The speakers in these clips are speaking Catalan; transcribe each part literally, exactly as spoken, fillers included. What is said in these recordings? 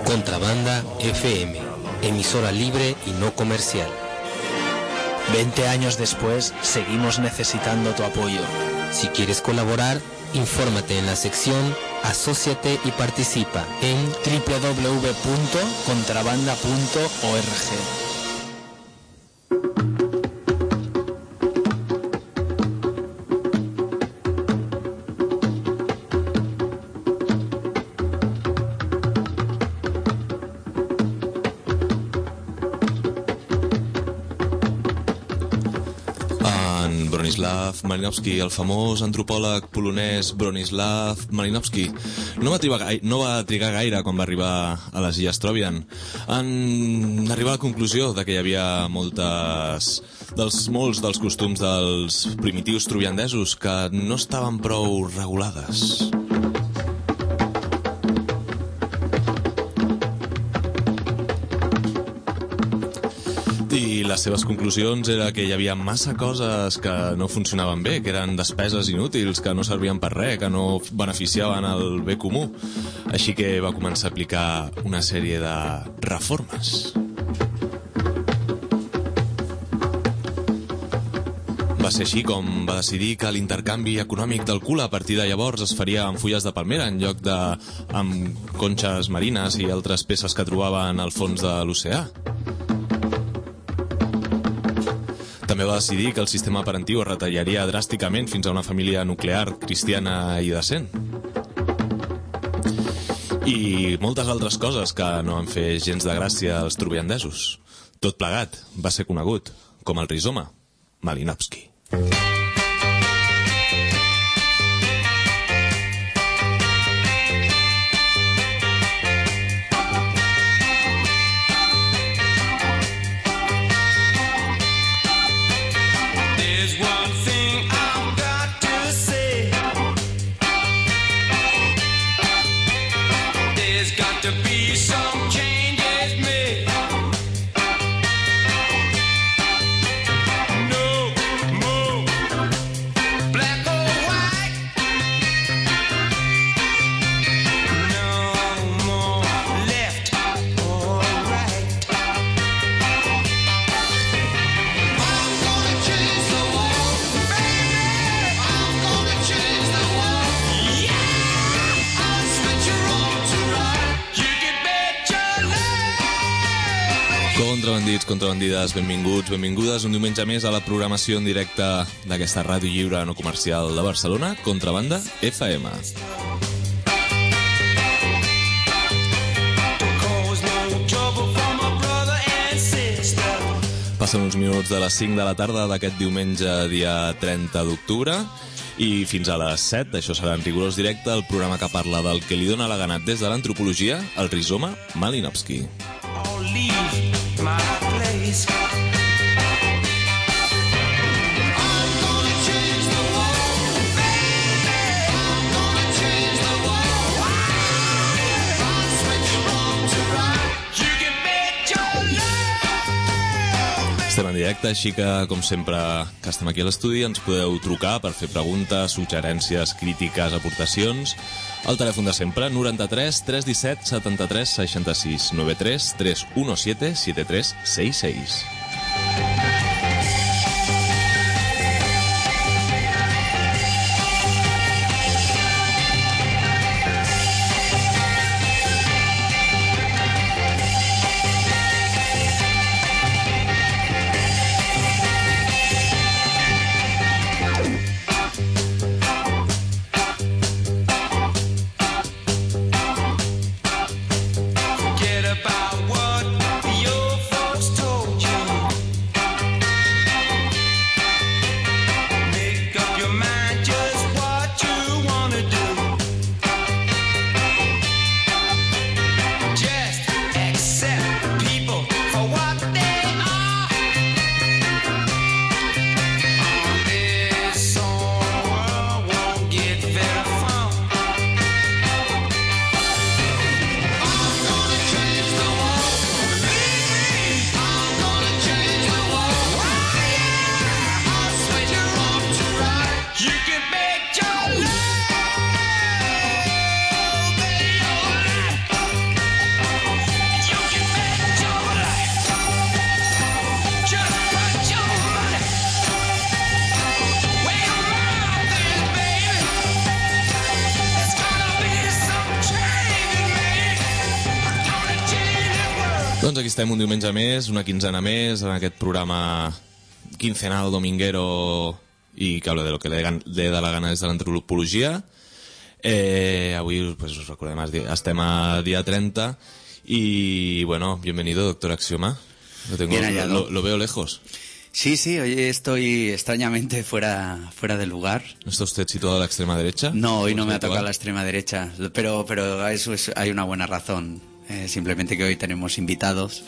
Contrabanda F M, emisora libre y no comercial. Veinte años después, seguimos necesitando tu apoyo. Si quieres colaborar, infórmate en la sección Asóciate y participa en doble u doble u doble u punto contrabanda punto org. Bronislaw Malinowski, el famós antropòleg polonès Bronislaw Malinowski, no va, trigar, no va trigar gaire quan va arribar a les Illes Trobriand en arribar a la conclusió de que hi havia moltes, dels, molts dels costums dels primitius trobriandesos que no estaven prou regulades. I les seves conclusions era que hi havia massa coses que no funcionaven bé, que eren despeses inútils, que no servien per res, que no beneficiaven el bé comú. Així que va començar a aplicar una sèrie de reformes. Va ser així com va decidir que l'intercanvi econòmic del cul a partir de llavors es faria amb fulles de palmera en lloc de amb conxes marines i altres peces que trobaven al fons de l'oceà. També va decidir que el sistema parentiu es retallaria dràsticament fins a una família nuclear cristiana i decent. I moltes altres coses que no van fer gens de gràcia als trobriandesos. Tot plegat va ser conegut com el rizoma Malinowski. Contrabandits, contrabandides, benvinguts, benvingudes un diumenge més a la programació en directe d'aquesta ràdio lliure no comercial de Barcelona, Contrabanda F M. Passen uns minuts de les cinc de la tarda d'aquest diumenge, dia trenta d'octubre, i fins a les set, això serà en rigorós directe, el programa que parla del que li dóna la gana des de l'antropologia, el rizoma Malinowski. My place. I'm gonna change the world, baby. I'm gonna change the world. I'll switch wrong to right. You can bet your love. Estem en directe, així que, com sempre que estem aquí a l'estudi, ens podeu trucar per fer preguntes, suggerències, crítiques, aportacions. El telèfon de sempre, noranta-tres tres disset setanta-tres seixanta-sis, noranta-tres tres disset setanta tres seixanta i sis. Doncs aquí estem un diumenge més, una quinzena més, en aquest programa quincenal dominguero i que habla de lo que le da la gana des de l'antropologia. Eh, avui, pues, us recordem, estem a día treinta y, bueno, bienvenido, doctor Axioma. Lo, tengo, Bien hallado. lo, lo veo lejos. Sí, sí, hoy estoy extrañamente fuera, fuera del lugar. ¿No está usted situado a la extrema derecha? No, hoy no me ha habitual? tocado la extrema derecha, pero, pero eso es, hay una buena razón. Eh, simplemente que hoy tenemos invitados.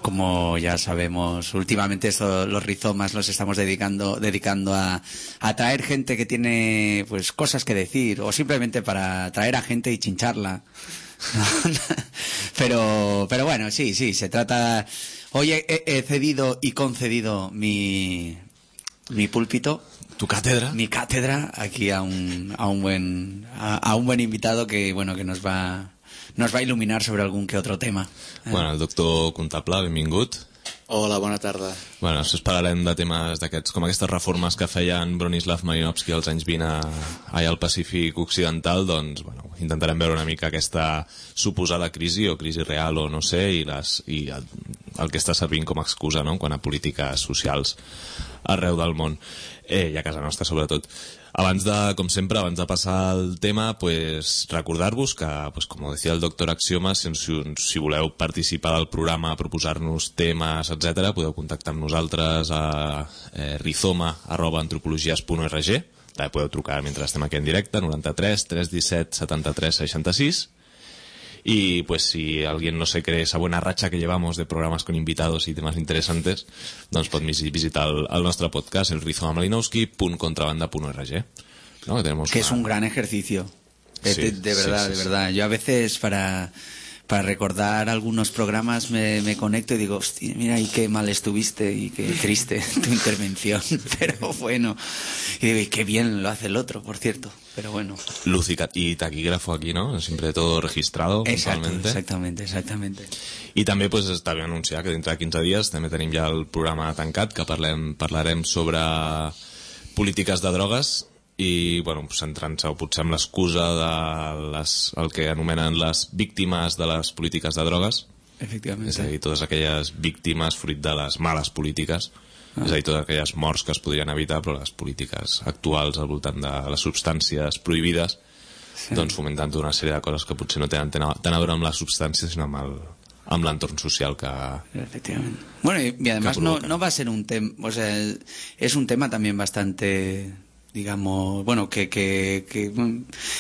Como ya sabemos, últimamente esto, los rizomas los estamos dedicando, dedicando a, a traer gente que tiene pues cosas que decir, o simplemente para traer a gente y chincharla. pero, pero bueno, sí, sí, se trata... Hoy he, he cedido y concedido mi, mi púlpito, ¿Tu cátedra? mi cátedra, aquí a un, a un buen, a, a un buen invitado que, bueno, que nos va, nos va a iluminar sobre algún que otro tema. Bueno, el doctor Contable, benvingut. Hola, bona tarda. Bueno, després parlarem de temes d'aquests, com aquestes reformes que feien Bronislav Malinowski als anys vint a, allà al Pacífic Occidental, doncs, bueno, intentarem veure una mica aquesta suposada crisi, o crisi real, o no sé, i, les, i el, el que està servint com a excusa, no?, quan a polítiques socials arreu del món, eh, i a casa nostra, sobretot. Abans de, com sempre, abans de passar al tema, pues, recordar-vos que, pues, com decía el doctor Axioma, si, si, si voleu participar del programa, proposar-nos temes, etcètera, podeu contactar amb nosaltres a eh, rizoma arroba antropologies punt org. També podeu trucar mentre estem aquí en directe, noranta-tres tres disset setanta-tres seixanta-sis. Y pues si alguien no se cree esa buena racha que llevamos de programas con invitados y temas interesantes, doncs pot visitar el, el nostre podcast, el rizoma malinowski punt contrabanda punt org, ¿no? Que, tenemos Que una... es un gran ejercicio. Sí, de, de verdad, sí, sí, de verdad. Yo a veces para, para recordar algunos programas me, me conecto y digo, hostia, mira, y qué mal estuviste y qué triste tu intervención. Pero bueno, y digo, y qué bien lo hace el otro, por cierto. Pero bueno. Luz y, y taquígrafo aquí, ¿no? Siempre todo registrado. Exacto, puntualmente. exactamente, exactamente. I també pues, està bé anunciar que dintre de quinze dies també tenim ja el programa tancat, que parlem, parlarem sobre polítiques de drogues i, bueno, centrant-se potser amb l'excusa de les, el que anomenen les víctimes de les polítiques de drogues. Efectivamente. És a dir, totes aquelles víctimes fruit de les males polítiques. Ah. És a dir, totes aquelles morts que es podrien evitar, però les polítiques actuals al voltant de les substàncies prohibides, sí, doncs fomentant tota una sèrie de coses que potser no tenen tant a veure amb les substàncies, sinó amb el, amb l'entorn social que... Efectivamente. Bueno, y, y además no, no va a ser un tema, o sea, es un tema también bastante, digamos, bueno, que, que, que,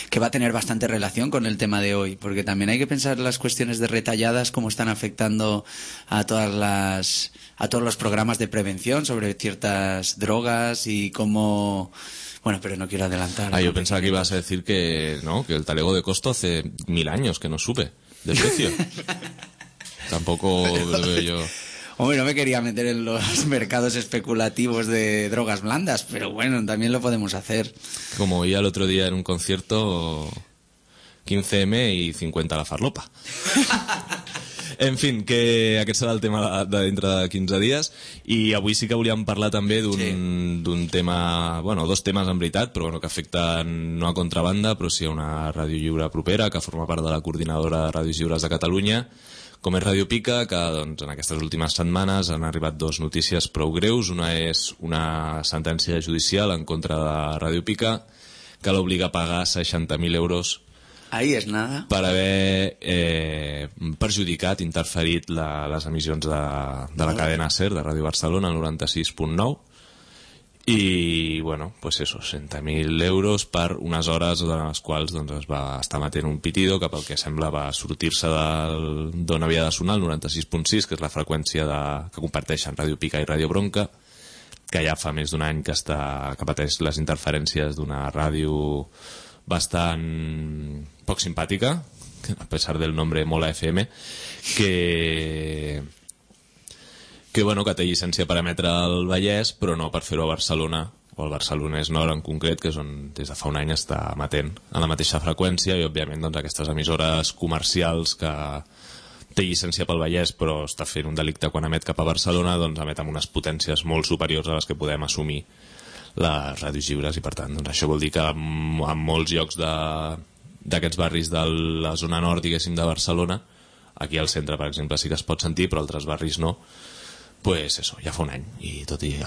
que va a tener bastante relación con el tema de hoy, porque también hay que pensar las cuestiones de retalladas, cómo están afectando a todas las, a todos los programas de prevención sobre ciertas drogas y cómo... Bueno, pero no quiero adelantar. Ah, yo ¿no? pensaba que ibas a decir que, ¿no?, que el talego de costo hace mil años que no sube de precio. Tampoco lo veo yo. Hombre, no me quería meter en los mercados especulativos de drogas blandas, pero bueno, también lo podemos hacer. Como oía el otro día en un concierto, quince eme y cincuenta la farlopa. En fin, que aquest serà el tema de dintre de quinze dies, i avui sí que volíem parlar també d'un sí. d'un tema, bueno, dos temes en veritat, però bueno, que afecten no a contrabanda, però sí a una ràdio lliure propera, que forma part de la coordinadora de Ràdios Lliures de Catalunya, com és Ràdio Pica, que doncs, en aquestes últimes setmanes han arribat dos notícies prou greus. Una és una sentència judicial en contra de Ràdio Pica, que l'obliga a pagar seixanta mil euros Ahí es nada. per haver eh, perjudicat, interferit la, les emissions de, de la cadena SER, de Ràdio Barcelona, el noranta-sis punt nou, i, bueno, pues eso, seixanta mil euros per unes hores de les quals doncs, es va estar matent un pitido que pel que sembla va sortir-se d'on havia de sonar, el noranta-sis punt sis, que és la freqüència de, que comparteixen Ràdio Pica i Ràdio Bronca, que ja fa més d'un any que, està, que pateix les interferències d'una ràdio bastant poc simpàtica, a pesar del nombre Mola F M, que que, bueno, que té llicència per emetre al Vallès, però no per fer-ho a Barcelona, o al Barcelonès Nord en concret, que és on des de fa un any està emetent a la mateixa freqüència, i òbviament doncs, aquestes emissores comercials que té llicència pel Vallès però està fent un delicte quan emet cap a Barcelona, doncs emet amb unes potències molt superiors a les que podem assumir les ràdios lliures, i per tant doncs, això vol dir que en molts llocs d'aquests barris de la zona nord, diguéssim, de Barcelona, aquí al centre, per exemple, sí que es pot sentir, però altres barris no. Pues eso, ja fa un any, i tot i,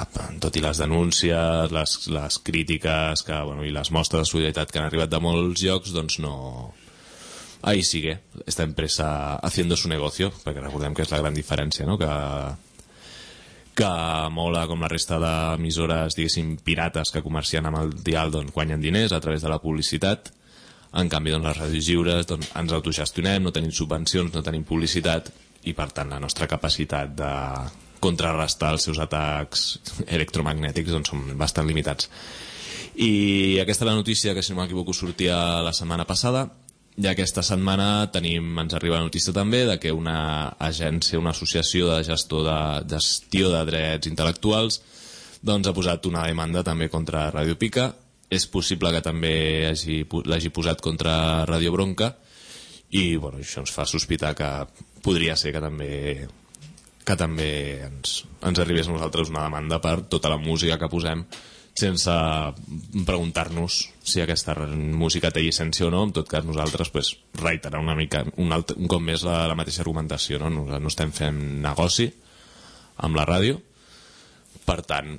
tot i les denúncies, les, les crítiques que, bueno, i les mostres de solidaritat que han arribat de molts llocs, doncs no... Ahí sigue esta empresa haciendo su negocio, perquè recordem que és la gran diferència, no? que, que Mola, com la resta d'emissores, diguéssim, pirates que comercien amb el dial, doncs guanyen diners a través de la publicitat. En canvi, doncs, les ràdios lliures doncs, ens autogestionem, no tenim subvencions, no tenim publicitat, i per tant la nostra capacitat de contrarrestar els seus atacs electromagnètics doncs, són bastant limitats. I aquesta és la notícia que, si no m'equivoco, sortia la setmana passada, i aquesta setmana tenim, ens arriba la notícia també de que una agència, una associació de gestor de gestió de drets intel·lectuals doncs ha posat una demanda també contra Radio Pica. És possible que també hagi, l'hagi posat contra Radio Bronca, i bueno, això ens fa sospitar que podria ser que també que també ens, ens arribés a nosaltres una demanda per tota la música que posem, sense preguntar-nos si aquesta música té llicència o no. En tot cas, nosaltres pues, reiterar una mica un, altre, un cop més la, la mateixa argumentació, no? Nosaltres no estem fent negoci amb la ràdio, per tant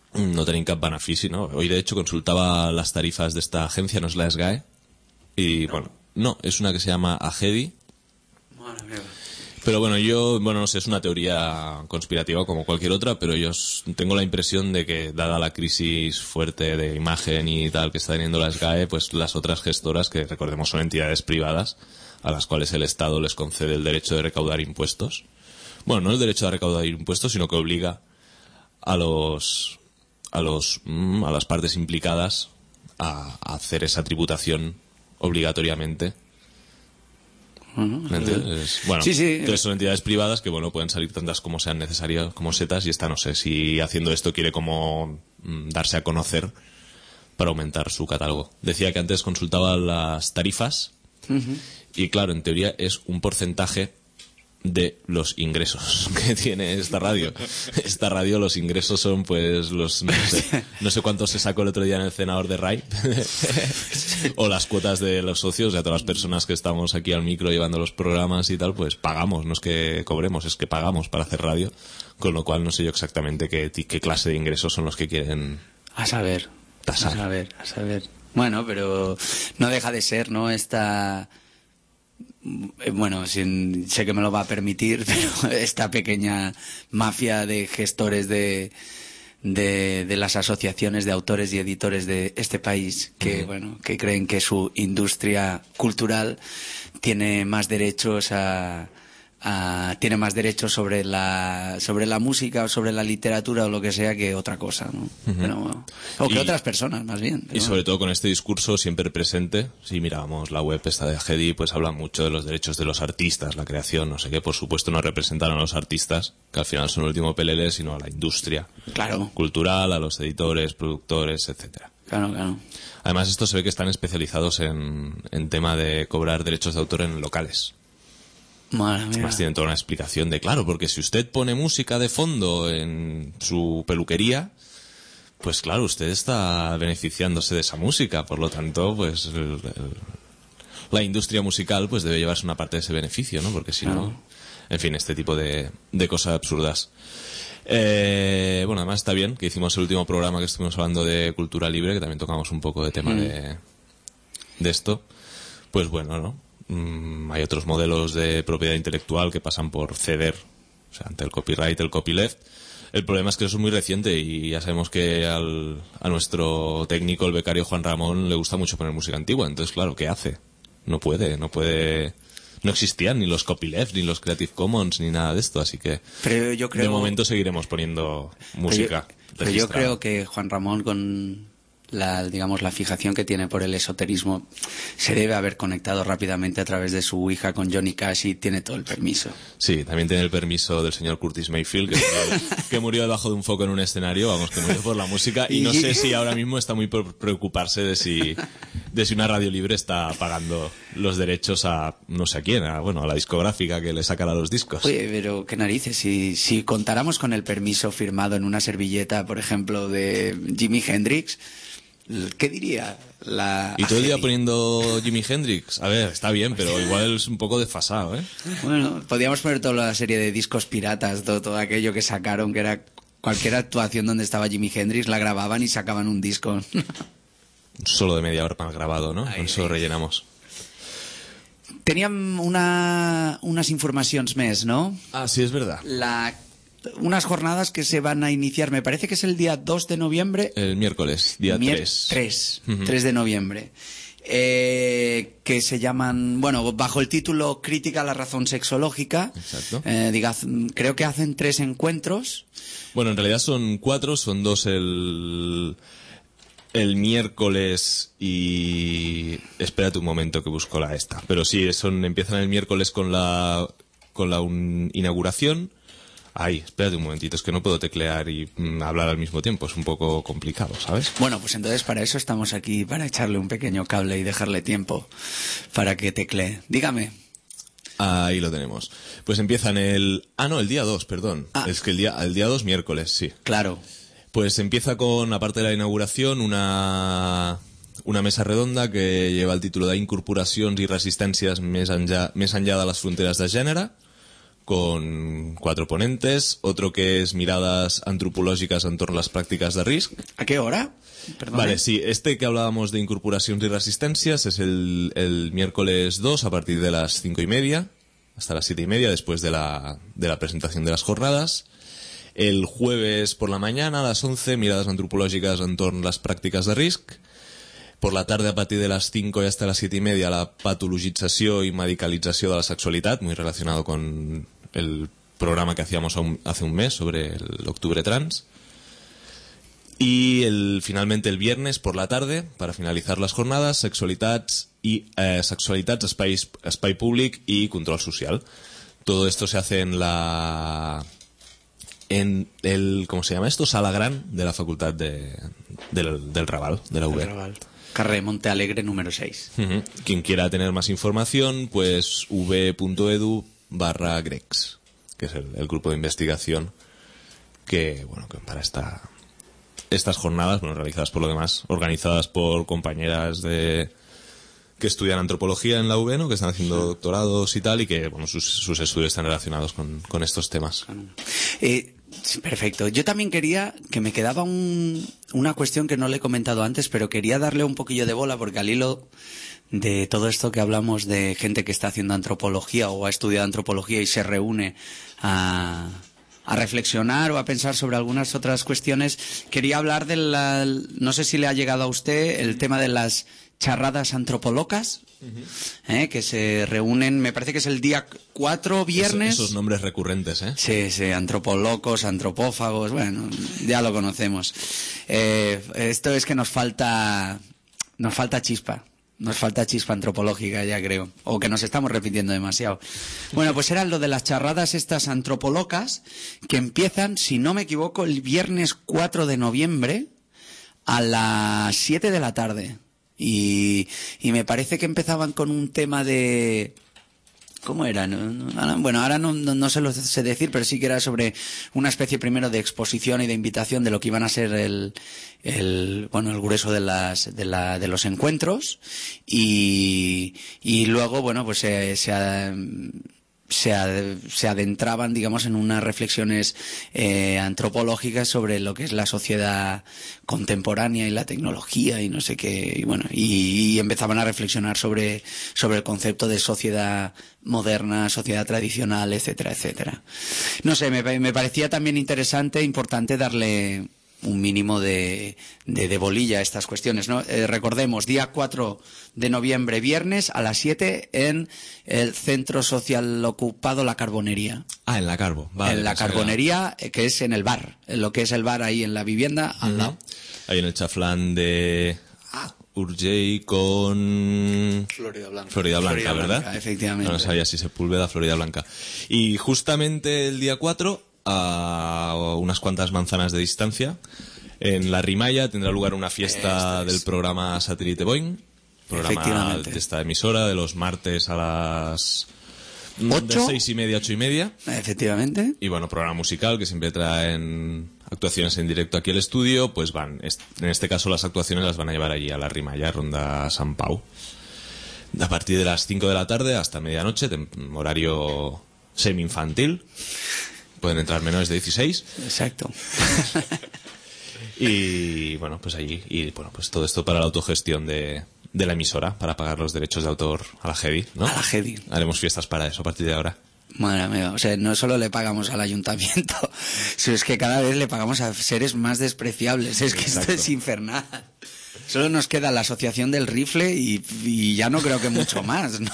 no tenim cap benefici, ¿no? Hoy de hecho consultaba las tarifas de esta agencia, no es la S G A E, y no. bueno, no, es una que se llama Agedi. Madre mía. Pero bueno, yo, bueno, no sé, es una teoría conspirativa como cualquier otra, pero yo tengo la impresión de que, dada la crisis fuerte de imagen y tal que está teniendo la S G A E, pues las otras gestoras, que recordemos son entidades privadas, a las cuales el Estado les concede el derecho de recaudar impuestos. Bueno, no el derecho de recaudar impuestos, sino que obliga a los a los a las partes implicadas a, a hacer esa tributación obligatoriamente. Uh-huh. ¿Entiendes? Bueno, sí, sí. Entonces son entidades privadas que bueno pueden salir tantas como sean necesarias como setas, y esta no sé si haciendo esto quiere como mm, darse a conocer para aumentar su catálogo. Decía que antes consultaba las tarifas. Uh-huh. Y claro, en teoría es un porcentaje de los ingresos que tiene esta radio. Esta radio, los ingresos son pues los no sé, no sé cuánto se sacó el otro día en el cenador de R A I o las cuotas de los socios, o sea, todas las personas que estamos aquí al micro llevando los programas y tal, pues pagamos, no es que cobremos, es que pagamos para hacer radio, con lo cual no sé yo exactamente qué, qué clase de ingresos son los que quieren a saber, tasar. a saber, a saber. Bueno, pero no deja de ser, ¿no? Esta... Bueno, sin, sé que me lo va a permitir, pero esta pequeña mafia de gestores de, de, de las asociaciones de autores y editores de este país, que, uh-huh. bueno, que creen que su industria cultural tiene más derechos a... Uh, tiene más derechos sobre la sobre la música o sobre la literatura o lo que sea que otra cosa, ¿no? Uh-huh. Pero, o que y, otras personas, más bien. Y sobre todo con este discurso siempre presente. Si mirábamos la web esta de Agedi, pues habla mucho de los derechos de los artistas, la creación, no sé qué. Por supuesto no representan a los artistas, que al final son el último pelele, sino a la industria claro. cultural, a los editores, productores, etcétera. Claro, claro. Además, esto se ve que están especializados en, en tema de cobrar derechos de autor en locales. Madre mía. Además tienen toda una explicación de, claro, porque si usted pone música de fondo en su peluquería, pues claro, usted está beneficiándose de esa música, por lo tanto, pues el, el, la industria musical pues debe llevarse una parte de ese beneficio, ¿no? Porque si no, no en fin, este tipo de, de cosas absurdas. Eh, bueno, además está bien que hicimos el último programa que estuvimos hablando de cultura libre, que también tocamos un poco de tema mm. de, de esto. Pues bueno, ¿no? Mm, hay otros modelos de propiedad intelectual que pasan por ceder, o sea, ante el copyright, el copyleft. El problema es que eso es muy reciente y ya sabemos que al, a nuestro técnico, el becario Juan Ramón, le gusta mucho poner música antigua. Entonces, claro, ¿qué hace? No puede, no puede... No existían ni los copyleft, ni los Creative Commons, ni nada de esto, así que pero yo creo... de momento seguiremos poniendo música. Pero yo, pero yo creo que Juan Ramón, con la, digamos, la fijación que tiene por el esoterismo, se debe haber conectado rápidamente a través de su hija con Johnny Cash y tiene todo el permiso. Sí, también tiene el permiso del señor Curtis Mayfield, que murió, que murió debajo de un foco en un escenario, vamos, que murió por la música, y no sé si ahora mismo está muy por preocuparse de si, de si una radio libre está pagando los derechos a no sé a quién, a, bueno, a la discográfica que le sacará los discos. Oye, pero qué narices, si, si contáramos con el permiso firmado en una servilleta, por ejemplo, de Jimi Hendrix, ¿qué diría la Y todo el día A G I? poniendo Jimi Hendrix. A ver, está bien, pero igual es un poco desfasado, ¿eh? Bueno, podríamos poner toda la serie de discos piratas, todo, todo aquello que sacaron, que era cualquier actuación donde estaba Jimi Hendrix, la grababan y sacaban un disco. Solo de media hora mal grabado, ¿no? Ahí, Con eso ahí. rellenamos. Teníem una, unes informacions més, ¿no? Ah, sí, es verdad. La, unas jornadas que se van a iniciar, me parece que es el día dos de noviembre. El miércoles, día Mier- tres. tres, Ujú. tres de noviembre. Eh, que se llaman, bueno, bajo el título Crítica a la razón sexológica. Exacto. Eh, diga- creo que hacen tres encuentros. Bueno, en realidad son cuatro, son dos el, el miércoles y... Espérate un momento que busco la esta. Pero sí, son, empiezan el miércoles con la, con la un- inauguración. Ay, espérate un momentito, es que no puedo teclear y mm, hablar al mismo tiempo, es un poco complicado, ¿sabes? Bueno, pues entonces para eso estamos aquí, para echarle un pequeño cable y dejarle tiempo para que teclee. Dígame. Ahí lo tenemos. Pues empiezan el... Ah, no, el día dos, perdón. Ah. Es que el día, el día dos, miércoles, sí. Claro. Pues empieza con, aparte de la inauguración, una, una mesa redonda que lleva el título de Incorporacions i resistències més enllà, més enllà de les fronteres de gènere, con cuatro ponentes, otro que es miradas antropológicas en torno a las prácticas de risc. ¿A qué hora? Perdón. Vale, sí, este que hablábamos de incorporacions y resistencias es el, el miércoles dos a partir de las cinco y media hasta las siete y media después de la, de la presentación de las jornadas. El jueves por la mañana a las once, miradas antropológicas en torno a las prácticas de risc. Por la tarde a partir de las cinco y hasta las siete y media la patologització y medicalització de la sexualidad, muy relacionado con el programa que hacíamos a un- hace un mes sobre el octubre trans. Y el, finalmente el viernes por la tarde, para finalizar las jornadas, sexualitats y eh, sexualitats, espai, espai públic y control social. Todo esto se hace en la en el, ¿cómo se llama esto? Sala Gran de la Facultad de, del, del Raval, de la U B. Carrer Monte Alegre número seis. Ujú. Quien quiera tener más información, pues v.edu barra grex, que es el, el grupo de investigación que, bueno, que para esta, estas jornadas, bueno, realizadas por lo demás, organizadas por compañeras de que estudian antropología en la U B, ¿no? Que están haciendo doctorados y tal, y que, bueno, sus, sus estudios están relacionados con, con estos temas. Eh, sí, perfecto. Yo también quería, que me quedaba un- una cuestión que no le he comentado antes, pero quería darle un poquillo de bola porque al hilo de todo esto que hablamos de gente que está haciendo antropología o ha estudiado antropología y se reúne a, a reflexionar o a pensar sobre algunas otras cuestiones, quería hablar de la, no sé si le ha llegado a usted el tema de las charradas antropolocas, ¿eh? Que se reúnen, me parece que es el día cuatro, viernes. Esos, esos nombres recurrentes, ¿eh? Sí, sí, antropolocos, antropófagos, bueno, ya lo conocemos. Eh, esto es que nos falta, nos falta chispa, nos falta chispa antropológica, ya creo, o que nos estamos repitiendo demasiado. Bueno, pues era lo de las charradas estas antropolocas que empiezan, si no me equivoco, el viernes cuatro de noviembre a las siete de la tarde. Y, y me parece que empezaban con un tema de... ¿Cómo era? No, no, ahora- bueno, ahora no, no, no se lo sé decir, pero sí que era sobre una especie primero de exposición y de invitación de lo que iban a ser el, el bueno, el grueso de las, de la, de los encuentros y, y luego, bueno, pues se, se, ha- se, ad- se adentraban, digamos, en unas reflexiones eh, antropológicas sobre lo que es la sociedad contemporánea y la tecnología y no sé qué, y bueno, y, y empezaban a reflexionar sobre, sobre el concepto de sociedad moderna, sociedad tradicional, etcétera, etcétera. No sé, me, me parecía también interesante, importante darle un mínimo de, de, de bolilla a estas cuestiones, ¿no? Eh, recordemos, día cuatro de noviembre, viernes, a las siete, en el Centro Social Ocupado La Carbonería. Ah, en la Carbo. Vale, en la pensaba que era- Carbonería, eh, que es en el bar, en lo que es el bar ahí en la vivienda, al lado. Ahí en el chaflán de Urgell con... Florida Blanca. Florida Blanca, Florida ¿verdad? Blanca, efectivamente. No sabía si Sepúlveda, Florida Blanca. Y justamente el día cuatro, a unas cuantas manzanas de distancia, en La Rimalla tendrá lugar una fiesta Esto es. del programa Satélite Boing, programa Efectivamente. de esta emisora, de los martes a las... ¿Ocho? De seis y media, ocho y media. Efectivamente. Y bueno, programa musical que siempre traen actuaciones en directo aquí al estudio, pues van, en este caso las actuaciones las van a llevar allí a la Rimalla, Ronda San Pau, a partir de las cinco de la tarde hasta medianoche, horario semi-infantil, pueden entrar menores de dieciséis. Exacto. Y bueno, pues allí, y bueno, pues todo esto para la autogestión de, de la emisora, para pagar los derechos de autor a la G E D I, ¿no? A la G E D I. Haremos fiestas para eso a partir de ahora. Madre mía, o sea, no solo le pagamos al ayuntamiento, sino es que cada vez le pagamos a seres más despreciables. Es que Exacto. Esto es infernal. Solo nos queda la asociación del rifle y, y ya no creo que mucho más, ¿no?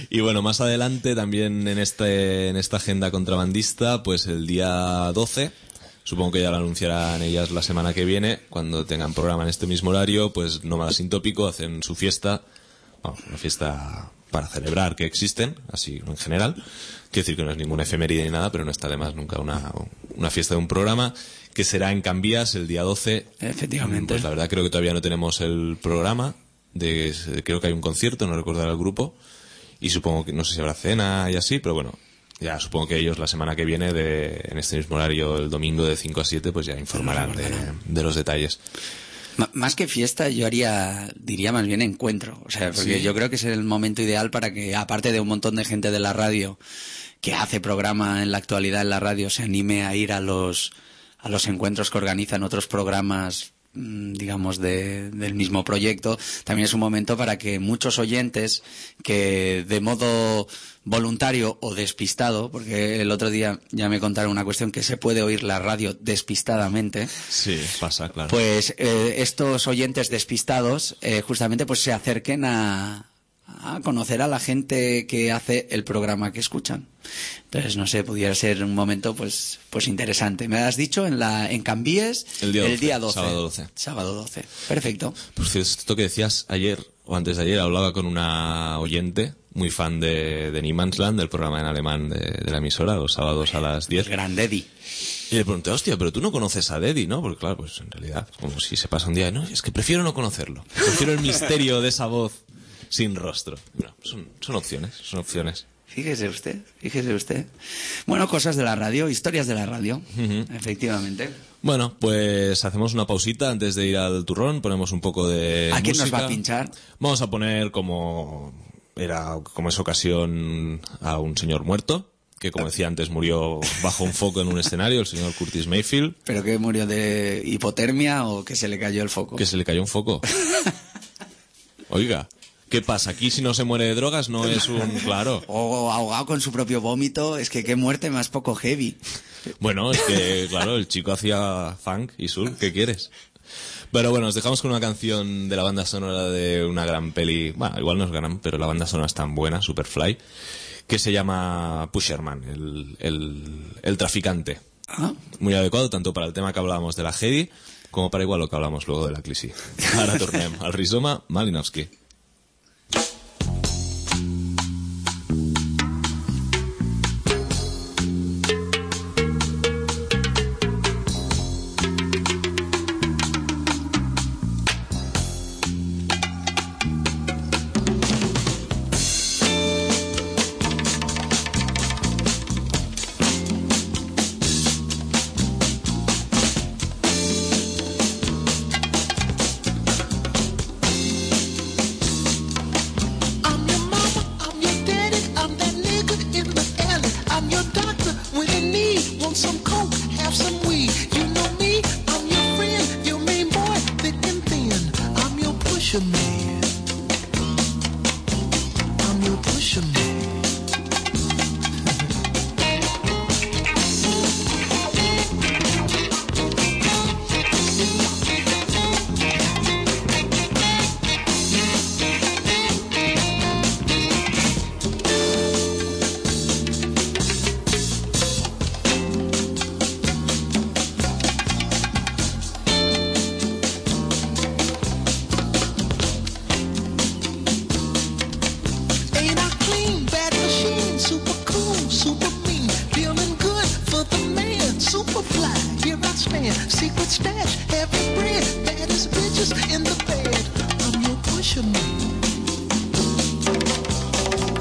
Y bueno, más adelante también en este en esta agenda contrabandista, pues el día doce, supongo que ya lo anunciarán ellas la semana que viene, cuando tengan programa en este mismo horario, pues Nómada Sin Tópico hacen su fiesta, bueno, una fiesta para celebrar que existen, así en general. Quiero decir que no es ninguna efeméride ni nada, pero no está de más nunca una, una fiesta de un programa, que será en Cambías el día doce. Efectivamente. Pues la verdad creo que todavía no tenemos el programa, de, creo que hay un concierto, no recuerdo el grupo, y supongo que no sé si habrá cena y así, pero bueno, ya supongo que ellos la semana que viene, de, en este mismo horario, el domingo de cinco a siete, pues ya informarán de, de los detalles. M- más que fiesta, yo haría, diría más bien encuentro. O sea, porque Sí. yo creo que es el momento ideal para que, aparte de un montón de gente de la radio que hace programa en la actualidad en la radio, se anime a ir a los, a los encuentros que organizan otros programas, mm, digamos, de, del mismo proyecto. También es un momento para que muchos oyentes que de modo voluntario o despistado, porque el otro día ya me contaron una cuestión, que se puede oír la radio despistadamente, Sí, pasa, claro. pues eh, estos oyentes despistados eh, justamente pues se acerquen a, a conocer a la gente que hace el programa que escuchan. Entonces, no sé, pudiera ser un momento pues pues interesante. Me has dicho en la en Cambíes El día doce, doce. sábado doce. Sábado doce. Perfecto. Pues esto que decías ayer, o antes de ayer, hablaba con una oyente muy fan de, de Niemandsland, del programa en alemán de, de la emisora, los sábados a las diez. El gran Deddy. Y le pregunté, hostia, pero tú no conoces a Deddy, ¿no? Porque claro, pues en realidad, como si se pasa un día, no, es que prefiero no conocerlo. Prefiero el misterio de esa voz sin rostro. Bueno, son, son opciones, son opciones. Fíjese usted, fíjese usted. Bueno, cosas de la radio, historias de la radio, Ujú. efectivamente. Bueno, pues hacemos una pausita antes de ir al turrón, ponemos un poco de ¿A quién nos música. va a pinchar? Vamos a poner como era como es ocasión a un señor muerto, que como decía antes murió bajo un foco en un escenario, el señor Curtis Mayfield. ¿Pero que murió de hipotermia o que se le cayó el foco? Que se le cayó un foco. Oiga, ¿qué pasa? Aquí si no se muere de drogas no es un... Claro. O ahogado con su propio vómito, es que qué muerte más poco heavy. Bueno, es que, claro, el chico hacía funk y soul, ¿qué quieres? Pero bueno, os dejamos con una canción de la banda sonora de una gran peli, bueno, igual no es gran, pero la banda sonora es tan buena, Superfly, que se llama Pusherman, el, el, el traficante. Ah, Muy adecuado tanto para el tema que hablábamos de la G E D I, como para igual lo que hablamos luego de la Clisi. Ara tornem al Rizoma Malinowski. I'm your mama, I'm your daddy, I'm that nigga in the alley. I'm your doctor when you need, want some coke, have some weed. You know me, I'm your friend, your main boy, thick and thin. I'm your pusher man. I'm your pusher man. Ain't I clean, bad machine, super cool, super mean, feeling good for the man, super fly, here I stand, secret stash, heavy bread, baddest bitches in the bed. I'm your pusher man.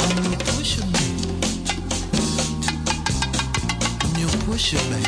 I'm your pusher man. I'm your pusher man.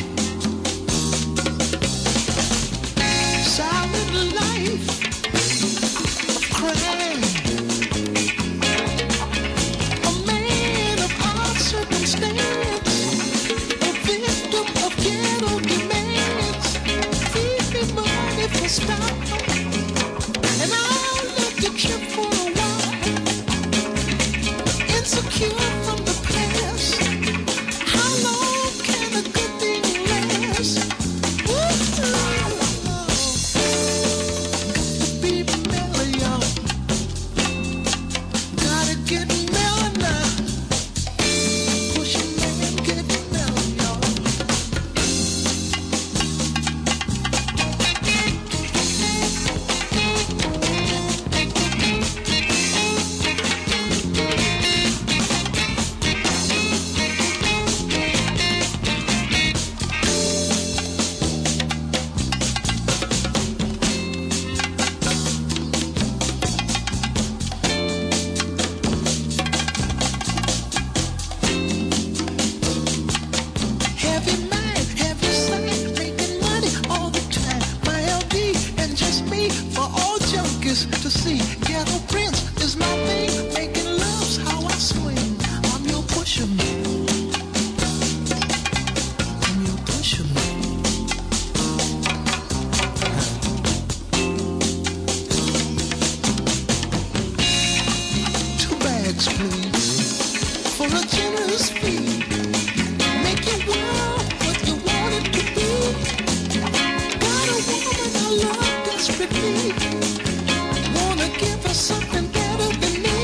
place to see. Ghetto Prince is my thing. Making love's how I swing. I'm your pusher man. I'm your pusher man. Two bags, please, for a generous fee. Make your world what you want it to be. Got a woman I love desperately. Wanna give her something better than me.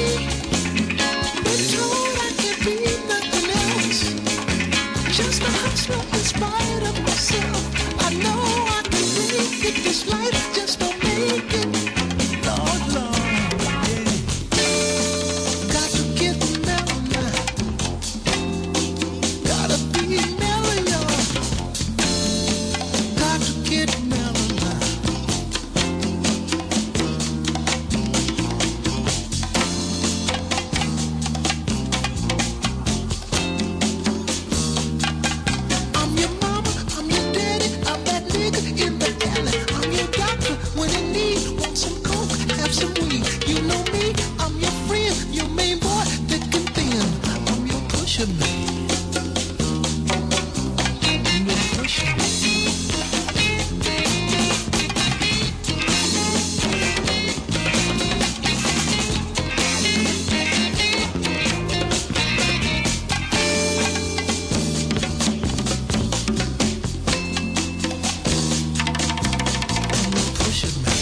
Been told I can't be nothing else. Just a hustler in spite of myself. I know I can make it. This life just don't make it. Lord, Lord, yeah. Got to get mellow now. Gotta be mellow, y'all. Got to get mellow now. I'm your mama, I'm your daddy, I'm that nigga in the alley. I'm your doctor when in need. Want some coke, have some weed. You know me, I'm your friend, your main boy, thick and thin. I'm your pusher man. I'm your pusher man. Pusher man. Pusher man.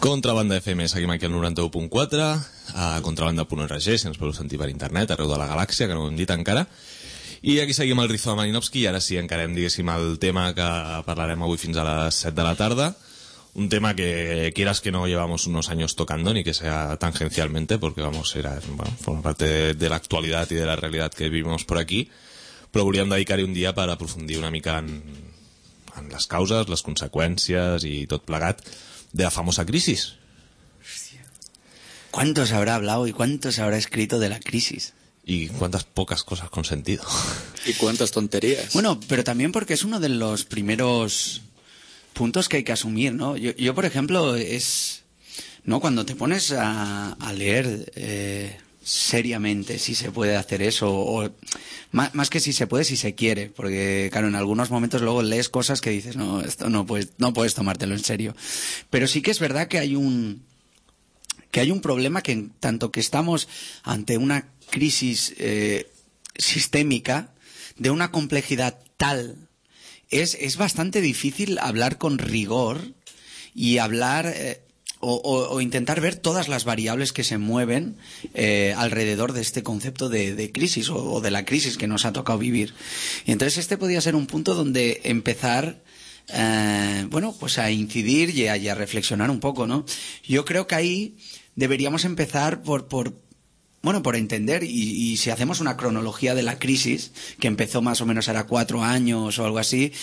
Contrabanda F M, seguim aquí al noranta-u punt quatre, a contrabanda punt org, si ens podeu sentir per internet, arreu de la galàxia, que no ho hem dit encara. I aquí seguim el Rizzo de Malinowski, i ara sí, encarem, diguéssim, el tema que parlarem avui fins a les set de la tarda. Un tema que, quieras que no, llevamos unos años tocando, ni que sea tangencialmente, porque vamos, era, bueno, forma parte de, de la actualidad y de la realidad que vivimos por aquí, però volíem dedicar-hi un dia per aprofundir una mica en, en les causes, les conseqüències i tot plegat de la famosa crisis. ¿Cuánto se habrá hablado y cuánto se habrá escrito de la crisis? Y cuántas pocas cosas con sentido. Y cuántas tonterías. Bueno, pero también porque es uno de los primeros puntos que hay que asumir, ¿no? Yo, yo por ejemplo, es... ¿no? Cuando te pones a, a leer eh, seriamente si se puede hacer eso, o más, más que si se puede, si se quiere, porque claro, en algunos momentos luego lees cosas que dices, no, esto no puedes, no puedes tomártelo en serio. Pero sí que es verdad que hay un... que hay un problema que en tanto que estamos ante una crisis eh, sistémica de una complejidad tal, es, es bastante difícil hablar con rigor y hablar eh, o, o, o intentar ver todas las variables que se mueven eh, alrededor de este concepto de, de crisis o, o de la crisis que nos ha tocado vivir. Y entonces este podría ser un punto donde empezar eh, bueno, pues a incidir y a, y a reflexionar un poco, ¿no? Yo creo que ahí deberíamos empezar por, por bueno, por entender, y, y si hacemos una cronología de la crisis, que empezó más o menos ahora cuatro años o algo así,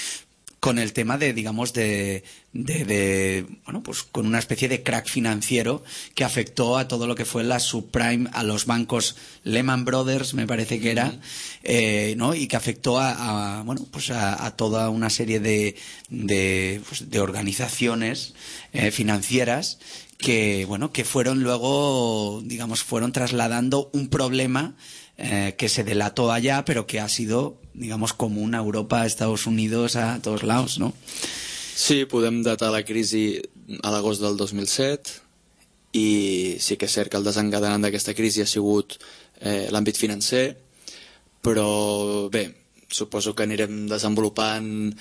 con el tema de, digamos, de, de, de, bueno, pues con una especie de crack financiero que afectó a todo lo que fue la subprime, a los bancos Lehman Brothers, me parece que era, eh, ¿no? Y que afectó a, a bueno, pues a, a toda una serie de, de, pues de organizaciones eh, financieras que, bueno, que fueron luego, digamos, fueron trasladando un problema eh, que se delató allá, pero que ha sido, digamos, común a Europa, a Estados Unidos, a todos lados, ¿no? Sí, podem datar la crisi a l'agost del dos mil set i sí que és cert que el desencadenant d'aquesta crisi ha sigut eh, l'àmbit financer, però bé, suposo que anirem desenvolupant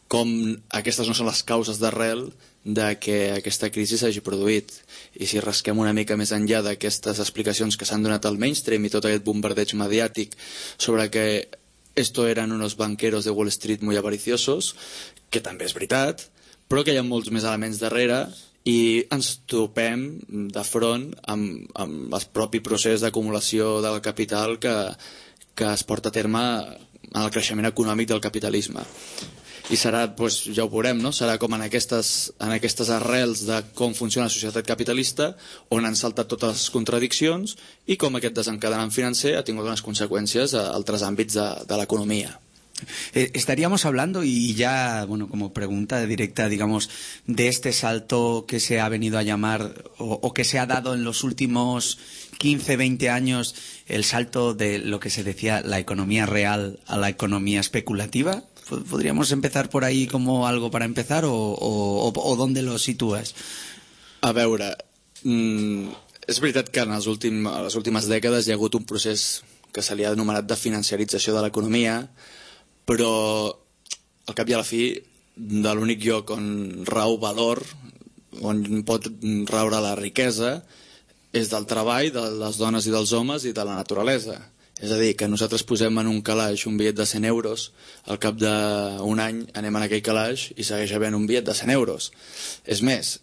com aquestes no són les causes d'arrel de que aquesta crisi s'hagi produït. I si rasquem una mica més enllà d'aquestes explicacions que s'han donat al mainstream i tot aquest bombardeig mediàtic sobre que esto eran unos banqueros de Wall Street muy avariciosos, que també és veritat, però que hi ha molts més elements darrere i ens topem de front amb, amb el propi procés d'acumulació del capital que, que es porta a terme en el creixement econòmic del capitalisme. i serà, doncs, ja ho veurem, no? Serà com en aquestes, en aquestes arrels de com funciona la societat capitalista, on han saltat totes les contradiccions i com aquest desencadenant financer ha tingut unes conseqüències a altres àmbits de, de l'economia. Eh, estaríamos hablando, y ya, bueno, como pregunta directa, digamos, de este salto que se ha venido a llamar o, o que se ha dado en los últimos quince, veinte años, el salto de lo que se decía la economía real a la economía especulativa. ¿Podríamos empezar por ahí como algo para empezar o, o, o, o dónde lo sitúas? A veure, mm, és veritat que en les, últim, a les últimes dècades hi ha hagut un procés que se li ha anomenat de financiarització de l'economia, però al cap i a la fi de l'únic lloc on rau valor, on pot raure la riquesa, és del treball de les dones i dels homes i de la naturalesa. És a dir, que nosaltres posem en un calaix un bitllet de cent euros, al cap d'un any anem en aquell calaix i segueix havent un bitllet de cent euros. És més,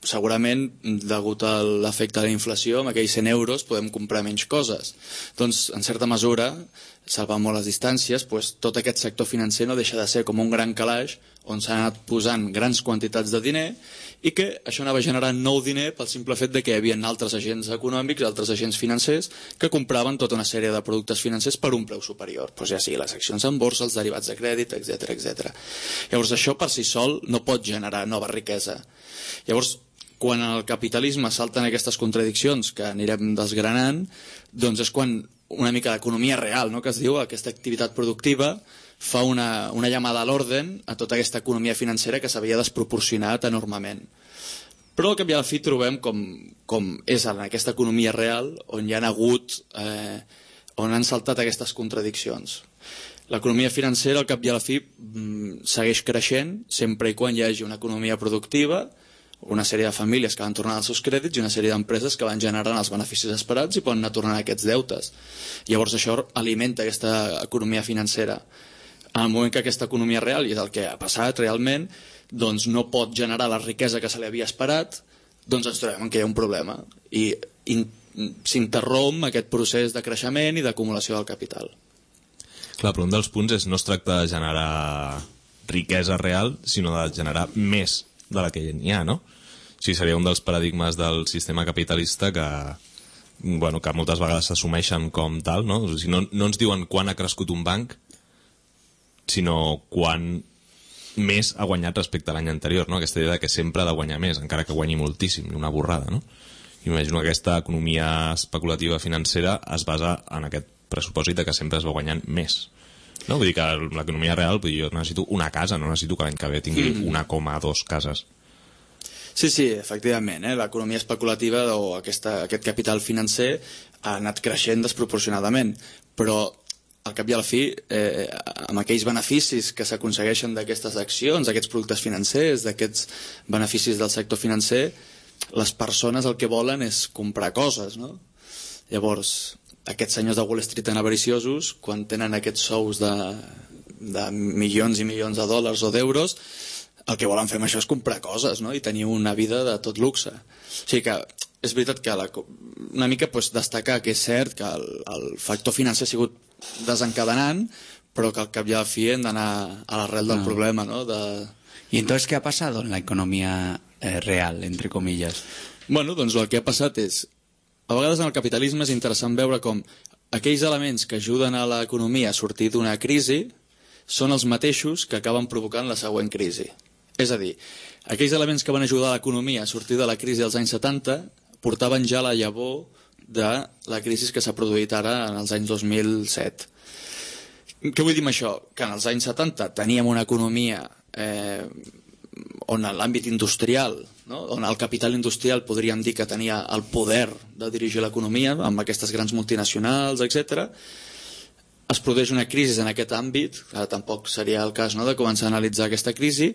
segurament, degut a l'efecte de la inflació, amb aquells cent euros podem comprar menys coses. Doncs, en certa mesura, salvant molt les distàncies, doncs, tot aquest sector financer no deixa de ser com un gran calaix on s'han anat posant grans quantitats de diner i que això anava generant nou diner pel simple fet de que hi havia altres agents econòmics, altres agents financers que compraven tota una sèrie de productes financers per un preu superior, doncs ja sigui les accions en borsa, els derivats de crèdit, etcètera, etcètera. Llavors això per si sol no pot generar nova riquesa. Llavors, quan el capitalisme salta en aquestes contradiccions que anirem desgranant, doncs és quan una mica d'economia real, no?, que es diu, aquesta activitat productiva, fa una, una llamada a l'ordre a tota aquesta economia financera que s'havia desproporcionat enormement. Però al cap i a la fi trobem com, com és en aquesta economia real on hi ha hagut, eh, on han saltat aquestes contradiccions. L'economia financera al cap i a la fi segueix creixent sempre i quan hi hagi una economia productiva, una sèrie de famílies que van tornant els seus crèdits i una sèrie d'empreses que van generant els beneficis esperats i poden anar tornant aquests deutes. Llavors això alimenta aquesta economia financera. En el moment que aquesta economia real, i és el que ha passat realment, doncs no pot generar la riquesa que se li havia esperat, doncs ens trobem que hi ha un problema i s'interromp aquest procés de creixement i d'acumulació del capital. Clar, però un dels punts és no es tracta de generar riquesa real, sinó de generar més de la que n'hi ha, no? O sigui, seria un dels paradigmes del sistema capitalista que, bueno, que moltes vegades s'assumeixen com tal, no? O sigui, no, no ens diuen quan ha crescut un banc, sinó quan més ha guanyat respecte a l'any anterior, no? Aquesta idea que sempre ha de guanyar més, encara que guanyi moltíssim, una borrada, no? Imagino que aquesta economia especulativa financera es basa en aquest pressupòsit de que sempre es va guanyant més. No? Vull dir que l'economia real, vull dir, jo necessito una casa, no necessito que l'any que ve tingui mm. una coma dos cases. Sí, sí, efectivament, eh? L'economia especulativa o aquesta, aquest capital financer ha anat creixent desproporcionadament, però al cap i a la fi, eh, amb aquells beneficis que s'aconsegueixen d'aquestes accions, d'aquests productes financers, d'aquests beneficis del sector financer, les persones el que volen és comprar coses, no? Llavors, aquests senyors de Wall Street tan avariciosos, quan tenen aquests sous de, de milions i milions de dòlars o d'euros, el que volen fer amb això és comprar coses, no? I tenir una vida de tot luxe. O sigui que és veritat que la, una mica pues, destacar que és cert que el, el factor financer ha sigut desencadenant, però que al cap i a la fi hem d'anar a l'arrel del no. problema, ¿no? De... ¿Y entonces qué ha pasado en la economía eh, real, entre comillas? Bueno, doncs el que ha passat és, a vegades en el capitalisme és interessant veure com aquells elements que ajuden a l'economia a sortir d'una crisi són els mateixos que acaben provocant la següent crisi. És a dir, aquells elements que van ajudar a l'economia a sortir de la crisi dels anys setanta portaven ja la llavor de la crisi que s'ha produït ara en els anys dos mil set. Què vull dir amb això? Que en els anys setanta teníem una economia eh, on l'àmbit industrial, no? On el capital industrial podríem dir que tenia el poder de dirigir l'economia amb aquestes grans multinacionals, etcètera. Es produeix una crisi en aquest àmbit, que tampoc seria el cas, no?, de començar a analitzar aquesta crisi,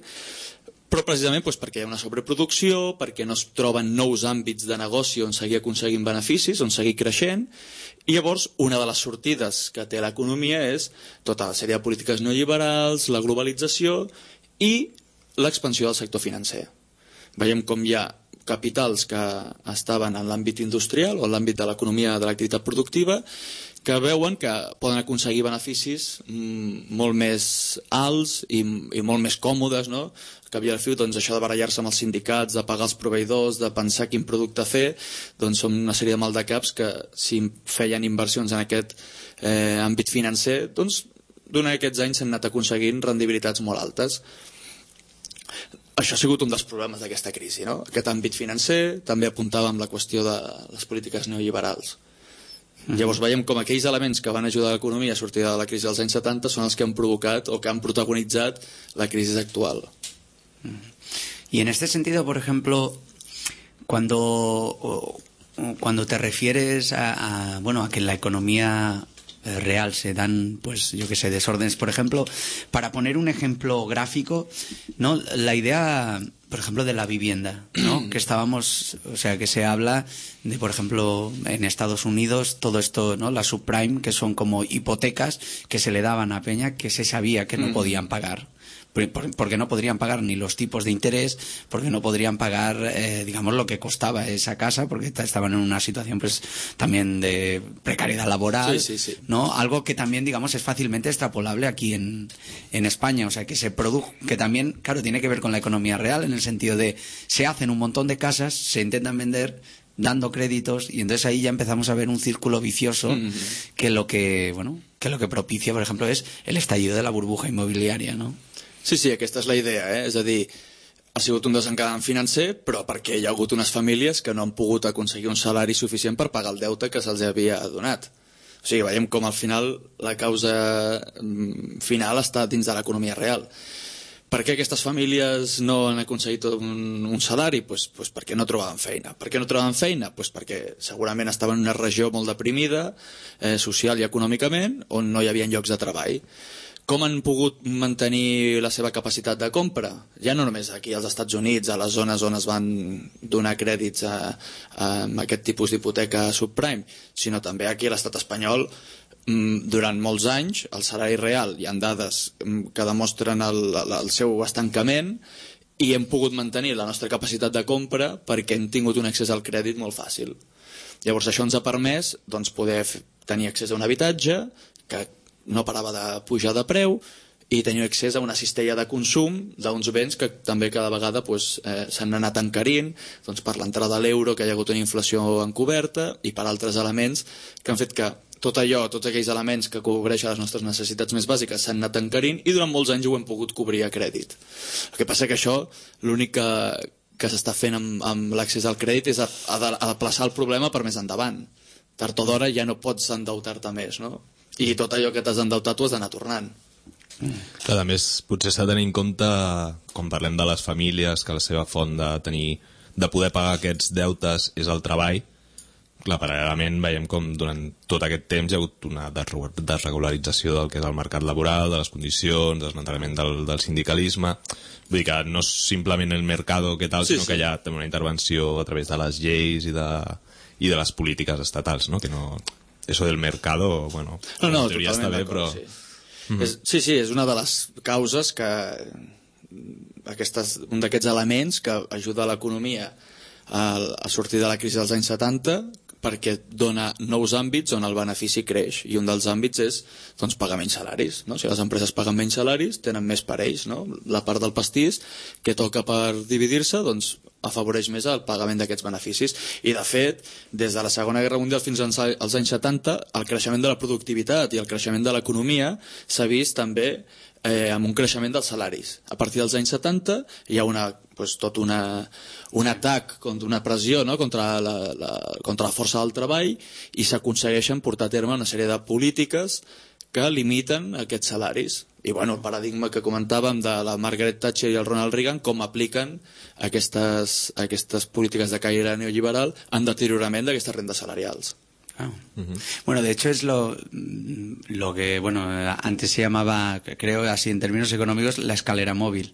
però precisament doncs, perquè hi ha una sobreproducció, perquè no es troben nous àmbits de negoci on seguir aconseguint beneficis, on seguir creixent, i llavors una de les sortides que té l'economia és tota la sèrie de polítiques neoliberals, la globalització i l'expansió del sector financer. Veiem com hi ha capitals que estaven en l'àmbit industrial o en l'àmbit de l'economia de l'activitat productiva que veuen que poden aconseguir beneficis mm, molt més alts i, i molt més còmodes, no? Que havia de fer, doncs, això de barallar-se amb els sindicats, de pagar els proveïdors, de pensar quin producte fer, doncs són una sèrie de maldecaps que si feien inversions en aquest eh, àmbit financer, doncs durant aquests anys s'han anat aconseguint rendibilitats molt altes. Això ha sigut un dels problemes d'aquesta crisi, no? Aquest àmbit financer, també apuntàvem la qüestió de les polítiques neoliberals. Llavors veiem com aquells elements que van ajudar l'economia a sortir de la crisi dels anys setanta són els que han provocat o que han protagonitzat la crisi actual. Y en este sentido, por ejemplo, cuando, cuando te refieres a, a, bueno, a que la economía real se dan, pues yo que sé, desórdenes, por ejemplo, para poner un ejemplo gráfico, ¿no? La idea, por ejemplo, de la vivienda, ¿no? Que estábamos, o sea, que se habla de, por ejemplo, en Estados Unidos, todo esto, ¿no? La subprime, que son como hipotecas que se le daban a Peña que se sabía que no podían pagar. Porque no podrían pagar ni los tipos de interés, porque no podrían pagar, eh, digamos, lo que costaba esa casa, porque estaban en una situación, pues, también de precariedad laboral, sí, sí, sí. ¿no? Algo que también, digamos, es fácilmente extrapolable aquí en, en España, o sea, que se produjo, que también, claro, tiene que ver con la economía real, en el sentido de, se hacen un montón de casas, se intentan vender dando créditos, y entonces ahí ya empezamos a ver un círculo vicioso mm. que lo que, bueno, que lo que propicia, por ejemplo, es el estallido de la burbuja inmobiliaria, ¿no? Sí, sí, aquesta és la idea, eh? És a dir, ha sigut un desencadant financer, però perquè hi ha hagut unes famílies que no han pogut aconseguir un salari suficient per pagar el deute que se'ls havia donat. O sigui, veiem com al final la causa final està dins de l'economia real. Per què aquestes famílies no han aconseguit un, un salari? Pues, pues perquè no trobaven feina. Per què no trobaven feina? Pues perquè segurament estaven en una regió molt deprimida, eh, social i econòmicament, on no hi havia llocs de treball. Com han pogut mantenir la seva capacitat de compra? Ja no només aquí als Estats Units, a les zones on es van donar crèdits a, a aquest tipus d'hipoteca subprime, sinó també aquí a l'estat espanyol. Durant molts anys el salari real, hi ha dades que demostren el, el seu estancament, i hem pogut mantenir la nostra capacitat de compra perquè hem tingut un accés al crèdit molt fàcil. Llavors això ens ha permès, doncs, poder tenir accés a un habitatge que no parava de pujar de preu i tenir accés a una cistella de consum d'uns béns que també cada vegada pues, eh, s'han anat encarint, doncs, per l'entrada de l'euro, que hi ha hagut una inflació encoberta, i per altres elements que han fet que tot allò, tots aquells elements que cobreixen les nostres necessitats més bàsiques s'han anat encarint, i durant molts anys ho hem pogut cobrir a crèdit. El que passa que això, l'únic que, que s'està fent amb, amb l'accés al crèdit és a, a, a aplaçar el problema per més endavant. Tard o d'hora ja no pots endeutar-te més, no? I tot allò que t'has endeutat ho has d'anar tornant. Clar, a més, potser s'ha de tenir en compte, quan parlem de les famílies, que la seva font de tenir, de poder pagar aquests deutes és el treball. Clar, paral·lelament veiem com durant tot aquest temps hi ha hagut una desregularització del que és el mercat laboral, de les condicions, desmantellament del, del sindicalisme. Vull dir que no és simplement el mercado que tal, sí, sinó sí. que hi ha també una intervenció a través de les lleis i de, i de les polítiques estatals, no? Que no... Eso del mercado, bueno, no, no, en teoria està bé, però... Sí. Mm-hmm. és, sí, sí, és una de les causes que... Aquestes, un d'aquests elements que ajuda l'economia a, a sortir de la crisi dels anys setanta, perquè dona nous àmbits on el benefici creix, i un dels àmbits és, doncs, pagar menys salaris, no? Si les empreses paguen menys salaris, tenen més per ells, no? La part del pastís que toca per dividir-se, doncs, afavoreix més el pagament d'aquests beneficis. I de fet, des de la Segona Guerra Mundial fins als anys setanta, el creixement de la productivitat i el creixement de l'economia s'ha vist també eh, amb un creixement dels salaris. A partir dels anys setanta hi ha una, pues, tot una, un atac, una pressió, no? contra, la, la, contra la força del treball, i s'aconsegueixen portar a terme una sèrie de polítiques que limiten aquests salaris. I bueno, el paradigma que comentàvem de la Margaret Thatcher i el Ronald Reagan, com apliquen aquestes, aquestes polítiques de caire neoliberal en deteriorament d'aquestes rendes salarials. Ah. Uh-huh. Bueno, de hecho es lo, lo que, bueno, antes se llamaba, creo así en términos económicos, la escalera móvil,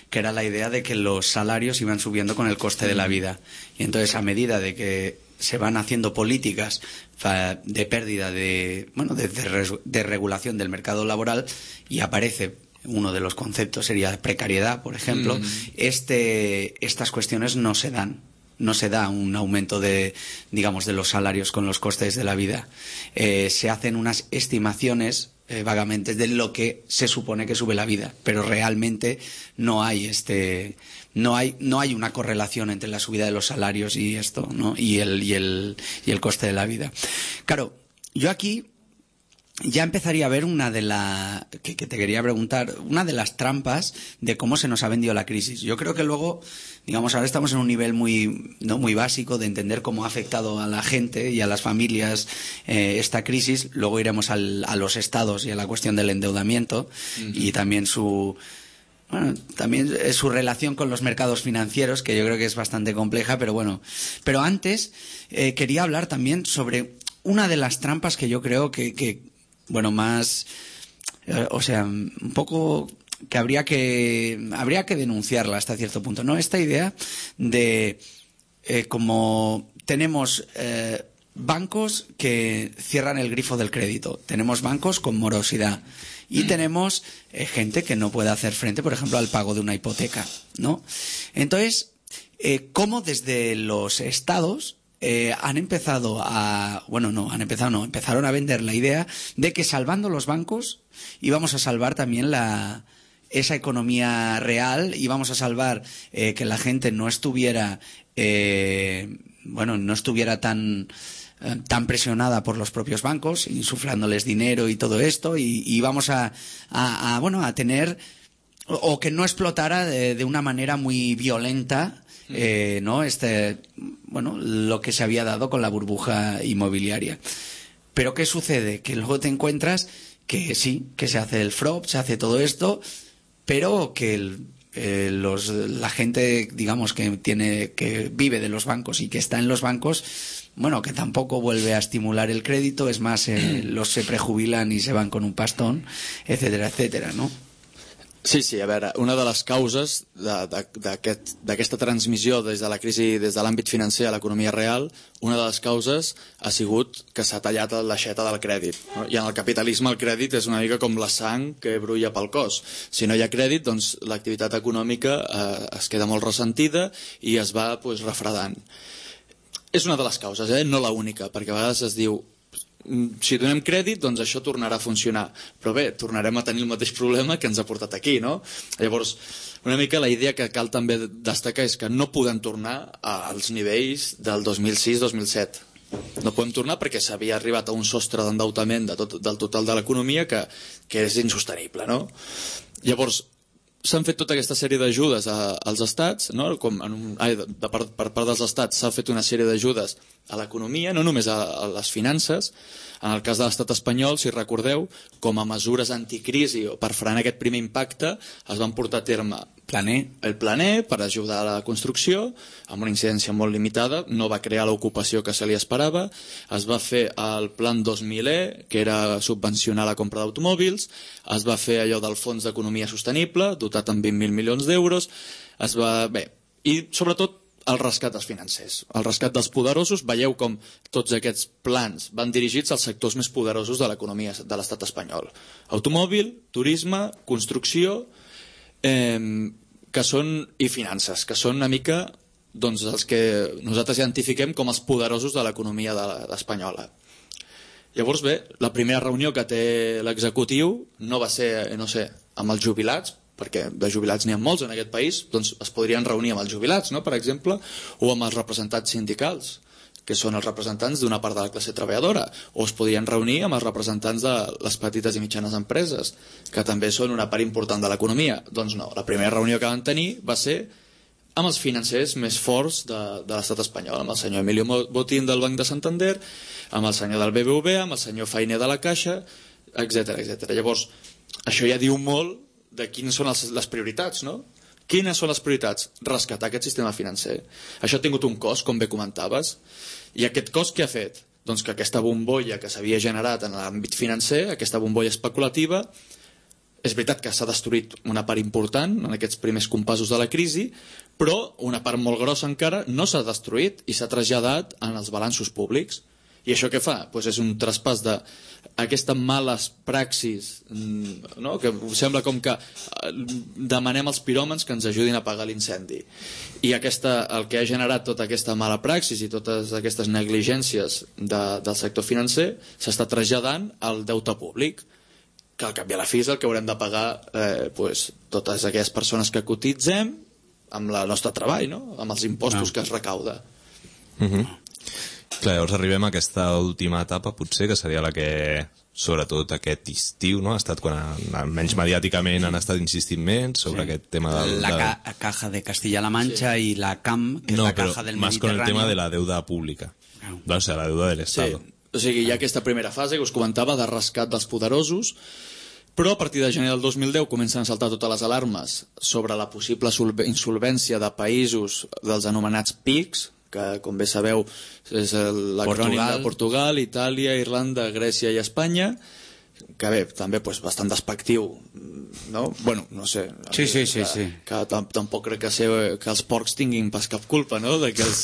que era la idea de que los salarios iban subiendo con el coste de la vida. Y entonces, a medida de que se van haciendo políticas de pérdida de, bueno, de, de, de regulación del mercado laboral, y aparece uno de los conceptos, sería precariedad, por ejemplo, mm. este, estas cuestiones no se dan. no se da un aumento de, digamos, de los salarios con los costes de la vida. Eh, se hacen unas estimaciones eh, vagamente de lo que se supone que sube la vida, pero realmente no hay este, no hay, no hay una correlación entre la subida de los salarios y esto, ¿no? Y el, y el, y el coste de la vida. Claro, yo aquí ya empezaría a ver una de la que, que te quería preguntar, una de las trampas de cómo se nos ha vendido la crisis. Yo creo que luego, digamos, ahora estamos en un nivel muy, ¿no?, muy básico de entender cómo ha afectado a la gente y a las familias eh, esta crisis. Luego iremos al, a los estados y a la cuestión del endeudamiento uh-huh. y también su bueno, también su relación con los mercados financieros, que yo creo que es bastante compleja, pero bueno. Pero antes eh, quería hablar también sobre una de las trampas que yo creo que, que bueno, más, eh, o sea, un poco que habría que habría que denunciarla hasta cierto punto, ¿no? Esta idea de eh, como tenemos eh, bancos que cierran el grifo del crédito, tenemos bancos con morosidad y tenemos eh, gente que no puede hacer frente, por ejemplo, al pago de una hipoteca, ¿no? Entonces, eh, ¿cómo desde los estados Eh, han empezado a... Bueno, no, han empezado, no, empezaron a vender la idea de que salvando los bancos íbamos a salvar también la esa economía real, íbamos a salvar eh, que la gente no estuviera, eh, bueno, no estuviera tan... tan presionada por los propios bancos, insuflándoles dinero y todo esto, y, y vamos a, a, a, bueno, a tener... O, o que no explotara de, de una manera muy violenta Eh, ¿no? Este, bueno, lo que se había dado con la burbuja inmobiliaria. Pero ¿qué sucede? Que luego te encuentras que sí, que se hace el F R O P, se hace todo esto, pero que el, eh, los, la gente, digamos, que tiene, que vive de los bancos y que está en los bancos, bueno, que tampoco vuelve a estimular el crédito, es más, eh, los se prejubilan y se van con un pastón, etcétera, etcétera, ¿no? Sí, sí, a veure, una de les causes d'aquesta aquest, transmissió des de la crisi, des de l'àmbit financer a l'economia real, una de les causes ha sigut que s'ha tallat l'aixeta del crèdit. No? I en el capitalisme el crèdit és una mica com la sang que brulla pel cos. Si no hi ha crèdit, doncs l'activitat econòmica eh, es queda molt ressentida i es va pues, refredant. És una de les causes, eh? No la única, perquè a vegades es diu si donem crèdit, doncs això tornarà a funcionar. Però bé, tornarem a tenir el mateix problema que ens ha portat aquí, no? Llavors, una mica la idea que cal també destacar és que no podem tornar als nivells del dos mil sis dos mil set. No podem tornar perquè s'havia arribat a un sostre d'endeutament de tot, del total de l'economia que, que és insostenible, no? Llavors, s'han fet tota aquesta sèrie d'ajudes als estats, no? Com en un, ai, de, de, per, per part dels estats s'ha fet una sèrie d'ajudes a l'economia, no només a, a les finances. En el cas de l'estat espanyol, si recordeu, com a mesures anticrisi o per frenar aquest primer impacte, es van portar a terme Planer. el Planer per ajudar a la construcció, amb una incidència molt limitada, no va crear l'ocupació que se li esperava, es va fer el Plan dos mil E, que era subvencionar la compra d'automòbils, es va fer allò del Fons d'Economia Sostenible, dotat amb vint mil milions d'euros, es va... bé, i sobretot el rescat dels financers, el rescat dels poderosos. Veieu com tots aquests plans van dirigits als sectors més poderosos de l'economia de l'estat espanyol. Automòbil, turisme, construcció eh, que són, i finances, que són una mica doncs, els que nosaltres identifiquem com els poderosos de l'economia de espanyola. Llavors, bé, la primera reunió que té l'executiu no va ser, no sé, amb els jubilats, perquè de jubilats n'hi ha molts en aquest país, doncs es podrien reunir amb els jubilats, no?, per exemple, o amb els representants sindicals, que són els representants d'una part de la classe treballadora, o es podrien reunir amb els representants de les petites i mitjanes empreses, que també són una part important de l'economia. Doncs no, la primera reunió que van tenir va ser amb els financers més forts de, de l'estat espanyol, amb el senyor Emilio Botín del Banc de Santander, amb el senyor del B B V A, amb el senyor Fainé de la Caixa, etcètera, etcètera. Llavors, això ja diu molt de quines són les, les prioritats, no? Quines són les prioritats? Rescatar aquest sistema financer. Això ha tingut un cost, com bé comentaves, i aquest cost què ha fet? Doncs que aquesta bombolla que s'havia generat en l'àmbit financer, aquesta bombolla especulativa, és veritat que s'ha destruït una part important en aquests primers compassos de la crisi, però una part molt grossa encara no s'ha destruït i s'ha traslladat en els balanços públics. I això què fa? Pues és un traspàs d'aquestes males praxis, no? Que sembla com que demanem als piròmans que ens ajudin a apagar l'incendi. I aquesta, el que ha generat tota aquesta mala praxis i totes aquestes negligències de, del sector financer s'està traslladant al deute públic, que al cap i a la fi és el que haurem de pagar eh, pues, totes aquelles persones que cotitzem amb el nostre treball, no? Amb els impostos no. que es recauda. Uh-huh. Clar, llavors arribem a aquesta última etapa, potser, que seria la que, sobretot aquest estiu, no? ha estat quan, almenys mediàticament, han estat insistint més sobre sí. aquest tema del... La de... ca caja de Castilla-La Mancha sí. i la C A M, que no, és la caja del más Mediterráneo. con el tema de la deuda pública, no. o sea, la deuda del Estado. Sí. O sigui, hi ha aquesta primera fase que us comentava de rescat dels poderosos, però a partir de gener del dos mil deu comencen a saltar totes les alarmes sobre la possible insolvència de països dels anomenats P I Cs, que, com bé sabeu, és l'acrònim de Portugal, Itàlia, Irlanda, Grècia i Espanya, que bé, també pues, bastant despectiu, no? Bueno, no sé. Sí, sí, sí. Que, sí. que tampoc crec que, ser, que els porcs tinguin pas cap culpa, no?, de que els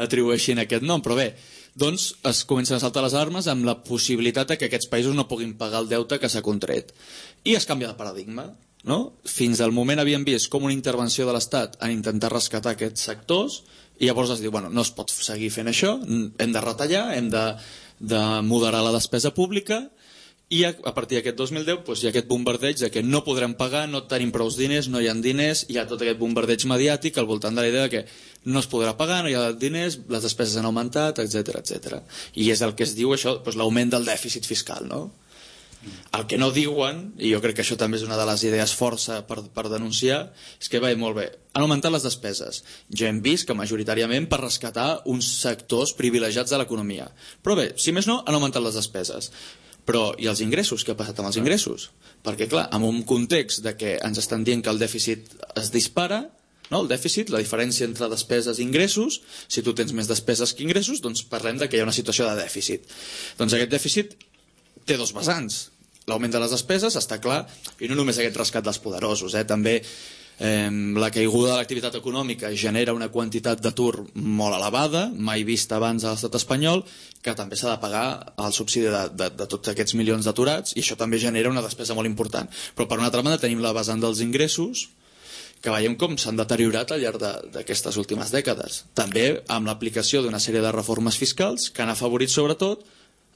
atribueixin aquest nom, però bé, doncs es comencen a saltar les armes amb la possibilitat de que aquests països no puguin pagar el deute que s'ha contret. I es canvia de paradigma, no? Fins al moment havíem vist com una intervenció de l'Estat en intentar rescatar aquests sectors, i llavors es diu, bueno, no es pot seguir fent això, hem de retallar, hem de, de moderar la despesa pública, i a, a partir d'aquest dos mil deu doncs, hi ha aquest bombardeig de que no podrem pagar, no tenim prou diners, no hi ha diners, hi ha tot aquest bombardeig mediàtic al voltant de la idea de que no es podrà pagar, no hi ha diners, les despeses han augmentat, etcètera, etcètera. I és el que es diu això, doncs, l'augment del dèficit fiscal, no? El que no diuen, i jo crec que això també és una de les idees força per, per denunciar, és que va molt bé, han augmentat les despeses. Ja hem vist que majoritàriament per rescatar uns sectors privilegiats de l'economia. Però bé, si més no, han augmentat les despeses. Però i els ingressos? Què ha passat amb els ingressos? Perquè clar, en un context de que ens estan dient que el dèficit es dispara, no? El dèficit, la diferència entre despeses i ingressos, si tu tens més despeses que ingressos, doncs parlem de que hi ha una situació de dèficit. Doncs aquest dèficit té dos vessants. L'augment de les despeses, està clar, i no només aquest rescat dels poderosos, eh? també eh, la caiguda de l'activitat econòmica genera una quantitat d'atur molt elevada, mai vista abans a l'estat espanyol, que també s'ha de pagar el subsidi de, de, de tots aquests milions d'aturats, i això també genera una despesa molt important. Però per una altra banda tenim la vessant dels ingressos, que veiem com s'han deteriorat al llarg d'aquestes últimes dècades. També amb l'aplicació d'una sèrie de reformes fiscals que han afavorit sobretot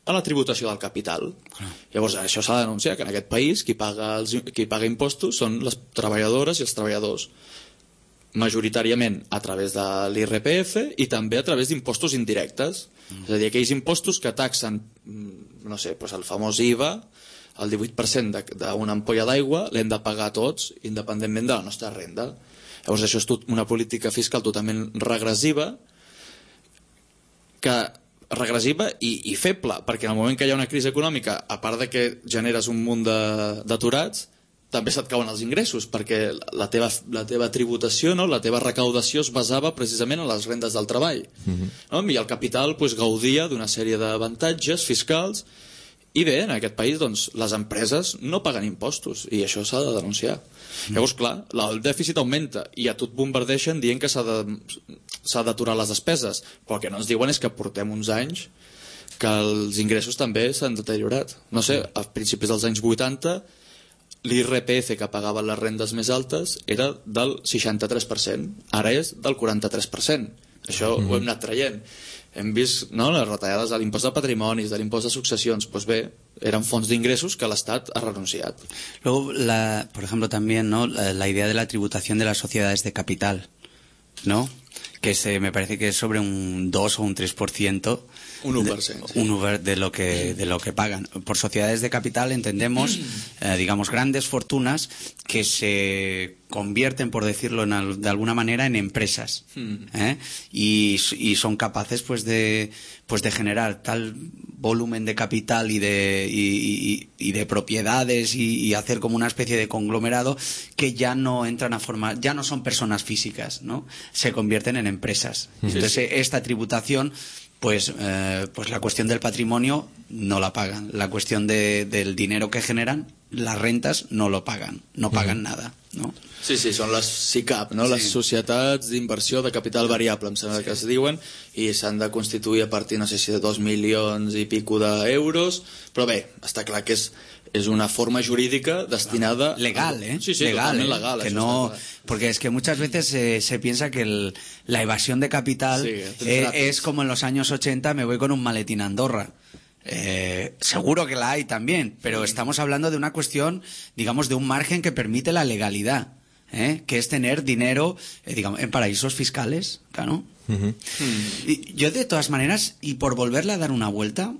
a la tributació del capital. Ah. Llavors això s'ha de denunciar, que en aquest país qui paga, els, qui paga impostos són les treballadores i els treballadors, majoritàriament a través de l'I R P F i també a través d'impostos indirectes. Mm. És a dir, aquells impostos que taxen, no sé, doncs el famós I V A, el divuit per cent d'una ampolla d'aigua l'hem de pagar tots, independentment de la nostra renda. Llavors això és tot una política fiscal totalment regressiva, que regressiva i, i feble, perquè en el moment que hi ha una crisi econòmica, a part de que generes un munt d'aturats, també se't cauen els ingressos, perquè la teva, la teva tributació, no? La teva recaudació es basava precisament en les rendes del treball. Uh-huh. No? I el capital pues, gaudia d'una sèrie d'avantatges fiscals, i bé, en aquest país doncs, les empreses no paguen impostos, i això s'ha de denunciar. Mm. Llavors, clar, el dèficit augmenta i a tu et bombardeixen dient que s'ha d'aturar les despeses, però el que no ens diuen és que portem uns anys que els ingressos també s'han deteriorat. No sé, a principis dels anys vuitanta l'I R P F que pagaven les rendes més altes era del seixanta-tres per cent, ara és del quaranta-tres per cent. Això mm. ho hem anat traient. Hem vist no, les retallades de l'impost de patrimonis, de l'impost de successions, pues bé, eren fonts d'ingressos que l'Estat ha renunciat. Luego, la, por ejemplo, también ¿no? la, la idea de la tributación de las sociedades de capital, ¿no? Que se, me parece que es sobre un dos o un tres por ciento. Un uno por ciento. Sí. Un uno de lo que de lo que pagan. Por sociedades de capital entendemos, eh, digamos, grandes fortunas que se convierten, por decirlo en al, de alguna manera, en empresas, ¿eh? y, y son capaces, pues, de pues de generar tal volumen de capital y de y, y, y de propiedades y, y hacer como una especie de conglomerado que ya no entran a formar, ya no son personas físicas, ¿no? Se convierten en empresas. Sí, Entonces sí. esta tributación Pues, eh, pues la cuestión del patrimonio no la pagan. La cuestión de, del dinero que generan las rentas no lo pagan, no pagan mm. nada, ¿no? Sí, sí, són les S I C A P, no? Sí. Les societats d'inversió de capital variable, em sembla sí. que es diuen, i s'han de constituir a partir, no sé si de dos milions i pico d'euros, però bé, està clar que és, és una forma jurídica destinada... Legal, ¿eh? Sí, sí, legal, totalment ¿eh? legal. Que no... Porque es que muchas veces eh, se piensa que el, la evasión de capital sí, eh, es como en los años ochenta, me voy con un maletín a Andorra. Eh, seguro que la hay también, pero sí. estamos hablando de una cuestión, digamos, de un margen que permite la legalidad, ¿eh? Que es tener dinero, eh, digamos, en paraísos fiscales, claro. Uh-huh. Y yo de todas maneras, y por volverle a dar una vuelta,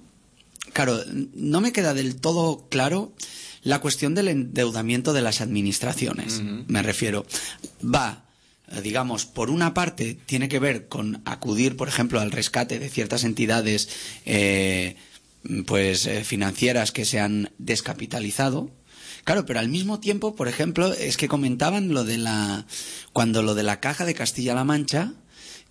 claro, no me queda del todo claro la cuestión del endeudamiento de las administraciones, uh-huh. me refiero. Va, digamos, por una parte tiene que ver con acudir, por ejemplo, al rescate de ciertas entidades eh, pues eh, financieras que se han descapitalizado. Claro, pero al mismo tiempo, por ejemplo, es que comentaban lo de la cuando lo de la Caja de Castilla-La Mancha,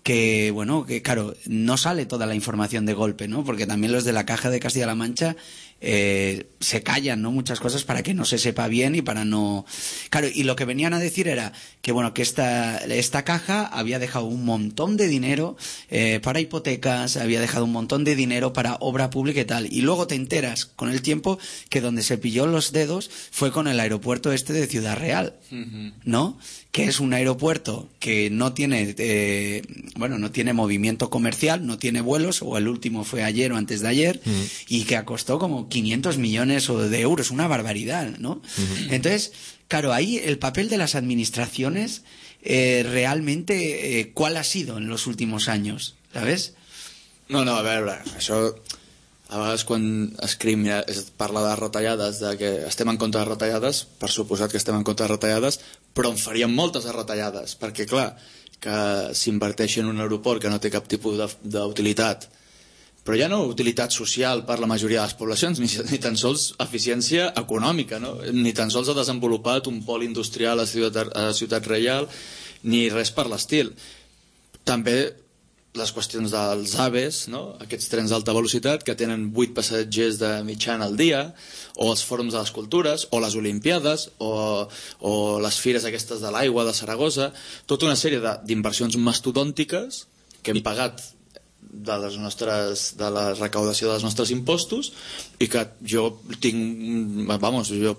que bueno, que claro, no sale toda la información de golpe, ¿no? Porque también los de la Caja de Castilla-La Mancha eh, se callan, ¿no? Muchas cosas para que no se sepa bien y para no... Claro, y lo que venían a decir era que bueno, que esta, esta caja había dejado un montón de dinero eh, para hipotecas, había dejado un montón de dinero para obra pública y tal, y luego te enteras con el tiempo que donde se pilló los dedos fue con el aeropuerto este de Ciudad Real, uh-huh. ¿no? Que es un aeropuerto que no tiene eh, bueno, no tiene movimiento comercial, no tiene vuelos, o el último fue ayer o antes de ayer, uh-huh. y que costó como quinientos millones de euros, una barbaridad, ¿no? Uh-huh. Entonces, claro, ahí el papel de las administraciones eh, realmente eh, ¿cuál ha sido en los últimos años? ¿Sabes? No, no, a veure, això a vegades quan escrim es parla de retallades, de que estem en contra de retallades, per suposat que estem en contra de retallades, però en faríem moltes de retallades, perquè clar, que s'inverteixi en un aeroport que no té cap tipus d'utilitat, però ja no utilitat social per la majoria de les poblacions, ni, ni tan sols eficiència econòmica, no? Ni tan sols ha desenvolupat un pol industrial a Ciutat, a Ciutat Reial, ni res per l'estil. També les qüestions dels AVEs, no? Aquests trens d'alta velocitat que tenen vuit passatgers de mitjana al dia, o els fòrums de les cultures, o les Olimpiades, o, o les fires aquestes de l'aigua de Saragossa, tota una sèrie d'inversions mastodòntiques que hem pagat de les nostres, de la recaudació dels nostres impostos, i que jo tinc, vamos, jo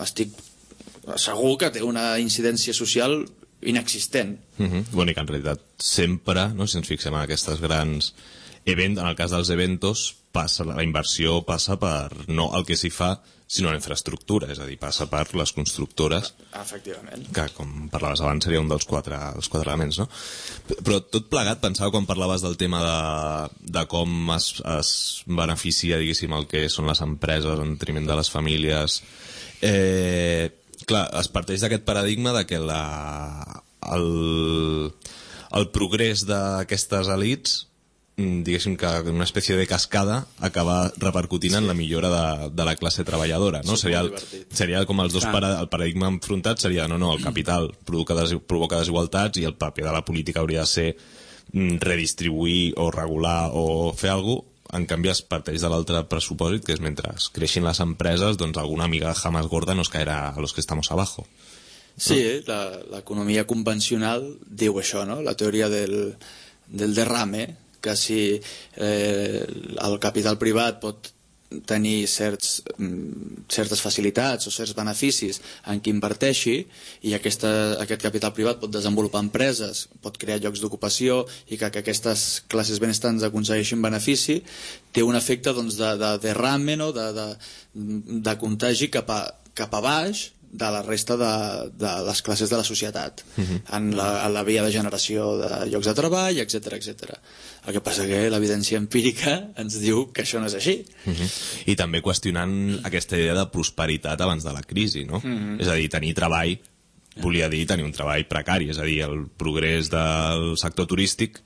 estic segur que té una incidència social inexistent. Uh-huh. Bueno, i que en realitat sempre, no, si ens fixem en aquestes grans events, en el cas dels eventos, passa, la inversió passa per no el que s'hi fa, sinó la infraestructura, és a dir, passa per les constructores. Efectivament. Que, com parlaves abans, seria un dels quatre, els quatre elements, no? Però tot plegat, pensava quan parlaves del tema de, de com es, es beneficia, diguéssim, el que són les empreses en detriment de les famílies. Eh... Clar, es parteix d'aquest paradigma de que la, el, el progrés d'aquestes elits, diguéssim que una espècie de cascada acaba repercutint sí. en la millora de, de la classe treballadora, no? Sí, seria, el, seria com els dos para, el paradigma enfrontat seria, no, no, el capital provoca, des, provoca desigualtats i el paper de la política hauria de ser redistribuir o regular o fer alguna cosa. En canvi es parteix de l'altre pressupòsit, que és mentre creixin les empreses, doncs alguna migaja más gorda nos caerá a los que estamos abajo. Sí, la, l'economia convencional diu això, no? La teoria del, del derrame, que si eh, el capital privat pot tenir certs, certes facilitats o certs beneficis en qui inverteixi, i aquesta, aquest capital privat pot desenvolupar empreses, pot crear llocs d'ocupació, i que, que aquestes classes benestants aconsegueixin benefici, té un efecte doncs, de, de derrame, no? de, de, de contagi cap a, cap a baix de la resta de, de les classes de la societat, uh-huh. en, la, en la via de generació de llocs de treball, etcètera, etcètera. El que passa que l'evidència empírica ens diu que això no és així. Uh-huh. I també qüestionant aquesta idea de prosperitat abans de la crisi, no? Uh-huh. És a dir, tenir treball volia dir tenir un treball precari, és a dir, el progrés del sector turístic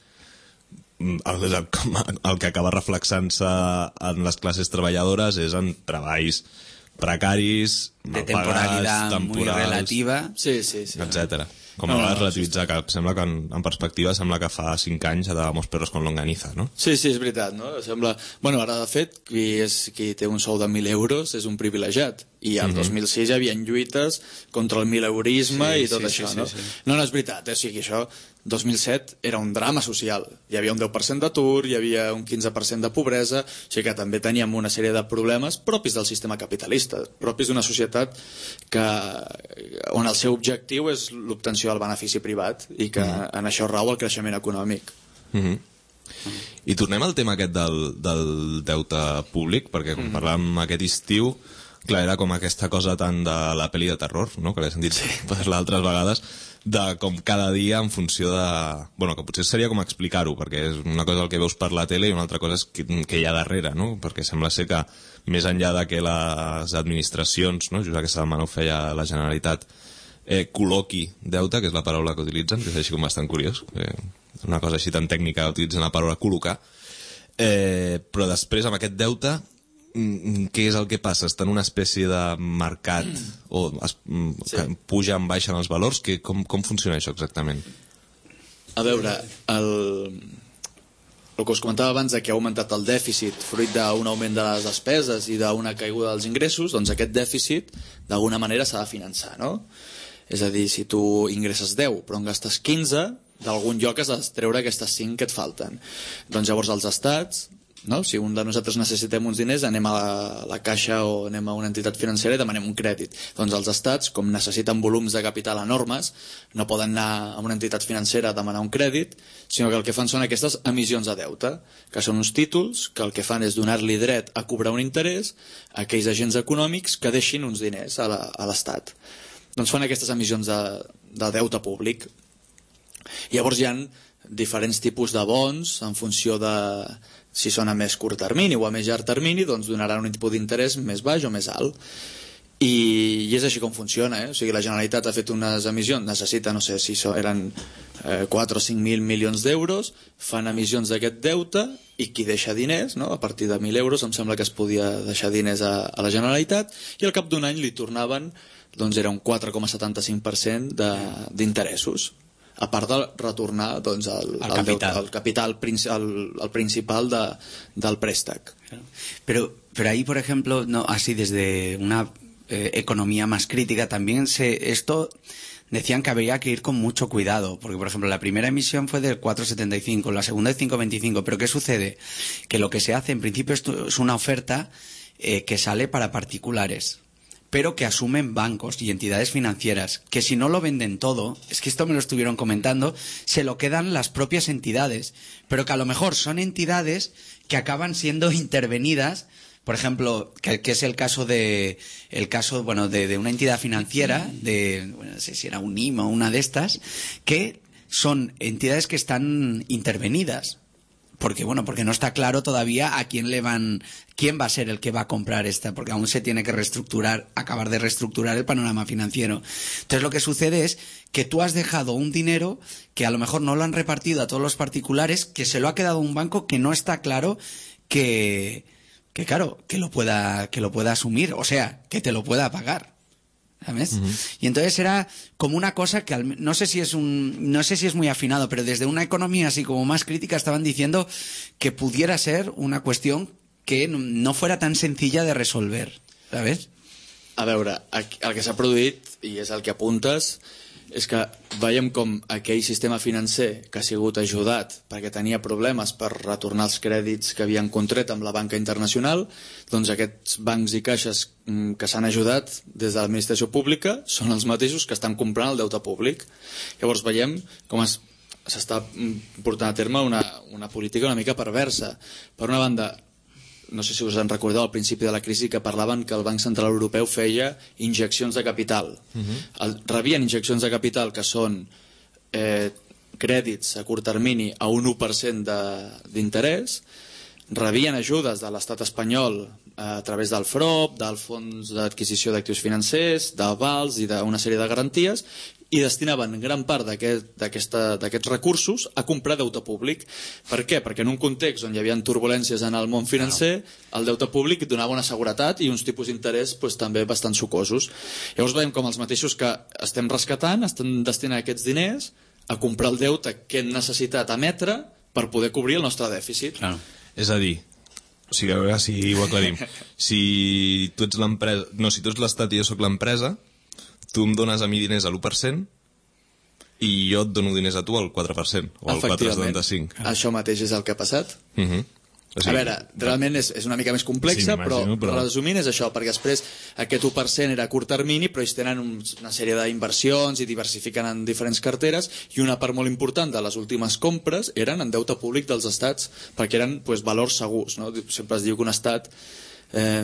el, el, el que acaba reflexant-se en les classes treballadores és en treballs precaris, de temporalidad muy relativa, sí, sí, sí. etcètera. Com no, a vegades relativitzar, que sembla que en, en perspectiva sembla que fa cinc anys anàvem perros con longaniza, no? Sí, sí, és veritat, no? Sembla... Bueno, ara, de fet, qui, és, qui té un sou de mil euros és un privilegiat, i el dos mil sis hi havia lluites contra el mileurisme Sí, i tot sí, això, sí, no? sí, sí. No, no és veritat, eh? O sigui, això, dos mil set era un drama social. Hi havia un deu per cent d'atur, hi havia un quinze per cent de pobresa, o sigui que també teníem una sèrie de problemes propis del sistema capitalista, propis d'una societat que, on el seu objectiu és l'obtenció del benefici privat i que mm. en això rau el creixement econòmic. Mm-hmm. I tornem al tema aquest del, del deute públic, perquè com parlàvem aquest estiu, clar, era com aquesta cosa tant de la pel·li de terror, no?, que l'he sentit sí. parlar altres vegades, de com cada dia en funció de... Bueno, que potser seria com explicar-ho, perquè és una cosa el que veus per la tele i una altra cosa és que, que hi ha darrere, no? Perquè sembla ser que més enllà de que les administracions, no?, just aquesta setmana ho feia la Generalitat, eh, col·loqui deute, que és la paraula que utilitzen, que és així com bastant curiós, eh, una cosa així tan tècnica, utilitzen la paraula col·locar, eh, però després amb aquest deute què és el que passa? Està en una espècie de mercat o es, sí. pugen, baixen els valors? Que, com, com funciona això exactament? A veure, el, el que us comentava abans de que ha augmentat el dèficit fruit d'un augment de les despeses i d'una caiguda dels ingressos, doncs aquest dèficit d'alguna manera s'ha de finançar, no? És a dir, si tu ingresses deu però en gastes quinze, d'algun lloc has de treure aquestes cinc que et falten. Doncs llavors els estats, no? Si un de nosaltres necessitem uns diners, anem a la, la caixa o anem a una entitat financera i demanem un crèdit. Doncs els estats, com necessiten volums de capital enormes, no poden anar a una entitat financera a demanar un crèdit, sinó que el que fan són aquestes emissions de deute, que són uns títols que el que fan és donar-li dret a cobrar un interès a aquells agents econòmics que deixin uns diners a l'Estat. Doncs fan aquestes emissions de, de deute públic. Llavors hi ha diferents tipus de bons en funció de si són a més curt termini o a més llarg termini, doncs donaran un tipus d'interès més baix o més alt. I, i és així com funciona, eh? O sigui, la Generalitat ha fet unes emissions, necessita, no sé si so, eren eh, quatre o cinc mil milions d'euros, fan emissions d'aquest deute i qui deixa diners, no? A partir de mil euros em sembla que es podia deixar diners a, a la Generalitat i al cap d'un any li tornaven, doncs era un quatre coma setanta-cinc per cent d'interessos, a part de retornar doncs, el, el, el, capital. Deute, el capital el, el principal de, del préstec. Pero, pero ahí, por ejemplo, no, así desde una eh, economía más crítica, también se esto decían que habría que ir con mucho cuidado, porque, por ejemplo, la primera emisión fue del cuatro coma setenta y cinco, la segunda de cinco coma veinticinco, pero ¿qué sucede? Que lo que se hace, en principio, esto es una oferta eh, que sale para particulares, pero que asumen bancos y entidades financieras, que si no lo venden todo, es que esto me lo estuvieron comentando, se lo quedan las propias entidades, pero que a lo mejor son entidades que acaban siendo intervenidas, por ejemplo, que, que es el caso de el caso bueno de, de una entidad financiera, de bueno, no sé si era un I M O o una de estas, que son entidades que están intervenidas. Porque bueno, porque no está claro todavía a quién le van, quién va a ser el que va a comprar esta, porque aún se tiene que reestructurar, acabar de reestructurar el panorama financiero. Entonces lo que sucede es que tú has dejado un dinero que a lo mejor no lo han repartido a todos los particulares, que se lo ha quedado un banco que no está claro que, que claro, que lo pueda, que lo pueda asumir, o sea, que te lo pueda pagar. ¿Sabes? Uh-huh. Y entonces era como una cosa que al, no sé si es un no sé si es muy afinado, pero desde una economía así como más crítica estaban diciendo que pudiera ser una cuestión que no fuera tan sencilla de resolver, ¿sabes? A veure, el que s'ha produït, i és el que apuntes, és que veiem com aquell sistema financer que ha sigut ajudat perquè tenia problemes per retornar els crèdits que havien contret amb la banca internacional, doncs aquests bancs i caixes que s'han ajudat des de l'administració pública són els mateixos que estan comprant el deute públic. Llavors veiem com es, s'està portant a terme una, una política una mica perversa. Per una banda, no sé si us en recordeu al principi de la crisi que parlaven que el Banc Central Europeu feia injeccions de capital. Uh-huh. el, rebien injeccions de capital que són eh, crèdits a curt termini a un u per cent d'interès, rebien ajudes de l'estat espanyol a través del F R O P, del Fons d'Adquisició d'Actius Financers, d'avals i d'una sèrie de garanties, i destinaven gran part d'aquests aquest, recursos a comprar deute públic. Per què? Perquè en un context on hi havia turbulències en el món financer, el deute públic donava una seguretat i uns tipus d'interès pues, també bastant sucosos. Llavors veiem com els mateixos que estem rescatant estan destinant aquests diners a comprar el deute que hem necessitat emetre per poder cobrir el nostre dèficit. Claro. És a dir, O sigui, a veure si ho aclarim. Si tu ets l'empresa... No, si tu ets l'Estat i jo sóc l'empresa, tu em dones a mi diners a l'u per cent i jo et dono diners a tu al quatre per cent o al quatre coma setanta-cinc. Això mateix és el que ha passat. Uh -huh. O sigui, a veure, realment és, és una mica més complexa, sí, però, però resumint és això, perquè després aquest u per cent era a curt termini, però ells tenen un, una sèrie d'inversions i diversifiquen en diferents carteres, i una part molt important de les últimes compres eren en deute públic dels estats, perquè eren pues, valors segurs. No? Sempre es diu que un estat... Eh,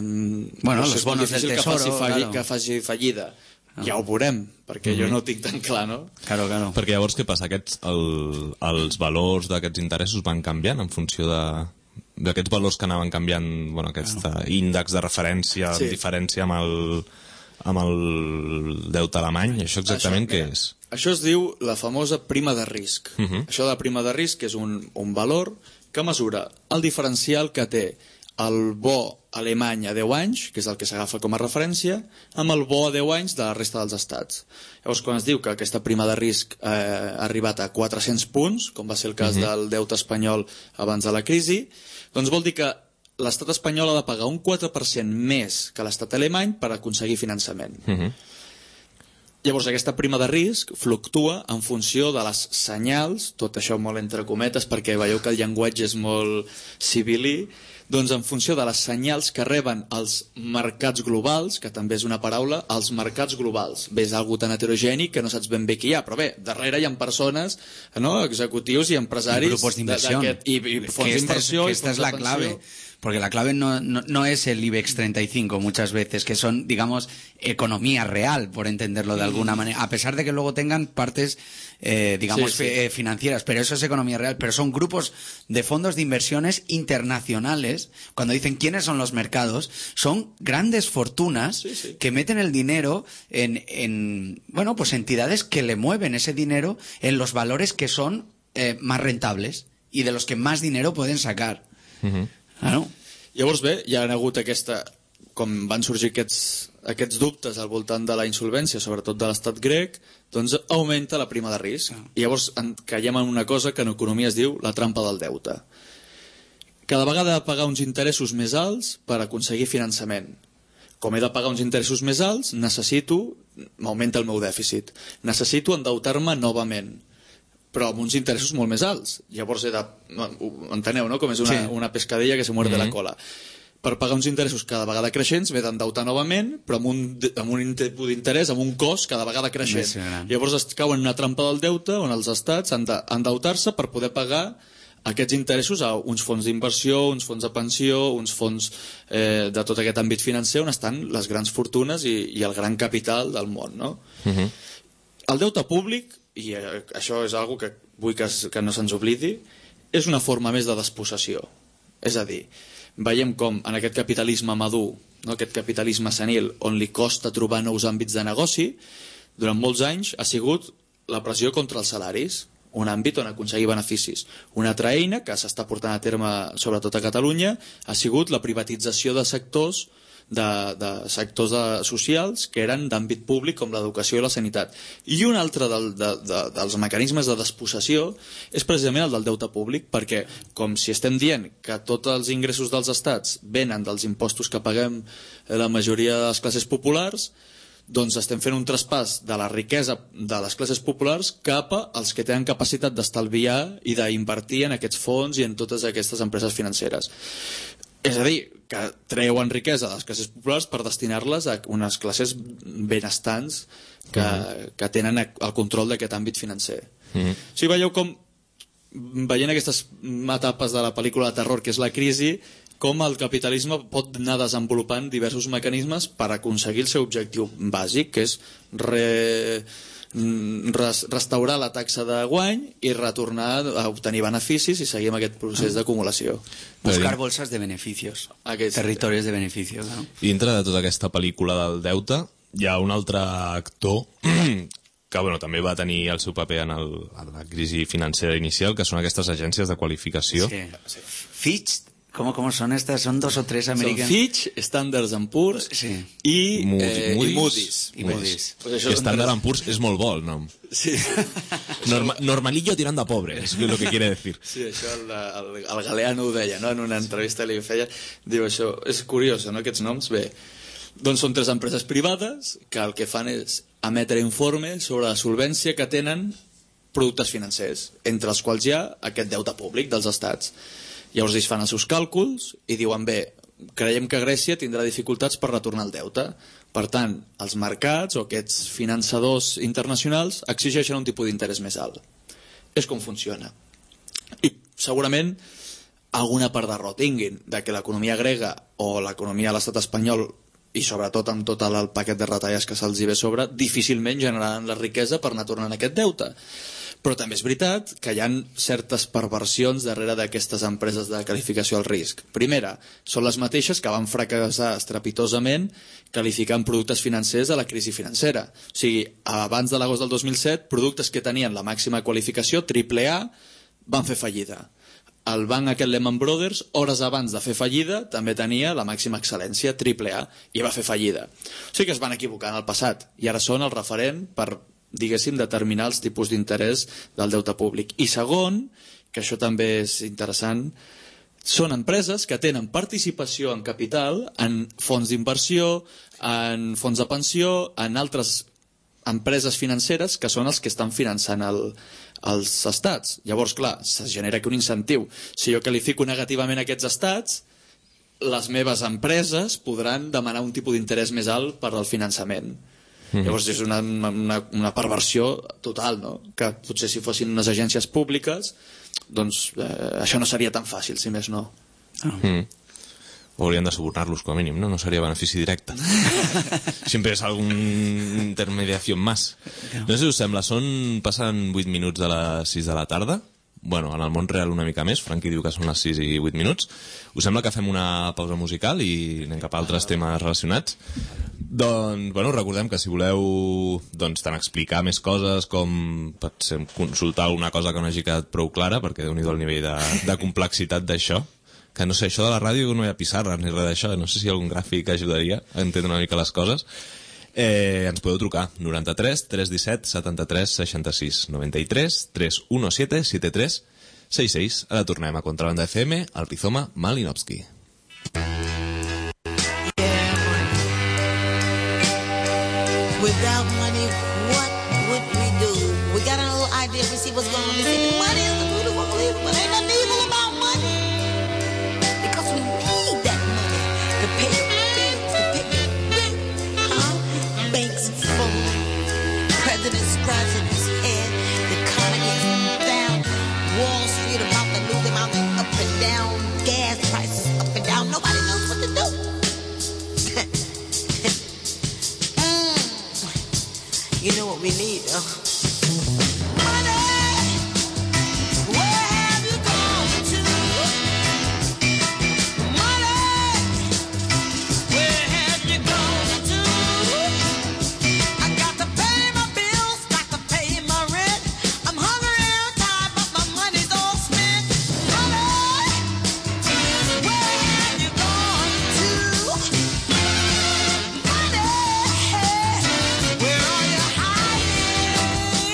bueno, no sé, los bonos del tesoro, que faci, falli, claro. que faci fallida. Ah. Ja ho veurem, perquè mm -hmm. jo no ho tinc tan clar, no? Claro, claro. Perquè llavors què passa? Aquests, el, els valors d'aquests interessos van canviant en funció de... d'aquests valors que anaven canviant, bueno, aquest claro. índex de referència, sí. diferència amb el, amb el deute alemany, això exactament això, què mira, és? Això es diu la famosa prima de risc. Uh -huh. Això de la prima de risc és un, un valor que mesura el diferencial que té el bo alemany a deu anys, que és el que s'agafa com a referència, amb el bo a deu anys de la resta dels estats. Llavors, quan es diu que aquesta prima de risc eh, ha arribat a quatre-cents punts, com va ser el cas uh -huh. del deute espanyol abans de la crisi, doncs vol dir que l'estat espanyol ha de pagar un quatre per cent més que l'estat alemany per aconseguir finançament. Uh -huh. Llavors, aquesta prima de risc fluctua en funció de les senyals, tot això molt entre cometes, perquè veieu que el llenguatge és molt civilí, doncs en funció de les senyals que reben els mercats globals, que també és una paraula, els mercats globals. Bé, és algo tan heterogeni que no saps ben bé qui hi ha, però bé, darrere hi ha persones, no? Executius i empresaris... I grupos d'inversió. I, i fons d'inversió. Que esta es la clave. Porque la clave no, no, no es el IBEX treinta y cinco muchas veces, que son, digamos, economía real, por entenderlo de alguna manera, a pesar de que luego tengan partes, eh, digamos, sí, sí. Eh, financieras, pero eso es economía real, pero son grupos de fondos de inversiones internacionales. Cuando dicen quiénes son los mercados, son grandes fortunas sí, sí. que meten el dinero en, en, bueno, pues entidades que le mueven ese dinero en los valores que son eh, más rentables y de los que más dinero pueden sacar. Uh-huh. Claro. Llavors bé, hi ha hagut aquesta, com van sorgir aquests, aquests dubtes al voltant de la insolvència, sobretot de l'estat grec, doncs augmenta la prima de risc. Ah. I llavors en, caiem en una cosa que en economia es diu la trampa del deute. Cada vegada he de pagar uns interessos més alts per aconseguir finançament. Com he de pagar uns interessos més alts, necessito, m'augmenta el meu dèficit, necessito endeutar-me novament, però amb uns interessos molt més alts. Llavors he de... Enteneu, no? Com és una, sí. una pescadilla que se muerde mm-hmm. la cola. Per pagar uns interessos cada vegada creixents m'he d'endeutar novament, però amb un, amb un tipus d'interès, amb un cost cada vegada creixent. Sí, llavors es cauen en una trampa del deute on els estats han d'endeutar-se per poder pagar aquests interessos a uns fons d'inversió, uns fons de pensió, uns fons eh, de tot aquest àmbit financer on estan les grans fortunes i, i el gran capital del món, no? Mm-hmm. El deute públic, i això és algo que vull que, es, que no se'ns oblidi, és una forma més de despossessió. És a dir, veiem com en aquest capitalisme madur, no, aquest capitalisme senil, on li costa trobar nous àmbits de negoci, durant molts anys ha sigut la pressió contra els salaris, un àmbit on aconseguir beneficis. Una altra eina que s'està portant a terme sobretot a Catalunya ha sigut la privatització de sectors de, de sectors de, socials que eren d'àmbit públic com l'educació i la sanitat. I un altre del, de, de, dels mecanismes de despossessió és precisament el del deute públic, perquè com si estem dient que tots els ingressos dels estats venen dels impostos que paguem la majoria de les classes populars, doncs estem fent un traspàs de la riquesa de les classes populars cap als que tenen capacitat d'estalviar i d'invertir en aquests fons i en totes aquestes empreses financeres. És a dir, que treuen riquesa de les classes populars per destinar-les a unes classes benestants que, uh-huh. que tenen el control d'aquest àmbit financer. Uh-huh. O sigui, veieu com, veient aquestes etapes de la pel·lícula de terror que és la crisi, com el capitalisme pot anar desenvolupant diversos mecanismes per aconseguir el seu objectiu bàsic, que és re... Res, restaurar la taxa de guany i retornar a obtenir beneficis i seguir amb aquest procés d'acumulació. Buscar bolsas de beneficios, Aquest... territoris de beneficios, no? I dintre de tota aquesta pel·lícula del deute hi ha un altre actor que bueno, també va tenir el seu paper en, el, en la crisi financera inicial, que són aquestes agències de qualificació. Sí. Sí. Fitch ¿Cómo, ¿Cómo son estas? Son dos o tres Són americanos. Fitch, Standard and Poor's Sí. i, Moody- eh, Moody's. i Moody's. I Moody's. Pues Que són Standard tres- and Poor's és molt bo el nom. Sí. Norma, normalillo tirando a pobre, és lo que quiere decir. Sí, això el, el, el Galeano ho deia, no? En una entrevista li feia, diu això, és curiós, no?, aquests noms, bé, doncs són tres empreses privades que el que fan és emetre informes sobre la solvència que tenen productes financers, entre els quals hi ha aquest deute públic dels estats. Llavors ells fan els seus càlculs i diuen, bé, creiem que Grècia tindrà dificultats per retornar el deute. Per tant, els mercats o aquests finançadors internacionals exigeixen un tipus d'interès més alt. És com funciona. I segurament alguna part de raó tinguin de que l'economia grega o l'economia de l'estat espanyol, i sobretot amb tot el paquet de retalles que se'ls hi ve sobre, difícilment generaran la riquesa per anar tornant aquest deute. Però també és veritat que hi ha certes perversions darrere d'aquestes empreses de qualificació al risc. Primera, són les mateixes que van fracassar estrepitosament qualificant productes financers a la crisi financera. O sigui, abans de l'agost del dos mil set, productes que tenien la màxima qualificació, triple A, van fer fallida. El banc aquest Lehman Brothers, hores abans de fer fallida, també tenia la màxima excel·lència, triple A, i va fer fallida. O sigui que es van equivocar en el passat, i ara són el referent per, diguéssim, determinar els tipus d'interès del deute públic. I segon, que això també és interessant, són empreses que tenen participació en capital en fons d'inversió, en fons de pensió, en altres empreses financeres que són els que estan finançant el, els estats. Llavors, clar, se genera aquí un incentiu. Si jo qualifico negativament aquests estats, les meves empreses podran demanar un tipus d'interès més alt per al finançament. Mm-hmm. Llavors és una, una, una perversió total, no? Que potser si fossin unes agències públiques, doncs eh, això no seria tan fàcil, si més no. Ah. Mm. O haurien de subornar-los com a mínim, no? No seria benefici directe. Sempre és algun intermediació más. No sé si us sembla, són, passen vuit minuts de les sis de la tarda. Bueno, en el món real una mica més, Franqui diu que són les sis i vuit minuts. Us sembla que fem una pausa musical i anem cap a altres temes relacionats? Doncs, bueno, recordem que si voleu doncs, tant explicar més coses com pot ser, consultar alguna cosa que no hagi quedat prou clara, perquè déu-n'hi-do el nivell de, de complexitat d'això, que no sé, això de la ràdio no hi ha pissarres ni res d'això, no sé si algun gràfic ajudaria a entendre una mica les coses. Eh, ens podeu trucar noranta-tres tres disset setanta-tres seixanta-sis noranta-tres tres disset setanta-tres seixanta-sis. Ara tornem a Contrabanda F M, al Rizoma Malinowski. Without money, what would we do? We got a little idea, we see what's going on. We see money is the root of all evil, but ain't nothing evil about money. Because we need that money to pay your bills, to pay your rent, huh? Banks are full, president's scratching his head, the economy is down, Wall Street about to lose him out up and down, gas prices up and down, nobody knows what to do. You know what we need, huh? Money, where have you gone to? Money, where have you gone to? I got to pay my bills, got to pay my rent. I'm hungry and tired, but my money's all spent. Money, where have you gone to? Money, where are you hiding?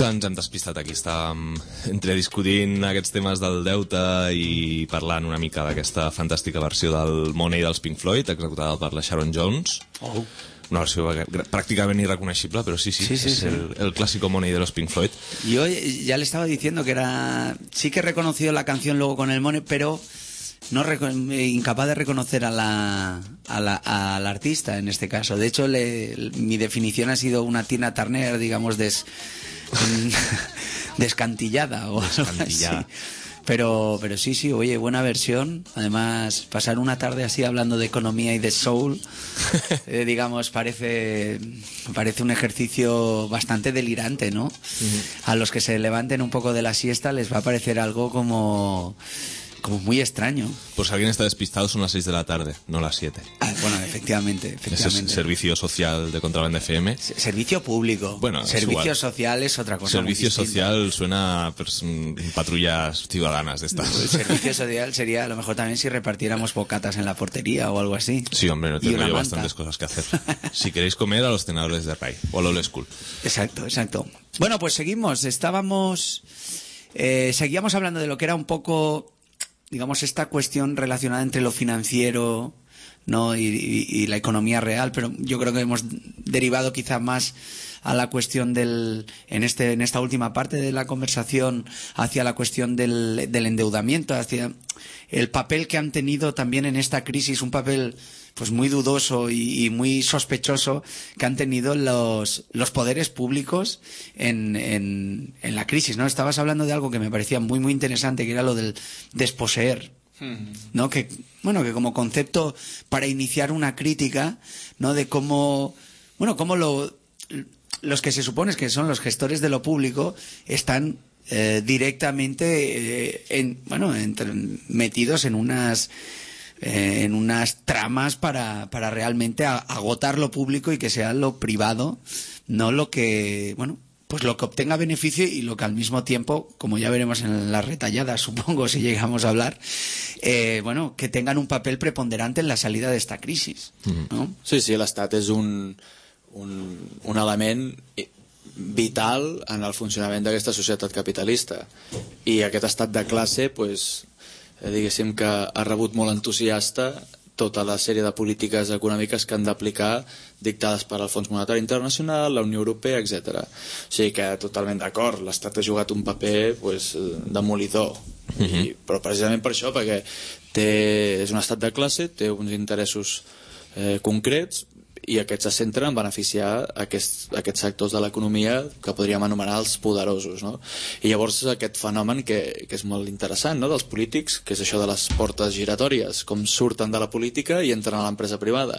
Que ens hem despistat aquí. Estàvem entre discutint aquests temes del deute i parlant una mica d'aquesta fantàstica versió del Money dels Pink Floyd, executada per la Sharon Jones. Oh. Una versió prácticamente irreconocible, pero sí, sí, sí, sí es sí. El, el clásico Money de los Pink Floyd. Yo ya le estaba diciendo que era... Sí que he reconocido la canción luego con el Money, pero no incapaz de reconocer a la, a la, al artista en este caso. De hecho, le, mi definición ha sido una Tina Turner, digamos, des, descantillada o descantillada. Algo así. Pero, pero sí, sí, oye, buena versión. Además, pasar una tarde así hablando de economía y de soul, eh, digamos, parece, parece un ejercicio bastante delirante, ¿no? Uh-huh. A los que se levanten un poco de la siesta les va a parecer algo como... como muy extraño. Pues alguien está despistado, son las seis de la tarde, no las siete. Ah, bueno, efectivamente, efectivamente. Ese es servicio social de Contraband F M. S- servicio público. Bueno, servicio social es otra cosa. Servicio muy social suena a pues, patrullas ciudadanas de estas. El servicio social sería a lo mejor también si repartiéramos bocatas en la portería o algo así. Sí, hombre, no tengo yo manta. bastantes cosas que hacer. Si queréis comer, a los cenadores de Ray o a la Old School. Exacto, exacto. Bueno, pues seguimos. Estábamos... Eh, seguíamos hablando de lo que era un poco... digamos, esta cuestión relacionada entre lo financiero, ¿no? y, y, y la economía real, pero yo creo que hemos derivado quizá más a la cuestión del, en este, en esta última parte de la conversación, hacia la cuestión del, del endeudamiento, hacia el papel que han tenido también en esta crisis, un papel pues muy dudoso y, y muy sospechoso que han tenido los, los poderes públicos en, en, en la crisis, ¿no? Estabas hablando de algo que me parecía muy, muy interesante, que era lo del desposeer, ¿no? Que, bueno, que como concepto para iniciar una crítica, ¿no? De cómo, bueno, cómo lo, los que se supone que son los gestores de lo público están eh, directamente, eh, en, bueno, entre, metidos en unas... Eh, en unas tramas para, para realmente a, agotar lo público y que sea lo privado, no lo que, bueno, pues lo que obtenga beneficio y lo que al mismo tiempo, como ya veremos en las retalladas, supongo, si llegamos a hablar, eh, bueno, que tengan un papel preponderante en la salida de esta crisis, ¿no? Sí, sí, l'Estat és un, un, un element vital en el funcionament d'aquesta societat capitalista, i aquest estat de classe, pues, eh, diguéssim que ha rebut molt entusiasta tota la sèrie de polítiques econòmiques que han d'aplicar dictades per al Fons Monetari Internacional, la Unió Europea, etcètera. O sigui que totalment d'acord, l'Estat ha jugat un paper pues, demolidor, uh-huh. I, però precisament per això, perquè té, és un estat de classe, té uns interessos eh, concrets, i aquests se centren en beneficiar aquests, aquests sectors de l'economia que podríem anomenar els poderosos, no? I llavors aquest fenomen que, que és molt interessant, no?, dels polítics, que és això de les portes giratòries, com surten de la política i entren a l'empresa privada,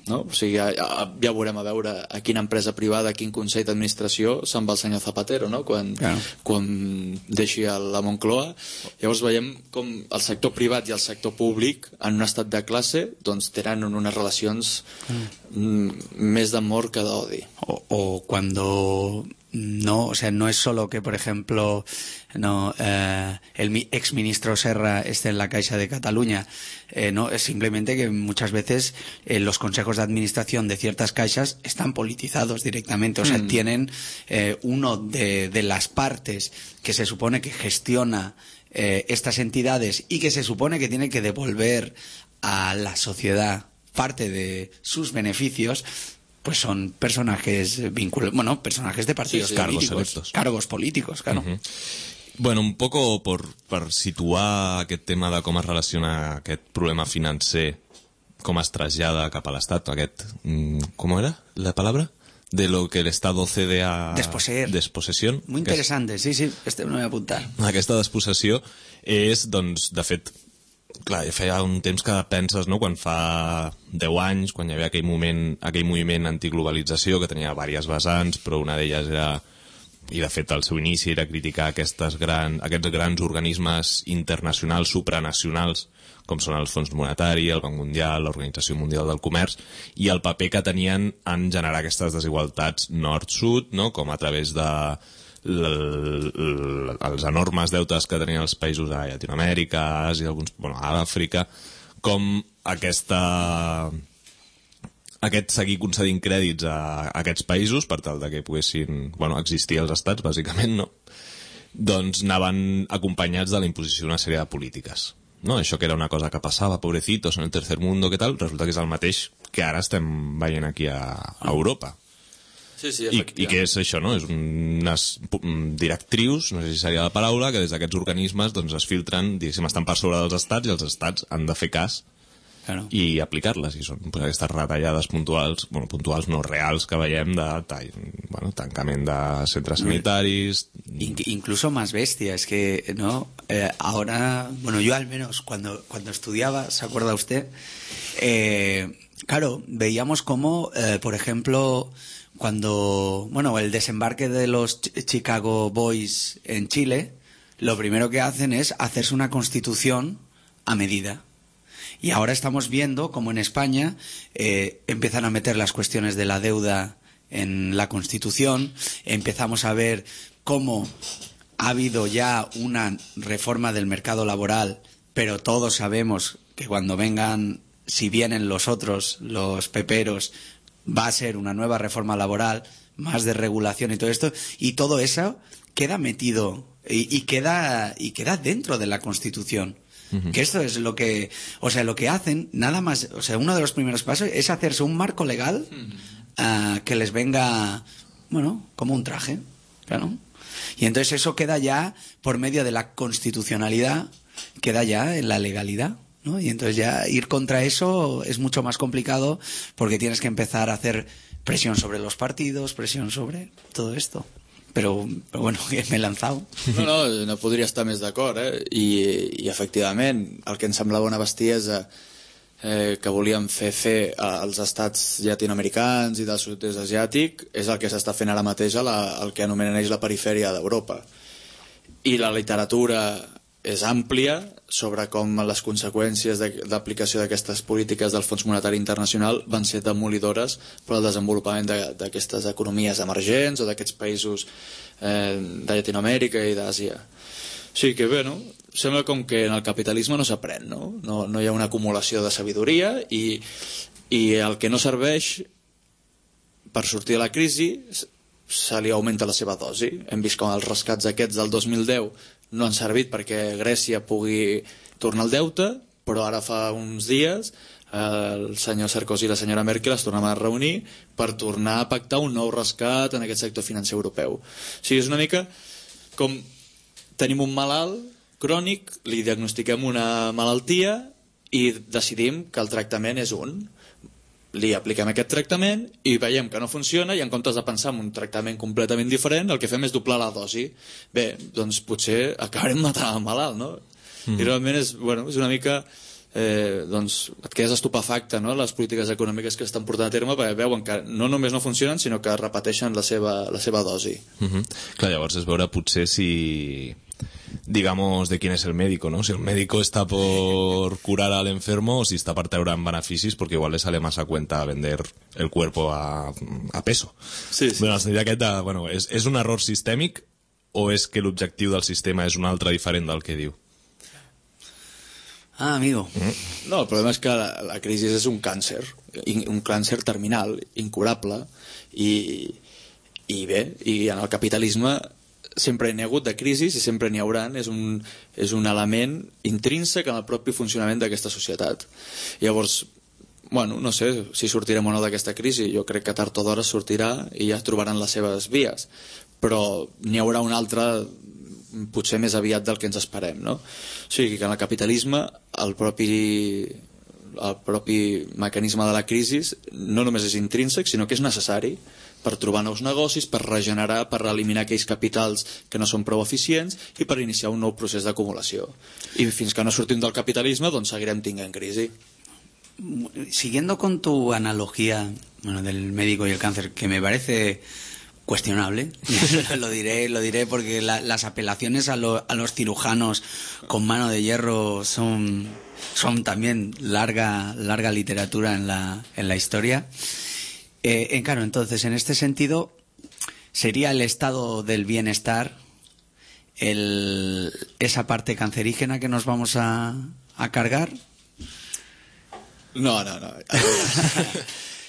no? O sigui, ja, ja veurem a veure a quina empresa privada, a quin consell d'administració se'n va el senyor Zapatero, no?, quan, claro. quan deixi la Moncloa. Llavors veiem com el sector privat i el sector públic en un estat de classe doncs tenen unes relacions más de amor que de odio. O, o cuando no, o sea, no es solo que, por ejemplo, no, eh, el ex ministro Serra esté en la Caixa de Cataluña, eh, no, es simplemente que muchas veces eh, los consejos de administración de ciertas caixas están politizados directamente, o sea, mm. tienen eh, uno de, de las partes que se supone que gestiona eh, estas entidades y que se supone que tiene que devolver a la sociedad parte de sus beneficios, pues son personajes vinculados, bueno, personajes de partidos sí, sí, políticos, cargos electos. Cargos políticos, claro. Uh-huh. Bueno, un poco por, per situar aquest tema de com es relaciona aquest problema financer, com es trasllada cap a l'Estat, aquest, com era la palabra? De lo que el Estado cede a... Desposeer. Despossessió. Muy interesante, sí, sí, este me voy a apuntar. Aquesta despossessió és, doncs, de fet, clar, feia un temps que penses, no?, quan fa deu anys, quan hi havia aquell moment, aquell moviment antiglobalització que tenia diverses vessants, però una d'elles era, i de fet al seu inici era criticar aquestes gran, aquests grans organismes internacionals, supranacionals, com són el Fons Monetari, el Banc Mundial, l'Organització Mundial del Comerç, i el paper que tenien en generar aquestes desigualtats nord-sud, no?, com a través de els enormes deutes que tenien els països a Llatinoamèrica, Àsia, alguns, bueno, a Àfrica, com aquesta aquest seguir concedint crèdits a, a aquests països per tal de que poguessin, bueno, existir els estats, bàsicament, no? Doncs anaven acompanyats de la imposició d'una sèrie de polítiques. No? Això que era una cosa que passava, pobrecitos, en el tercer mundo, què tal, resulta que és el mateix que ara estem veient aquí a, a Europa. Sí, sí, I, I que és això, no? És unes directrius, no sé si seria la paraula, que des d'aquests organismes doncs, es filtren, diguéssim, estan per sobre dels estats i els estats han de fer cas Claro. i aplicar-les, i són pues, aquestes retallades puntuals, bueno, puntuals no reals que veiem de tall, bueno, tancament de centres sanitaris. In- incluso más bestia, es que, ¿no? Eh, ahora, bueno, yo al menos cuando, cuando estudiaba, ¿se acuerda usted? Eh, claro, veíamos como, eh, por ejemplo, cuando, bueno, el desembarque de los Ch- Chicago Boys en Chile, lo primero que hacen es hacerse una constitución a medida. Y ahora estamos viendo como en España eh, empiezan a meter las cuestiones de la deuda en la Constitución, empezamos a ver cómo ha habido ya una reforma del mercado laboral, pero todos sabemos que cuando vengan, si vienen los otros, los peperos, va a ser una nueva reforma laboral, más de regulación y todo esto, y todo eso queda metido y, y queda y queda dentro de la Constitución. Uh-huh. Que esto es lo que, o sea, lo que hacen, nada más, o sea, uno de los primeros pasos es hacerse un marco legal uh, que les venga, bueno, como un traje, claro. Y entonces eso queda ya por medio de la constitucionalidad, queda ya en la legalidad, ¿no? Y entonces ya ir contra eso es mucho más complicado porque tienes que empezar a hacer presión sobre los partidos, presión sobre todo esto. Però, però bueno, m'he lanzat. No, no, no podria estar més d'acord, eh? I, i efectivament, el que ens semblava una bestiesa eh, que volíem fer fer als estats llatinoamericans i del sud-est asiàtic és el que s'està fent ara mateix a la, el que anomenen ells la perifèria d'Europa. I la literatura és àmplia sobre com les conseqüències d'aplicació d'aquestes polítiques del Fons Monetari Internacional van ser demolidores per al desenvolupament d'aquestes economies emergents o d'aquests països eh, de Llatinoamèrica i d'Àsia. O sigui que bé, no? Sembla com que en el capitalisme no s'aprèn, no? No, no hi ha una acumulació de sabidoria i, i el que no serveix per sortir de la crisi se li augmenta la seva dosi. Hem vist com els rescats aquests del dos mil deu no han servit perquè Grècia pugui tornar al deute, però ara fa uns dies el senyor Sarkozy i la senyora Merkel es tornaven a reunir per tornar a pactar un nou rescat en aquest sector financer europeu. O sigui, és una mica com tenim un malalt crònic, li diagnostiquem una malaltia i decidim que el tractament és un. Li apliquem aquest tractament i veiem que no funciona i en comptes de pensar en un tractament completament diferent el que fem és doblar la dosi. Bé, doncs potser acabarem matant el malalt, no? Mm. I realment és, bueno, és una mica eh, doncs et quedes estupefacte, no? Les polítiques econòmiques que estan portant a terme perquè veuen que no només no funcionen sinó que repeteixen la seva, la seva dosi. Mm-hmm. Clar, llavors és veure potser si digamos de quién es el médico, ¿no? Si el médico está por curar al enfermo o si está para treure en beneficis porque igual le sale más a cuenta vender el cuerpo a, a peso. Sí, sí. Bueno, el aquest, bueno, és, és un error sistèmic o és que l'objectiu del sistema és un altre diferent del que diu? Ah, amigo. Mm. No, el problema és que la, la crisi és un càncer, un càncer terminal, incurable, i, i bé, i en el capitalisme sempre n'hi ha hagut de crisis i sempre n'hi haurà, és un, és un element intrínsec en el propi funcionament d'aquesta societat. Llavors, bueno, no sé si sortirem o no d'aquesta crisi, jo crec que tard o d'hora sortirà i ja trobaran les seves vies, però n'hi haurà una altra potser més aviat del que ens esperem, no? O sigui que en el capitalisme el propi, el propi mecanisme de la crisi no només és intrínsec, sinó que és necessari per trobar nous negocis, per regenerar, per eliminar aquells capitals que no són prou eficients i per iniciar un nou procés d'acumulació. I fins que no sortim del capitalisme, doncs seguirem tinguent crisi. Siguiendo con tu analogía, bueno, del médico y el cáncer, que me parece cuestionable, lo diré, lo diré porque la, las apelaciones a, lo, a los cirujanos con mano de hierro son, son también larga, larga literatura en la, en la historia. Eh, claro, entonces, en este sentido, ¿sería el estado del bienestar el, esa parte cancerígena que nos vamos a, a cargar? No, no, no.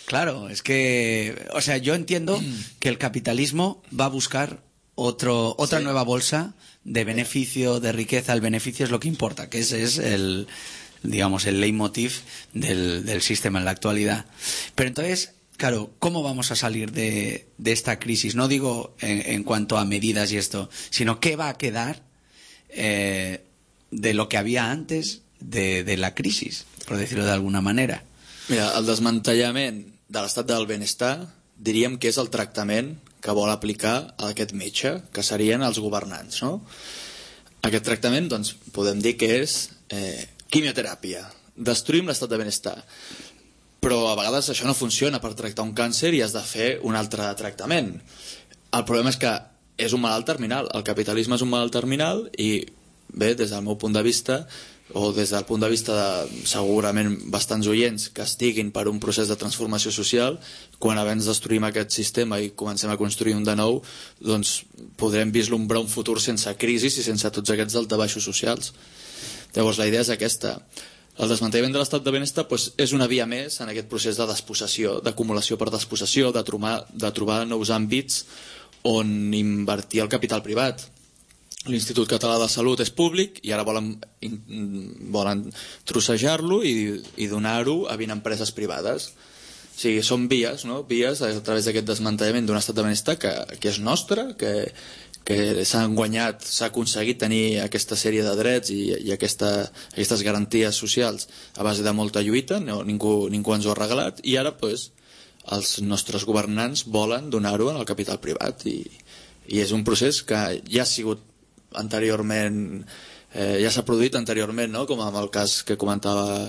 Claro, es que, o sea, yo entiendo que el capitalismo va a buscar otro, otra Sí. nueva bolsa de beneficio, de riqueza. El beneficio es lo que importa, que ese es el, digamos, el leitmotiv del, del sistema en la actualidad. Pero entonces, claro, ¿cómo vamos a salir de, de esta crisis? No digo en, en cuanto a medidas y esto, sino qué va a quedar eh, de lo que había antes de, de la crisis, por decirlo de alguna manera. Mira, el desmantellament de l'estat del benestar diríem que és el tractament que vol aplicar a aquest metge, que serien els governants, no? Aquest tractament, doncs, podem dir que és eh, quimioteràpia. Destruïm l'estat de benestar. Però a vegades això no funciona per tractar un càncer i has de fer un altre tractament. El problema és que és un malalt terminal. El capitalisme és un malalt terminal i, bé, des del meu punt de vista, o des del punt de vista de segurament bastants oients que estiguin per un procés de transformació social, quan abans destruïm aquest sistema i comencem a construir un de nou, doncs podrem vislumbrar un futur sense crisis i sense tots aquests daltabaixos socials. Llavors la idea és aquesta. El desmantellament de l'estat de benestar doncs, és una via més en aquest procés de despossessió, d'acumulació per despossessió, de trobar, de trobar nous àmbits on invertir el capital privat. L'Institut Català de Salut és públic i ara volen, volen trossejar-lo i, i donar-ho a vint empreses privades. O sigui, són vies, no? Vies a través d'aquest desmantellament d'un estat de benestar que, que és nostre, que, que s'han guanyat, s'ha aconseguit tenir aquesta sèrie de drets i, i aquesta, aquestes garanties socials a base de molta lluita, no, ningú, ningú ens ho ha regalat, i ara pues, els nostres governants volen donar-ho al capital privat i, i és un procés que ja ha sigut anteriorment, eh, ja s'ha produït anteriorment, no? Com amb el cas que comentava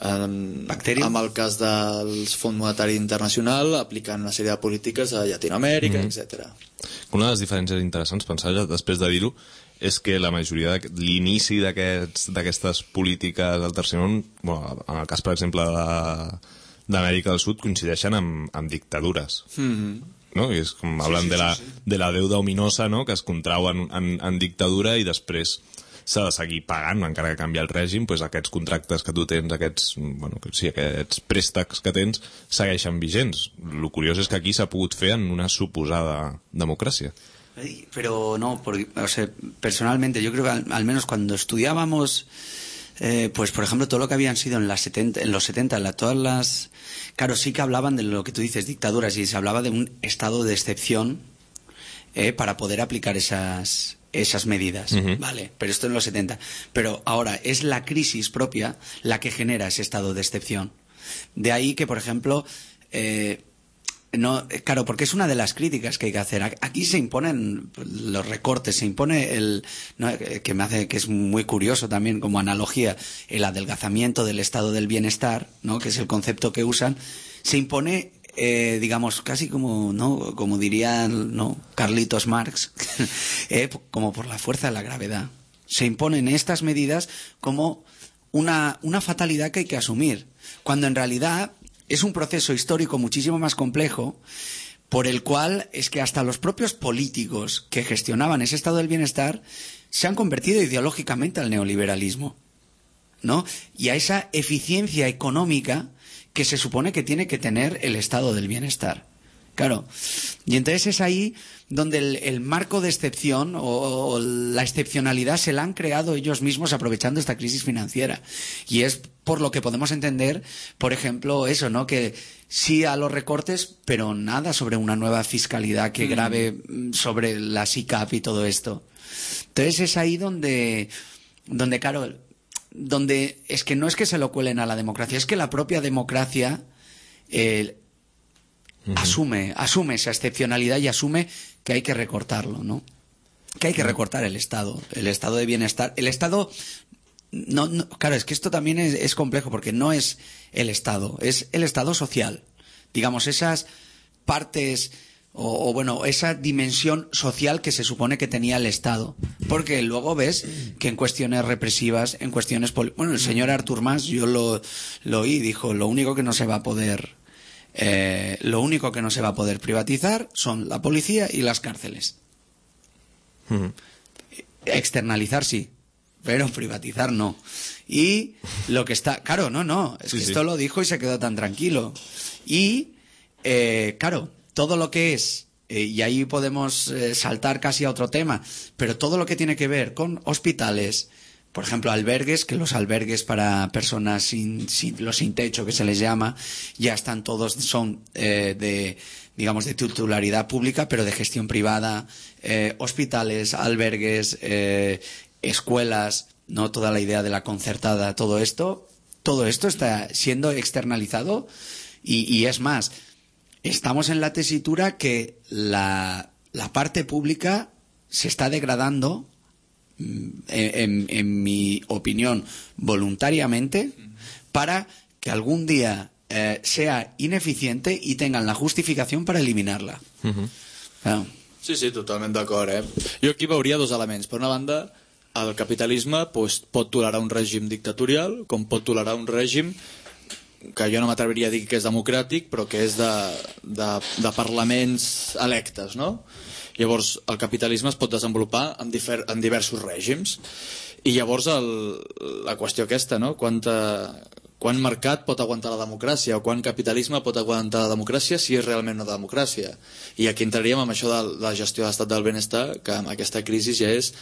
en, amb el cas del Fons Monetari Internacional aplicant una sèrie de polítiques a Llatinoamèrica, mm-hmm. etcètera. Una de les diferències interessants, pensava després de dir-ho, és que la majoria de l'inici d'aquestes polítiques del tercer món, bueno, en el cas per exemple d'Amèrica del Sud, coincideixen amb, amb dictadures. Mm-hmm. No? I és com hablen sí, sí, de, la, sí, sí. de la deuda ominosa, no? Que es contrau en, en, en dictadura i després s'ha de seguir pagant, encara que canvia el règim, doncs aquests contractes que tu tens, aquests, bueno, sí, aquests préstecs que tens, segueixen vigents. El curiós és que aquí s'ha pogut fer en una suposada democràcia. Pero no, porque, o sea, personalmente yo creo que al, al menos cuando estudiábamos Eh, pues por ejemplo todo lo que habían sido en, las setenta, en los setenta, la, todas las... Claro, sí que hablaban de lo que tú dices, dictaduras, y se hablaba de un estado de excepción eh, para poder aplicar esas, esas medidas, uh-huh. Vale, pero esto en los setenta. Pero ahora es la crisis propia la que genera ese estado de excepción. De ahí que, por ejemplo... Eh, No, claro, porque es una de las críticas que hay que hacer. Aquí se imponen los recortes, se impone el, ¿no? que me hace que es muy curioso también como analogía, el adelgazamiento del estado del bienestar, ¿no? Que es el concepto que usan. Se impone, eh, digamos, casi como, ¿no? Como diría, ¿no? Carlitos Marx, eh, como por la fuerza de la gravedad. Se imponen estas medidas como una, una fatalidad que hay que asumir, cuando en realidad es un proceso histórico muchísimo más complejo, por el cual es que hasta los propios políticos que gestionaban ese estado del bienestar se han convertido ideológicamente al neoliberalismo, ¿no? Y a esa eficiencia económica que se supone que tiene que tener el estado del bienestar. Claro. Y entonces es ahí donde el, el marco de excepción o, o la excepcionalidad se la han creado ellos mismos aprovechando esta crisis financiera. Y es por lo que podemos entender, por ejemplo, eso, ¿no? Que sí a los recortes, pero nada sobre una nueva fiscalidad que grave sobre la S I C A P y todo esto. Entonces es ahí donde, donde claro, donde es que no es que se lo cuelen a la democracia, es que la propia democracia eh, uh-huh. asume, asume esa excepcionalidad y asume que hay que recortarlo, ¿no? Que hay que recortar el Estado, el Estado de bienestar. El Estado, no, no, claro, es que esto también es, es complejo porque no es el Estado, es el Estado social. Digamos, esas partes o, o bueno, esa dimensión social que se supone que tenía el Estado. Porque luego ves que en cuestiones represivas, en cuestiones... Poli- bueno, el señor Artur Mas, yo lo, lo oí, dijo, lo único que no se va a poder... Eh, lo único que no se va a poder privatizar son la policía y las cárceles. Uh-huh. Externalizar sí, pero privatizar no. Y lo que está... Claro, no, no, es Sí, que sí. esto lo dijo y se quedó tan tranquilo. Y, eh, claro, todo lo que es, eh, y ahí podemos eh, saltar casi a otro tema, pero todo lo que tiene que ver con hospitales, por ejemplo, albergues, que los albergues para personas sin, sin los sin techo, que se les llama, ya están todos, son eh, de, digamos, de titularidad pública, pero de gestión privada, eh, hospitales, albergues, eh, escuelas, no toda la idea de la concertada, todo esto, todo esto está siendo externalizado y, y es más, estamos en la tesitura que la, la parte pública se está degradando, en, en, en mi opinión, voluntariamente, para que algún día eh, sea ineficiente y tengan la justificación para eliminarla. Mhm. Claro. Sí, sí, totalment d'acord, eh? Jo aquí veuria dos elements. Per una banda, el capitalisme pues, pot tolerar un règim dictatorial, com pot tolerar un règim que jo no m'atreviria a dir que és democràtic, però que és de, de, de parlaments electes, no? Llavors, el capitalisme es pot desenvolupar en, difer, en diversos règims. I llavors, el, la qüestió aquesta, no? Quanta, quan mercat pot aguantar la democràcia o quan capitalisme pot aguantar la democràcia si és realment una democràcia. I aquí entraríem amb això de la gestió de l'estat del benestar, que amb aquesta crisi ja és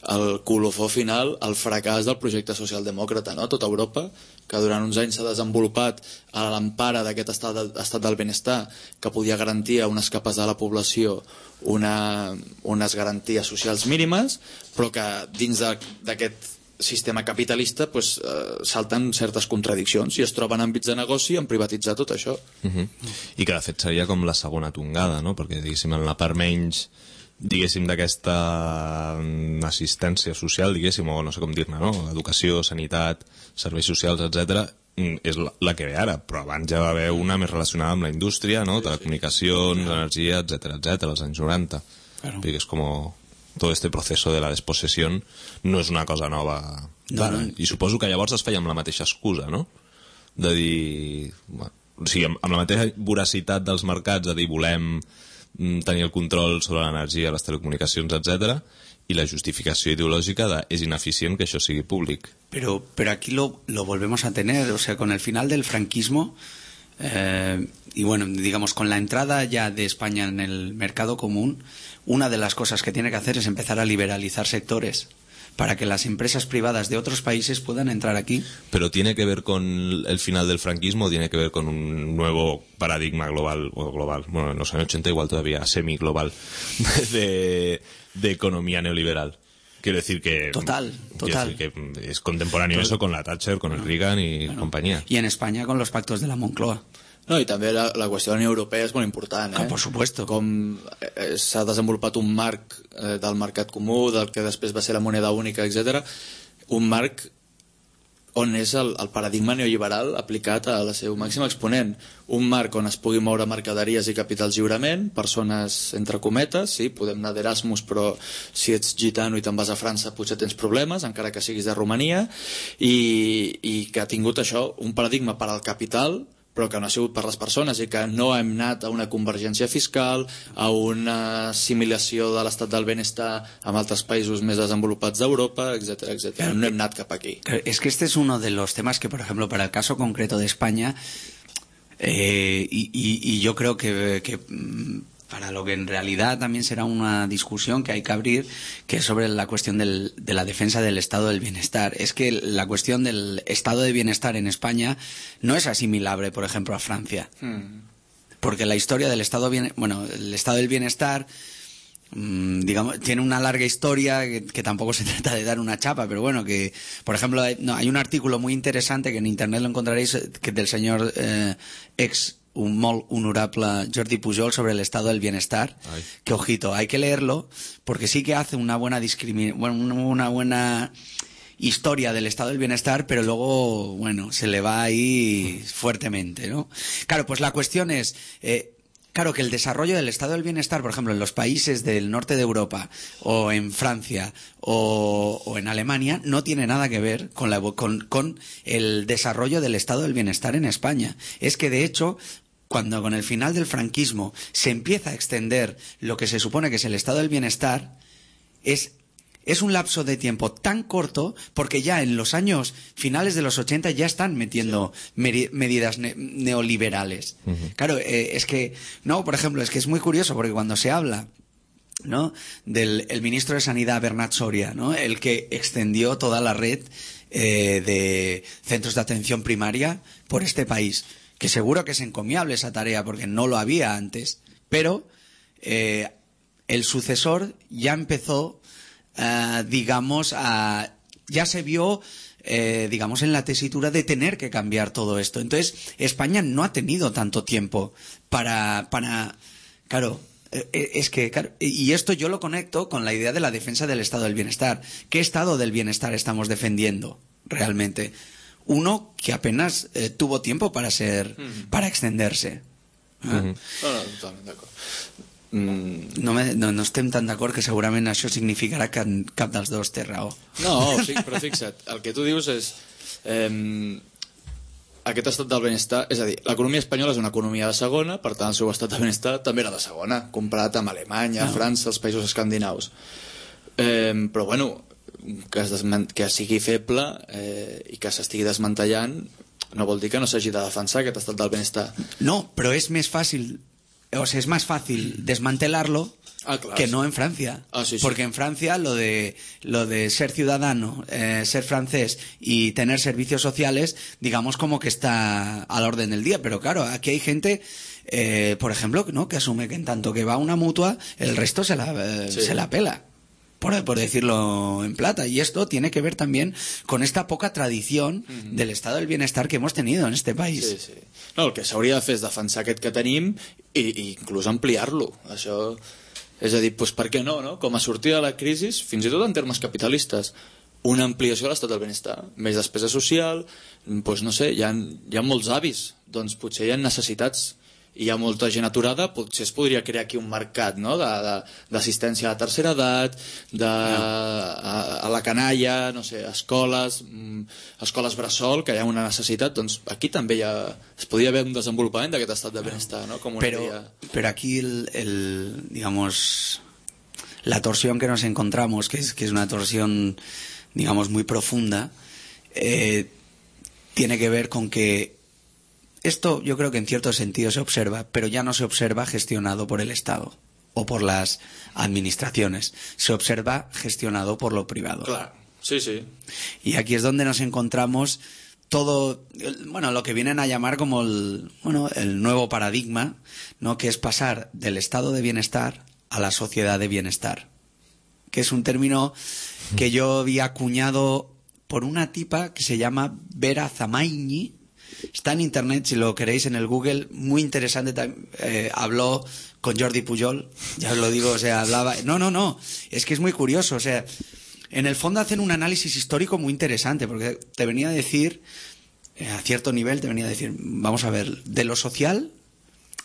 el colofó final, el fracàs del projecte socialdemòcrata, no? Tota Europa, que durant uns anys s'ha desenvolupat a l'empara d'aquest estat, del, estat del benestar, que podia garantir a unes capes de la població una, unes garanties socials mínimes, però que dins d'aquest sistema capitalista pues, eh, salten certes contradiccions i es troben àmbits de negoci en privatitzar tot això. Mhm. I que de fet seria com la segona tongada, no? Perquè diguéssim en la part menys diguéssim d'aquesta mm, assistència social, diguéssim, o no sé com dir-ne, no? Educació, sanitat, serveis socials, etcètera, és la, la que ve ara, però abans ja va haver una més relacionada amb la indústria, no? Telecomunicacions, energia, etcètera, etcètera, als anys noranta. Claro. Perquè és com todo este proceso de la despossessió no és una cosa nova. No, Clar, no. I suposo que llavors es feia amb la mateixa excusa, no? De dir... Bueno, o sigui, amb, amb la mateixa voracitat dels mercats, de dir, volem mm, tenir el control sobre l'energia, les telecomunicacions, etcètera, i la justificació ideològica de és ineficient que això sigui públic. Pero, pero aquí lo, lo volvemos a tener, o sea, con el final del franquismo eh, y bueno, digamos, con la entrada ya de España en el mercado común, una de las cosas que tiene que hacer es empezar a liberalizar sectores para que las empresas privadas de otros países puedan entrar aquí. ¿Pero tiene que ver con el final del franquismo o tiene que ver con un nuevo paradigma global, o global, bueno, en los años ochenta igual todavía semi-global, de, de economía neoliberal? Quiero decir que... Total, total. Quiero decir que es contemporáneo eso con la Thatcher, con el Reagan y Bueno, compañía. Y en España con los pactos de la Moncloa. No, i també la, la qüestió de la Unió Europea és molt important, eh? Ah, por supuesto. Com eh, s'ha desenvolupat un marc eh, del mercat comú, del que després va ser la moneda única, etcètera, un marc on és el, el paradigma neoliberal aplicat a la seu màxim exponent. Un marc on es pugui moure mercaderies i capitals lliurement, persones entre cometes, sí, podem anar d'Erasmus, però si ets gitano i te'n vas a França potser tens problemes, encara que siguis de Romania, i, i que ha tingut això, un paradigma per al capital, però que no ha sigut per les persones i que no hem anat a una convergència fiscal, a una assimilació de l'estat del benestar amb altres països més desenvolupats d'Europa, etcètera, etcètera. No hem anat cap aquí. Es que este es uno de los temas que, por ejemplo, para el caso concreto de España, eh, y, y, y yo creo que, que mm, para lo que en realidad también será una discusión que hay que abrir, que es sobre la cuestión del, de la defensa del estado del bienestar. Es que la cuestión del estado de bienestar en España no es asimilable, por ejemplo, a Francia. Hmm. Porque la historia del estado bien, bueno, el estado del bienestar, mmm, digamos, tiene una larga historia que, que tampoco se trata de dar una chapa, pero bueno, que, por ejemplo, hay, no, hay un artículo muy interesante que en internet lo encontraréis, que del señor eh, ex un molt honorable Jordi Pujol sobre el estado del bienestar. Ay. Que ojito, hay que leerlo porque sí que hace una buena discrimi- bueno, una buena historia del estado del bienestar, pero luego, bueno, se le va ahí fuertemente, ¿no? Claro, pues la cuestión es, eh, claro, que el desarrollo del estado del bienestar, por ejemplo, en los países del norte de Europa, o en Francia, o, o en Alemania, no tiene nada que ver con, la, con, con el desarrollo del estado del bienestar en España. Es que, de hecho, cuando con el final del franquismo se empieza a extender lo que se supone que es el estado del bienestar, es es un lapso de tiempo tan corto porque ya en los años finales de los ochenta ya están metiendo meri- medidas ne- neoliberales. Uh-huh. Claro, eh, es que, no, por ejemplo, es que es muy curioso porque cuando se habla, ¿no?, del el ministro de Sanidad, Bernat Soria, ¿no?, el que extendió toda la red eh, de centros de atención primaria por este país, que seguro que es encomiable esa tarea porque no lo había antes, pero eh, el sucesor ya empezó, uh, digamos, a, ya se vio, eh, digamos, en la tesitura de tener que cambiar todo esto. Entonces, España no ha tenido tanto tiempo para, para, claro, eh, es que, claro, y esto yo lo conecto con la idea de la defensa del estado del bienestar. ¿Qué estado del bienestar estamos defendiendo realmente? Uno que apenas eh, tuvo tiempo para ser, mm. para extenderse. Uh-huh. Ah. No, no, totalment d'acord. Mm. No, me, no, no estem tan d'acord que segurament això significarà que cap dels dos té raó. No, però fixa't, el que tu dius és eh, aquest estat del benestar, és a dir, l'economia espanyola és una economia de segona, per tant el seu estat de benestar també era de segona, comparat amb Alemanya, no. França, els països escandinaus. Eh, però bueno, que, es desman- que sigui feble eh, i que s'estigui desmantellant no vol dir que no s'hagi de defensar aquest estat del benestar. No, però és més fàcil, o sea, es más fácil desmantelarlo ah, claro, que sí. no en Francia. Ah, sí, sí. Porque en Francia lo de, lo de ser ciudadano, eh, ser francés y tener servicios sociales, digamos como que está a la orden del día. Pero claro, aquí hay gente, eh, por ejemplo, ¿no?, que asume que en tanto que va a una mutua, el resto se la, eh, sí. se la pela. Por, por decirlo en plata. Y esto tiene que ver también con esta poca tradición uh-huh. del estado del bienestar que hemos tenido en este país. Sí, sí. No, el que s'hauria de fer és defensar aquest que tenim i, i inclús ampliar-lo. Això, és a dir, doncs per què no, no? Com a sortida de la crisi, fins i tot en termes capitalistes, una ampliació de l'estat del benestar, més despesa social, doncs no sé, hi ha, hi ha molts avis, doncs potser hi ha necessitats i hi ha molta gent aturada, potser es podria crear aquí un mercat, no?, d'assistència a la tercera edat, de, a, a la canalla, no sé, escoles, escoles bressol, que hi ha una necessitat, doncs aquí també hi ha, es podria haver un desenvolupament d'aquest estat de benestar, no?, com una pero, idea. Pero aquí el, el, digamos, la torsión que nos encontramos, que es, que es una torsión, digamos, muy profunda, eh, tiene que ver con que esto yo creo que en cierto sentido se observa, pero ya no se observa gestionado por el Estado o por las administraciones. Se observa gestionado por lo privado. Claro, sí, sí. Y aquí es donde nos encontramos todo, bueno, lo que vienen a llamar como el, bueno, el nuevo paradigma, ¿no?, que es pasar del estado de bienestar a la sociedad de bienestar, que es un término que yo vi acuñado por una tipa que se llama Vera Zamaini. Está en internet, si lo queréis, en el Google, muy interesante. Eh, habló con Jordi Pujol, ya os lo digo, o sea, hablaba... No, no, no, es que es muy curioso, o sea, en el fondo hacen un análisis histórico muy interesante, porque te venía a decir, eh, a cierto nivel, te venía a decir, vamos a ver, de lo social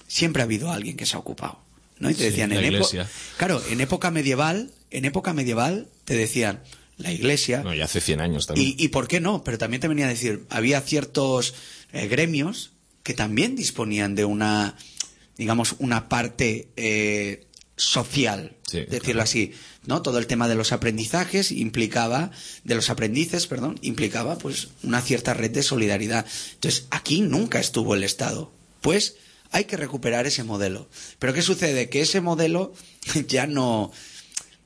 siempre ha habido alguien que se ha ocupado, ¿no? Y te sí, decían, la en iglesia. Épo- claro, en época medieval, en época medieval, te decían, la iglesia... No, ya hace cien años también. Y, y por qué no, pero también te venía a decir, había ciertos eh, gremios que también disponían de una, digamos, una parte eh, social, sí, decirlo claro. así, ¿no? Todo el tema de los aprendizajes implicaba, de los aprendices, perdón, implicaba pues una cierta red de solidaridad. Entonces, aquí nunca estuvo el Estado. Pues hay que recuperar ese modelo. Pero ¿qué sucede? Que ese modelo ya no...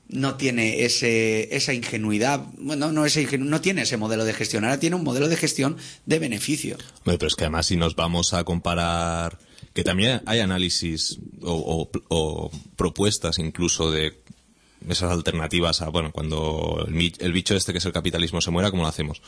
no tiene ese, esa ingenuidad, bueno, no, ese ingenu- no tiene ese modelo de gestión, ahora tiene un modelo de gestión de beneficio. Hombre, pero es que además si nos vamos a comparar, que también hay análisis o, o, o propuestas incluso de esas alternativas a, bueno, cuando el, mi- el bicho este que es el capitalismo se muera, ¿cómo lo hacemos?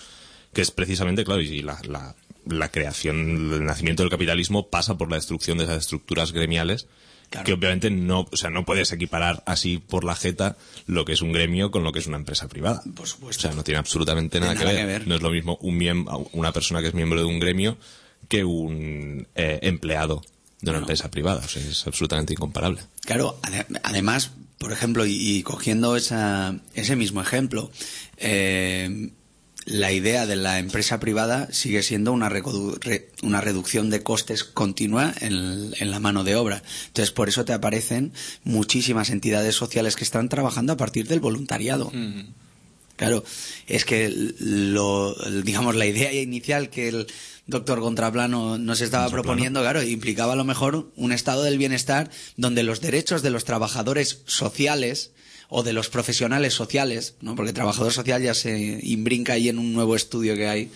Que es precisamente, claro, y la, la, la creación, el nacimiento del capitalismo pasa por la destrucción de esas estructuras gremiales. Claro. Que obviamente no, o sea, no puedes equiparar así por la jeta lo que es un gremio con lo que es una empresa privada. Por supuesto. O sea, no tiene absolutamente nada, nada que, ver. que ver. No es lo mismo un miembro, una persona que es miembro de un gremio que un eh, empleado de una no. empresa privada. O sea, es absolutamente incomparable. Claro, ade- además, por ejemplo, y, y cogiendo esa, ese mismo ejemplo, eh, la idea de la empresa privada sigue siendo una, redu- re- una reducción de costes continua en, en la mano de obra. Entonces, por eso te aparecen muchísimas entidades sociales que están trabajando a partir del voluntariado. Mm. Claro, es que lo, digamos, la idea inicial que el doctor Contraplano nos estaba Contraplano. proponiendo, claro, implicaba a lo mejor un estado del bienestar donde los derechos de los trabajadores sociales o de los profesionales sociales, ¿no? Porque trabajador social ya se imbrinca ahí en un nuevo estudio que hay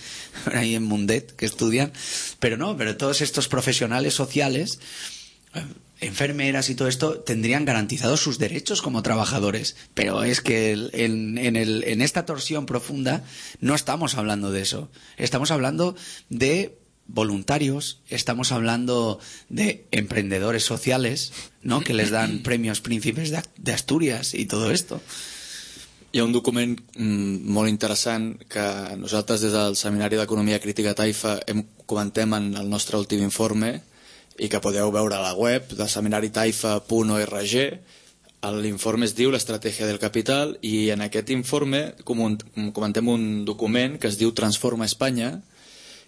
ahí en Mundet, que estudian, pero no, pero todos estos profesionales sociales, enfermeras y todo esto, tendrían garantizados sus derechos como trabajadores. Pero es que el- en, en, el, en esta torsión profunda no estamos hablando de eso. Estamos hablando de voluntarios, estamos hablando de emprendedores sociales, ¿no? Que les dan premios príncipes de, de Asturias y todo esto. Hi ha un document mm, molt interessant que nosaltres des del Seminari d'Economia Crítica Taifa hem, comentem en el nostre últim informe i que podeu veure a la web de seminari taifa punt org. L'informe es diu l'estratègia del capital i en aquest informe comun- comentem un document que es diu Transforma Espanya,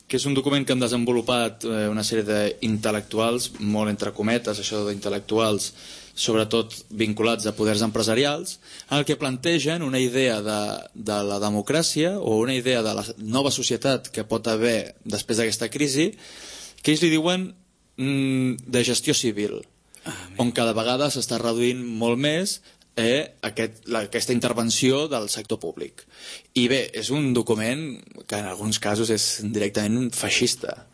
que és un document que han desenvolupat eh, una sèrie d'intel·lectuals, molt entre cometes, això d'intel·lectuals, sobretot vinculats a poders empresarials, en el que plantegen una idea de, de la democràcia o una idea de la nova societat que pot haver després d'aquesta crisi, que ells li diuen mm, de gestió civil, on cada vegada s'està reduint molt més eh, aquest, la, aquesta intervenció del sector públic. I bé, és un document que en alguns casos és directament feixista,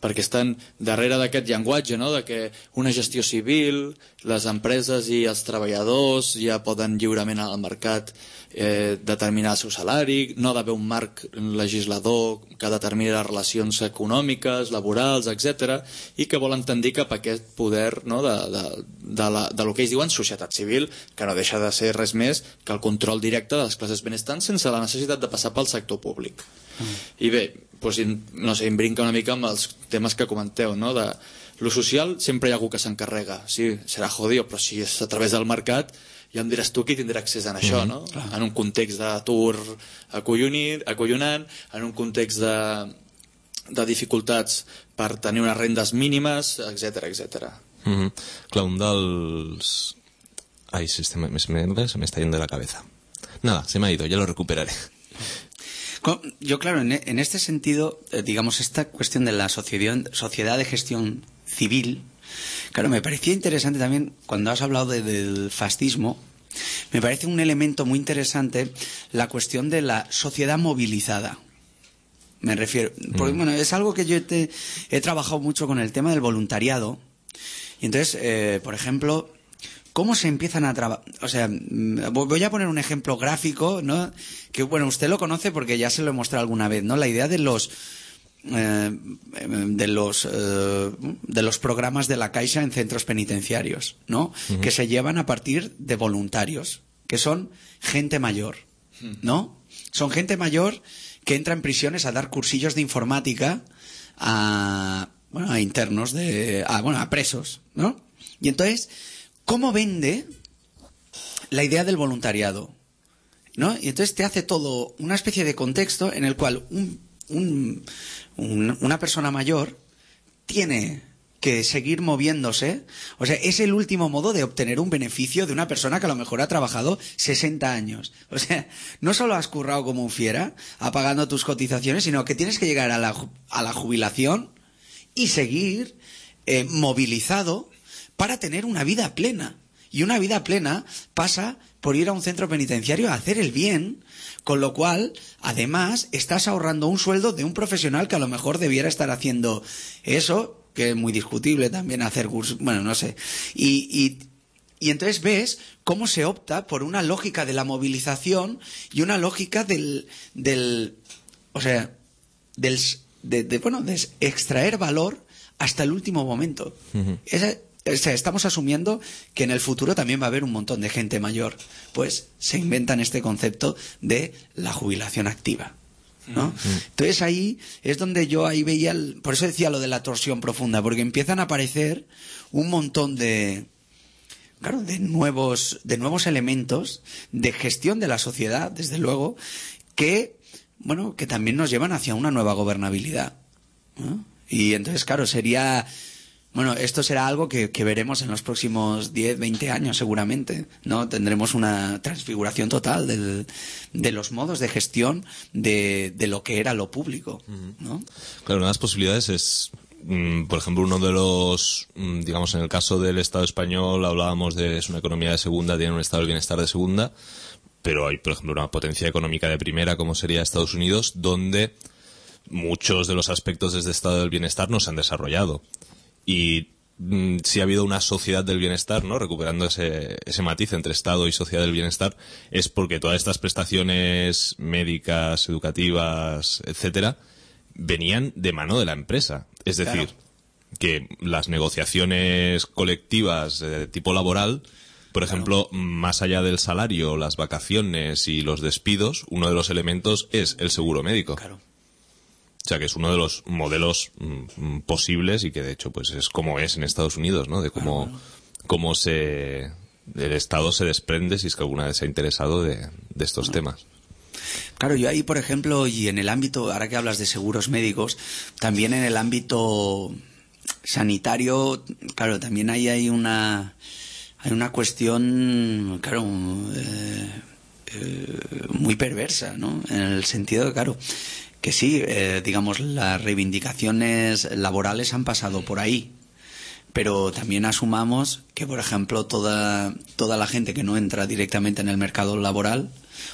perquè estan darrere d'aquest llenguatge, no? De que una gestió civil, les empreses i els treballadors ja poden lliurement al mercat eh, determinar el seu salari, no ha d'haver un marc legislador que determini les relacions econòmiques, laborals, etcètera, i que volen tendir cap a aquest poder, no? de, de, de, la, de lo que ells diuen societat civil, que no deixa de ser res més que el control directe de les classes benestants sense la necessitat de passar pel sector públic. Mm. I bé, doncs, no sé, em brinca una mica amb els temes que comenteu, no? De lo social sempre hi ha algú que s'encarrega, sí, serà jodido, però si és a través del mercat ja em diràs tu qui tindrà accés a això, no? Mm, en un context d'atur acollonant, en un context de, de dificultats per tenir unes rendes mínimes, etcètera, etcètera. Mm-hmm. Clar, un dels... Ay, se, se, me, se me se me está yendo de la cabeza. Nada, se me ha ido, ya lo recuperaré. Yo, claro, en, en este sentido, eh, digamos, esta cuestión de la sociedad, sociedad de gestión civil, claro, me parecía interesante también, cuando has hablado de, del fascismo, me parece un elemento muy interesante la cuestión de la sociedad movilizada. Me refiero, porque bueno, es algo que yo te, he trabajado mucho con el tema del voluntariado. Y entonces, eh, por ejemplo, ¿cómo se empiezan a trabajar? O sea, voy a poner un ejemplo gráfico, ¿no? Que, bueno, usted lo conoce porque ya se lo he mostrado alguna vez, ¿no? La idea de los eh, de los eh, de los programas de la Caixa en centros penitenciarios, ¿no? Uh-huh. Que se llevan a partir de voluntarios, que son gente mayor, ¿no? Son gente mayor que entra en prisiones a dar cursillos de informática a, bueno, a internos de, a, bueno, a presos, ¿no? Y entonces, ¿cómo vende la idea del voluntariado? ¿No? Y entonces te hace todo una especie de contexto en el cual un, un, un, una persona mayor tiene que seguir moviéndose. O sea, es el último modo de obtener un beneficio de una persona que a lo mejor ha trabajado sesenta años. O sea, no solo has currado como un fiera, apagando tus cotizaciones, sino que tienes que llegar a la, a la jubilación y seguir eh, movilizado para tener una vida plena. Y una vida plena pasa por ir a un centro penitenciario a hacer el bien, con lo cual, además, estás ahorrando un sueldo de un profesional que a lo mejor debiera estar haciendo eso, que es muy discutible también hacer cursos, bueno, no sé. Y, y, y entonces ves cómo se opta por una lógica de la movilización y una lógica del, del o sea, del, de, de, bueno, de extraer valor hasta el último momento. Uh-huh. Esa, o sea, estamos asumiendo que en el futuro también va a haber un montón de gente mayor. Pues se inventan este concepto de la jubilación activa, ¿no? Uh-huh. Entonces ahí es donde yo ahí veía, el, por eso decía lo de la torsión profunda, porque empiezan a aparecer un montón de, claro, de nuevos, de nuevos elementos de gestión de la sociedad, desde luego, que bueno, que también nos llevan hacia una nueva gobernabilidad, ¿no? Y entonces, claro, sería... Bueno, esto será algo que, que veremos en los próximos diez, veinte años seguramente, ¿no? Tendremos una transfiguración total del, de los modos de gestión de, de lo que era lo público, ¿no? Claro, una de las posibilidades es, mm, por ejemplo, uno de los, mm, digamos, en el caso del Estado español hablábamos de es una economía de segunda, tiene un estado del bienestar de segunda, pero hay, por ejemplo, una potencia económica de primera como sería Estados Unidos, donde muchos de los aspectos de este estado del bienestar no se han desarrollado. Y mm, si ha habido una sociedad del bienestar, ¿no? Recuperando ese, ese matiz entre Estado y sociedad del bienestar, es porque todas estas prestaciones médicas, educativas, etcétera, venían de mano de la empresa. Es decir, claro, que las negociaciones colectivas de tipo laboral, por ejemplo, claro, más allá del salario, las vacaciones y los despidos, uno de los elementos es el seguro médico. Claro. O sea, que es uno de los modelos mm, posibles y que, de hecho, pues es como es en Estados Unidos, ¿no? De cómo, bueno, cómo se, el Estado se desprende, si es que alguna vez se ha interesado, de, de estos bueno. temas. Claro, yo ahí, por ejemplo, y en el ámbito, ahora que hablas de seguros médicos, también en el ámbito sanitario, claro, también ahí hay una, hay una cuestión, claro, eh, eh, muy perversa, ¿no? En el sentido de, claro, que sí, eh, digamos, las reivindicaciones laborales han pasado por ahí, pero también asumamos que, por ejemplo, toda, toda la gente que no entra directamente en el mercado laboral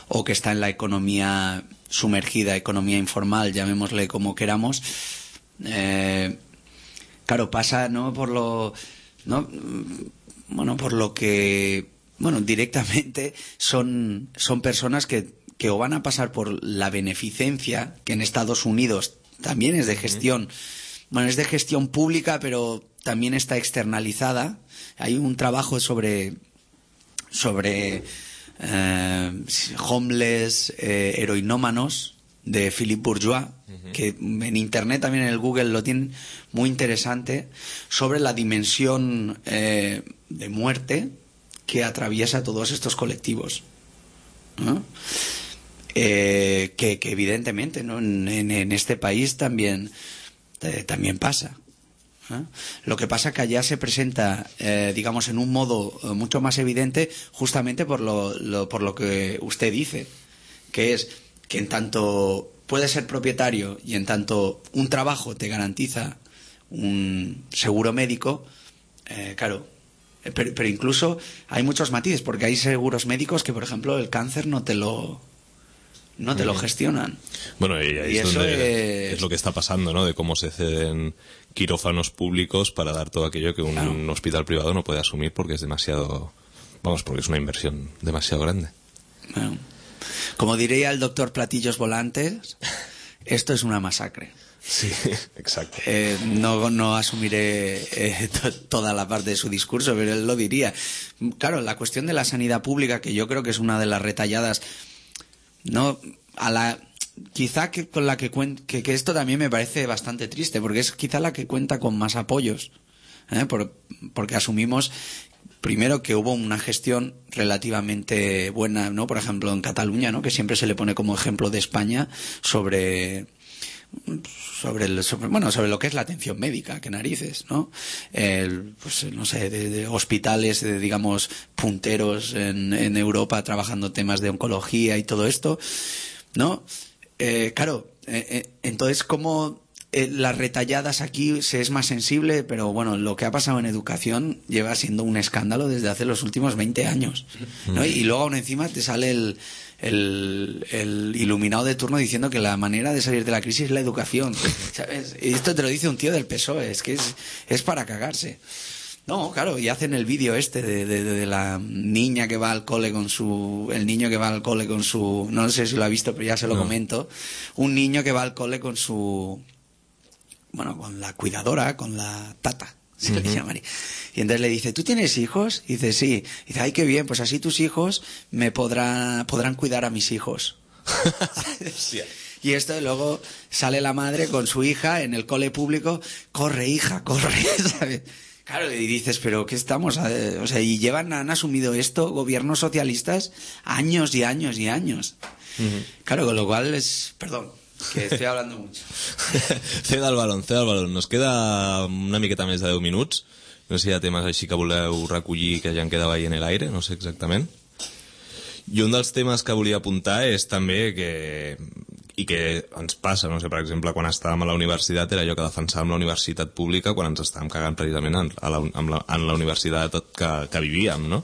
o que está en la economía sumergida, economía informal, llamémosle como queramos, eh, claro, pasa, ¿no? Por lo, ¿no? Bueno, por lo que, bueno, directamente son, son personas que que o van a pasar por la beneficencia, que en Estados Unidos también es de gestión, bueno, es de gestión pública, pero también está externalizada. Hay un trabajo sobre, sobre eh, homeless, eh, heroinómanos, de Philippe Bourgeois, uh-huh. que en Internet, también en el Google, lo tienen muy interesante, sobre la dimensión eh, de muerte que atraviesa todos estos colectivos, ¿no? Eh, que, que evidentemente, ¿no? en, en, en este país también eh, también pasa, ¿eh? Lo que pasa que allá se presenta, eh, digamos, en un modo eh, mucho más evidente, justamente por lo, lo, por lo que usted dice, que es que en tanto puedes ser propietario y en tanto un trabajo te garantiza un seguro médico, eh, claro, pero, pero incluso hay muchos matices, porque hay seguros médicos que, por ejemplo, el cáncer no te lo no te lo gestionan. Bueno, y ahí y es eso donde es... es lo que está pasando, ¿no? De cómo se ceden quirófanos públicos para dar todo aquello que un claro. hospital privado no puede asumir porque es demasiado, vamos, porque es una inversión demasiado grande. Bueno, como diría el doctor Platillos Volantes, esto es una masacre. Sí, exacto. Eh, no, no asumiré eh, to, toda la parte de su discurso, pero él lo diría. Claro, la cuestión de la sanidad pública, que yo creo que es una de las retalladas, no a la quizá que con la que cuenta, que, que esto también me parece bastante triste, porque es quizá la que cuenta con más apoyos, ¿eh? Por, porque asumimos primero que hubo una gestión relativamente buena, ¿no? Por ejemplo, en Cataluña, ¿no? Que siempre se le pone como ejemplo de España sobre sobre el sobre, bueno sobre lo que es la atención médica, que narices, ¿no? El, pues no sé, de, de hospitales, de, digamos, punteros en, en Europa trabajando temas de oncología y todo esto, ¿no? Eh, claro, eh, eh, entonces como eh, las retalladas aquí se es más sensible, pero bueno, lo que ha pasado en educación lleva siendo un escándalo desde hace los últimos veinte años, ¿no? Y luego aún encima te sale el El, el iluminado de turno diciendo que la manera de salir de la crisis es la educación, ¿sabes? Y esto te lo dice un tío del P S O E, es que es, es para cagarse. No, claro, y hacen el vídeo este de, de, de la niña que va al cole con su... El niño que va al cole con su... No sé si lo ha visto, pero ya se lo no. comento. Un niño que va al cole con su... Bueno, con la cuidadora, con la tata. Sí, uh-huh. le llamaría. Y entonces le dice, ¿tú tienes hijos? Y dice, sí. Y dice, ay, qué bien, pues así tus hijos me podrán, podrán cuidar a mis hijos. Y esto luego sale la madre con su hija en el cole público, corre, hija, corre, ¿sabes? Claro, y dices, pero ¿qué estamos? Eh, O sea, y llevan, han asumido esto gobiernos socialistas años y años y años. Uh-huh. Claro, con lo cual es... Perdón, que estoy hablando mucho. Ceda el balón, ceda el balón. Nos queda una miqueta més de deu minuts. No sé si hi ha temes així que voleu recollir que ja en quedava ahí en l'aire, no sé exactament. I un dels temes que volia apuntar és també que... i que ens passa, no sé, per exemple, quan estàvem a la universitat era allò que defensàvem la universitat pública quan ens estàvem cagant precisament en, a la, en, la, en la universitat que, que vivíem, no?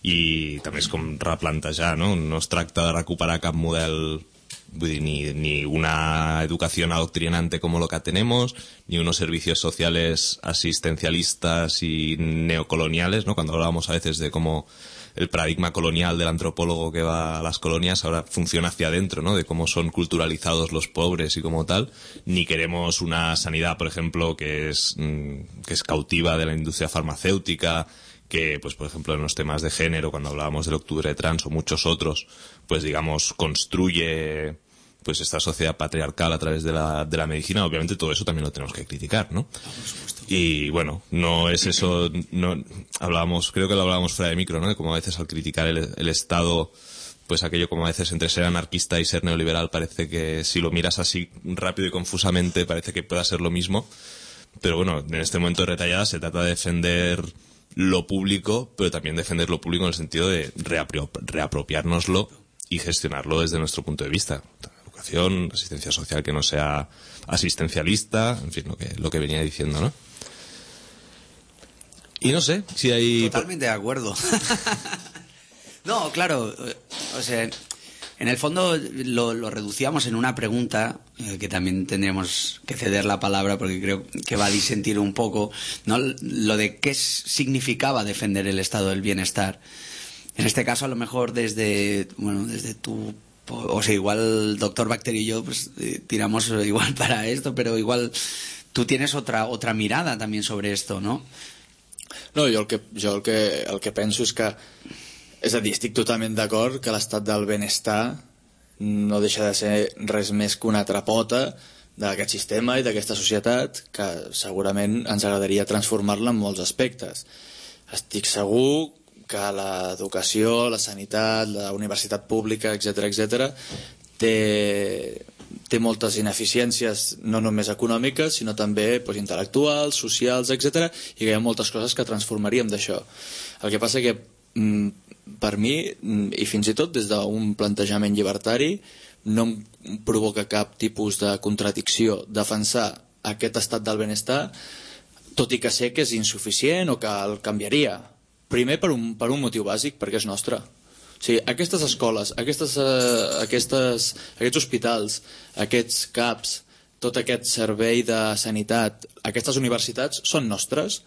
I també és com replantejar, no? No es tracta de recuperar cap model, vull dir, ni, ni una educación adoctrinante como lo que tenemos, ni unos servicios sociales asistencialistas y neocoloniales, ¿no? Cuando hablábamos a veces de cómo el paradigma colonial del antropólogo que va a las colonias ahora funciona hacia adentro, ¿no? De cómo son culturalizados los pobres y como tal. Ni queremos una sanidad, por ejemplo, que es, que es cautiva de la industria farmacéutica, que, pues, por ejemplo, en los temas de género, cuando hablábamos del octubre trans o muchos otros, pues, digamos, construye pues esta sociedad patriarcal a través de la, de la medicina. Obviamente todo eso también lo tenemos que criticar, ¿no? Y bueno, no es eso, no hablábamos, creo que lo hablábamos fuera de micro, ¿no? De cómo a veces al criticar el, el Estado, pues aquello como a veces entre ser anarquista y ser neoliberal parece que si lo miras así rápido y confusamente parece que pueda ser lo mismo. Pero bueno, en este momento de retallada se trata de defender lo público, pero también defender lo público en el sentido de reapro- reapropiárnoslo y gestionarlo desde nuestro punto de vista. Educación, asistencia social que no sea asistencialista, en fin, lo que, lo que venía diciendo, ¿no? Y no sé si hay... Totalmente de acuerdo. No, claro, o sea, en el fondo lo, lo reducíamos en una pregunta, eh, que también tendríamos que ceder la palabra porque creo que va a disentir un poco, ¿no? Lo de qué significaba defender el estado del bienestar. En este caso, a lo mejor desde, bueno, desde tu... O sea, igual doctor Bacterio y yo pues eh, tiramos igual para esto, pero igual tú tienes otra otra mirada también sobre esto, ¿no? No, jo el que, jo el que, el que penso és que, és a dir, estic totalment d'acord que l'estat del benestar no deixa de ser res més que una altra pota d'aquest sistema i d'aquesta societat que segurament ens agradaria transformar-la en molts aspectes. Estic segur que l'educació, la sanitat, la universitat pública, etcètera, etcètera, té, té moltes ineficiències no només econòmiques, sinó també doncs, intel·lectuals, socials, etcètera, i que hi ha moltes coses que transformaríem d'això. El que passa que, per mi, i fins i tot des d'un plantejament llibertari, no em provoca cap tipus de contradicció defensar aquest estat del benestar, tot i que sé que és insuficient o que el canviaria. Primer per un, per un motiu bàsic, perquè és nostre. O sigui, aquestes escoles, aquestes, uh, aquestes, aquests hospitals, aquests C A Ps, tot aquest servei de sanitat, aquestes universitats són nostres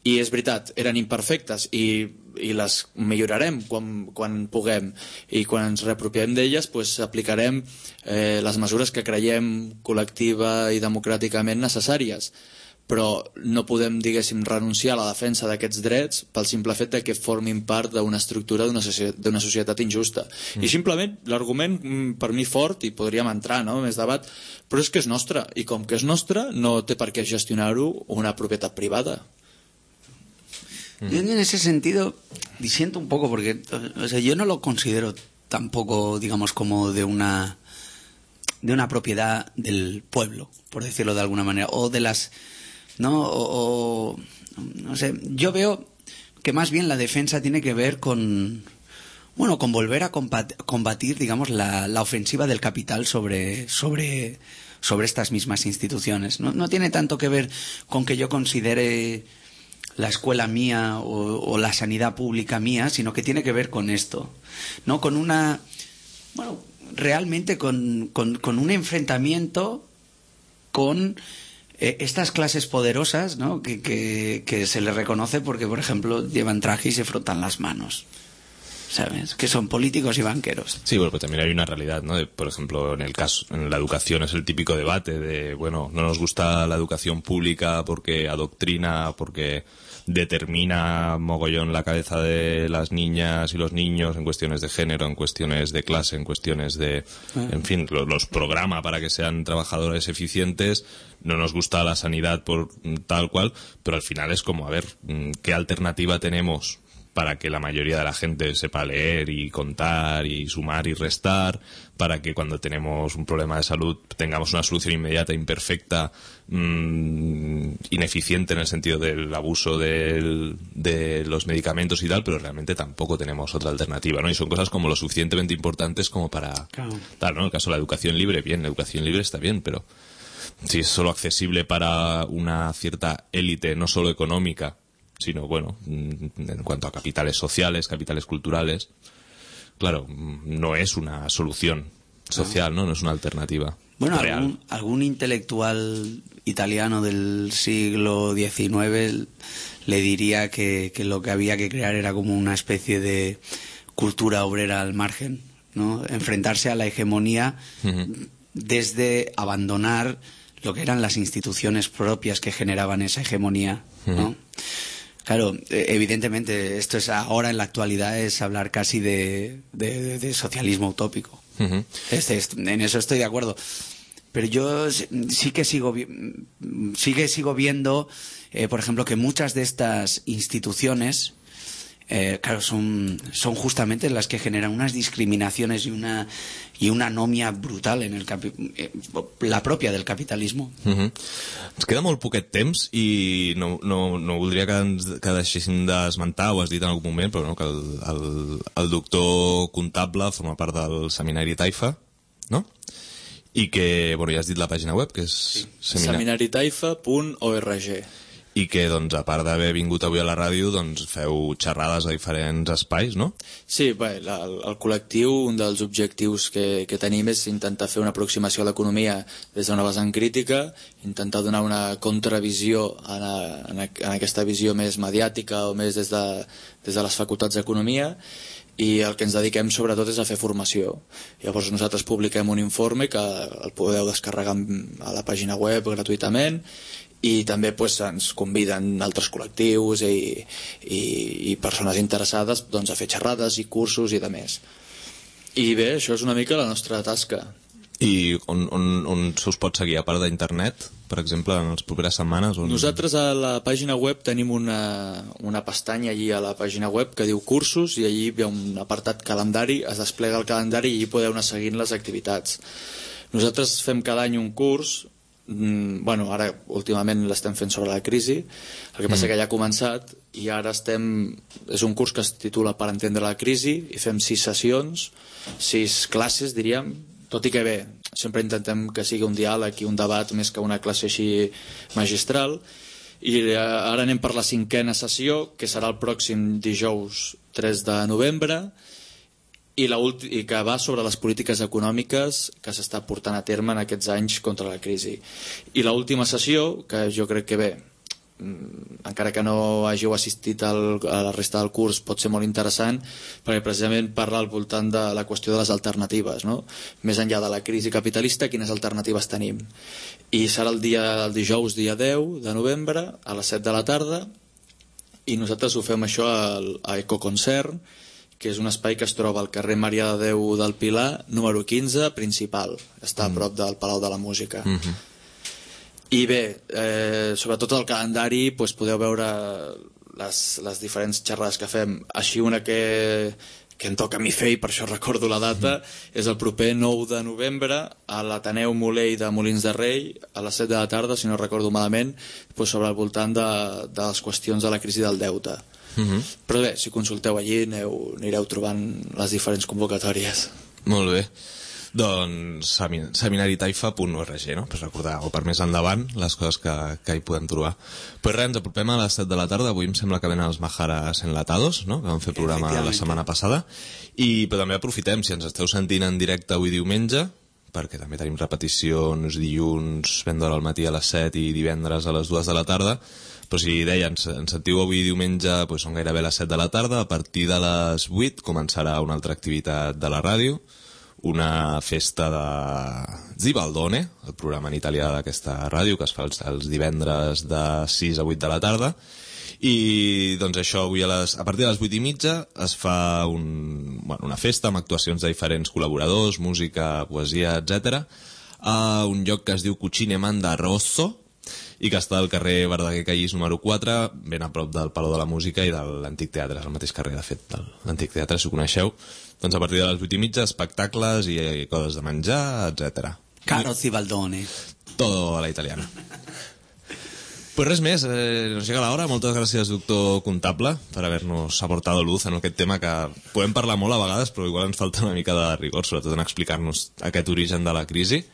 i és veritat, eren imperfectes i, i les millorarem quan, quan puguem i quan ens reapropiem d'elles pues, aplicarem eh, les mesures que creiem col·lectiva i democràticament necessàries. Però no podem, diguéssim, renunciar a la defensa d'aquests drets pel simple fet de que formin part d'una estructura d'una societat, d'una societat injusta. Mm. I simplement l'argument per mi fort, i podríem entrar no, més debat, però és que és nostre, i com que és nostre no té per què gestionar-ho una propietat privada. Mm. Yo en ese sentido disiento un poco porque, o sea, yo no lo considero tampoco, digamos, como de una de una propiedad del pueblo, por decirlo de alguna manera, o de las no o, o no sé, yo veo que más bien la defensa tiene que ver con bueno, con volver a combatir, combatir digamos la, la ofensiva del capital sobre sobre sobre estas mismas instituciones. No, no tiene tanto que ver con que yo considere la escuela mía o, o la sanidad pública mía, sino que tiene que ver con esto, ¿no? Con una bueno, realmente con, con, con un enfrentamiento con eh, estas clases poderosas, ¿no? que, que, que se les reconoce porque, por ejemplo, llevan traje y se frotan las manos. ¿sabes? Que son políticos y banqueros. Sí, bueno, pues también hay una realidad, ¿no? De, por ejemplo, en el caso, en la educación es el típico debate de, bueno, no nos gusta la educación pública porque adoctrina, porque determina mogollón la cabeza de las niñas y los niños en cuestiones de género, en cuestiones de clase, en cuestiones de... En fin, los, los programa para que sean trabajadores eficientes. No nos gusta la sanidad por tal cual, pero al final es como, a ver, ¿qué alternativa tenemos para que la mayoría de la gente sepa leer y contar y sumar y restar, para que cuando tenemos un problema de salud tengamos una solución inmediata, imperfecta, mmm, ineficiente en el sentido del abuso del, de los medicamentos y tal, pero realmente tampoco tenemos otra alternativa, ¿no? Y son cosas como lo suficientemente importantes como para... Claro. Tal, ¿no? En el caso de la educación libre, bien, la educación libre está bien, pero si es solo accesible para una cierta élite, no solo económica, sino, bueno, en cuanto a capitales sociales, capitales culturales, claro, no es una solución social, ¿no? No es una alternativa Bueno, real. algún, algún intelectual italiano del siglo diecinueve le diría que, que lo que había que crear era como una especie de cultura obrera al margen, ¿no? Enfrentarse a la hegemonía uh-huh. desde abandonar lo que eran las instituciones propias que generaban esa hegemonía, ¿no? Uh-huh. Claro, evidentemente, esto es ahora en la actualidad es hablar casi de, de, de socialismo utópico. Uh-huh. Este, este, en eso estoy de acuerdo. Pero yo sí que sigo, vi- sí que sigo viendo, eh, por ejemplo, que muchas de estas instituciones, eh, claro, son, son justamente las que generan unas discriminaciones y una y una anomia brutal en el capi- eh, la propia del capitalismo. Uh-huh. Ens queda molt poquet temps i no, no, no voldria que, ens, que deixéssim d'esmentar, ho has dit en algun moment, però no, que el, el, el doctor comptable forma part del seminari Taifa, no? I que, bueno, ja has dit la pàgina web, que és sí. semina... seminari taifa punt org. I que, doncs, a part d'haver vingut avui a la ràdio, doncs feu xerrades a diferents espais, no? Sí, bé, la, el, el col·lectiu, un dels objectius que, que tenim és intentar fer una aproximació a l'economia des d'una vessant crítica, intentar donar una contravisió en, a, en, a, en aquesta visió més mediàtica o més des de, des de les facultats d'economia, i el que ens dediquem sobretot és a fer formació. Llavors nosaltres publiquem un informe que el podeu descarregar a la pàgina web gratuïtament, i també pues, ens conviden altres col·lectius i, i, i persones interessades doncs, a fer xerrades i cursos i de més. I bé, això és una mica la nostra tasca. I on, on, on se us pot seguir, a part d'internet, per exemple, en les properes setmanes? On... Nosaltres a la pàgina web tenim una, una pestanya allí a la pàgina web que diu cursos, i allí hi ha un apartat calendari, es desplega el calendari i allí podeu anar seguint les activitats. Nosaltres fem cada any un curs. Mm, bueno, ara últimament l'estem fent sobre la crisi, el que passa mm. que ja ha començat i ara estem, és un curs que es titula Per entendre la crisi, i fem sis sessions, sis classes diríem, tot i que bé, sempre intentem que sigui un diàleg i un debat més que una classe així magistral. I ara anem per la cinquena sessió, que serà el pròxim dijous tres de novembre, i, la ulti- i que va sobre les polítiques econòmiques que s'està portant a terme en aquests anys contra la crisi. I l'última sessió, que jo crec que bé, encara que no hàgiu assistit al, a la resta del curs, pot ser molt interessant, perquè precisament parla al voltant de la qüestió de les alternatives, no? Més enllà de la crisi capitalista, quines alternatives tenim. I serà el dia el dijous, dia deu de novembre, a les set de la tarda, i nosaltres ho fem això al, a Ecoconcert, que és un espai que es troba al carrer Maria de Déu del Pilar, número quinze, principal. Està a prop del Palau de la Música. Mm-hmm. I bé, eh, sobretot el calendari, doncs podeu veure les, les diferents xerrades que fem. Així una que, que em toca a mi fer, i per això recordo la data, mm. és el proper nou de novembre a l'Ateneu Molell de Molins de Rei, a les set de la tarda, si no recordo malament, doncs sobre el voltant de, de les qüestions de la crisi del deute. Uh-huh. Però bé, si consulteu allí aneu, anireu trobant les diferents convocatòries. Molt bé. Doncs seminari taifa punt org, no? Per recordar, o per més endavant, les coses que, que hi podem trobar. Pues res, ens apropem a les set de la tarda. Avui em sembla que venen els Majaras Enlatados, no? Que vam fer programa la setmana passada. I però també aprofitem, si ens esteu sentint en directe avui diumenge, perquè també tenim repeticions dilluns, ben d'hora al matí a les set i divendres a les dues de la tarda. Però si deia, ens, ens sentiu avui diumenge, doncs són gairebé les set de la tarda. A partir de les vuit començarà una altra activitat de la ràdio, una festa de Zibaldone, el programa en italià d'aquesta ràdio, que es fa els, els divendres de sis a vuit de la tarda. I doncs això, avui a, les, a partir de les vuit i mitja es fa un, bueno, una festa amb actuacions de diferents col·laboradors, música, poesia, etcètera, a un lloc que es diu Cucine Manda Rosso i que està al carrer Verdaguer Callís número quatre, ben a prop del Palau de la Música i de l'Antic Teatre, és el mateix carrer, de fet, de l'Antic Teatre, si ho coneixeu. Doncs a partir de les vuit i mitja, espectacles i coses de menjar, etcètera. Caro Zibaldone. Todo a la italiana. Pues res més, eh, nos llega la hora. Moltes gràcies, doctor Comptable, per haver-nos aportado luz en aquest tema que podem parlar molt a vegades, però igual ens falta una mica de rigor, sobretot en explicar-nos aquest origen de la crisi.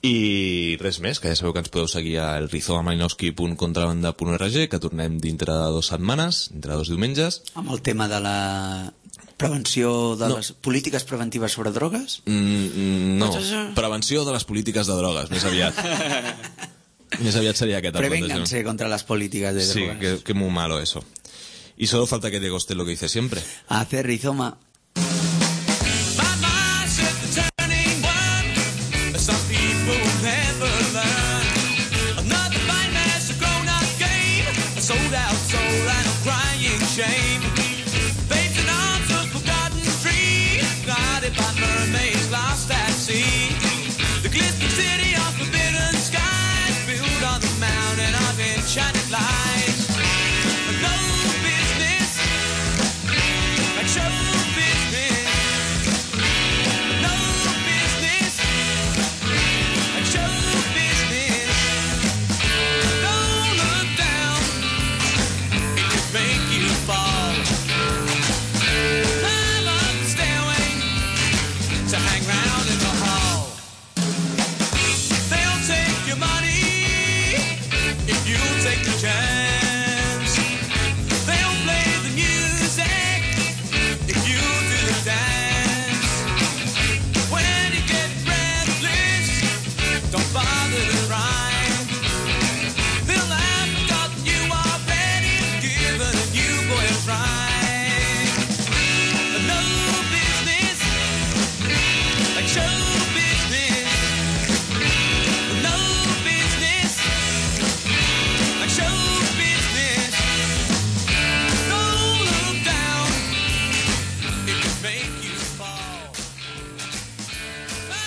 I res més, que ja sabeu que ens podeu seguir a elrizomamalinowski punt contrabanda punt org, que tornem dintre de dues setmanes, dintre de dos diumenges. Amb el tema de la prevenció de No. les polítiques preventives sobre drogues? Mm, no, prevenció de les polítiques de drogues, més aviat. Més aviat sería que tal. Prevénganse contra las políticas de sí, drogas. que, que muy malo eso. Y solo falta que te guste lo que dice siempre. Hacer rizoma.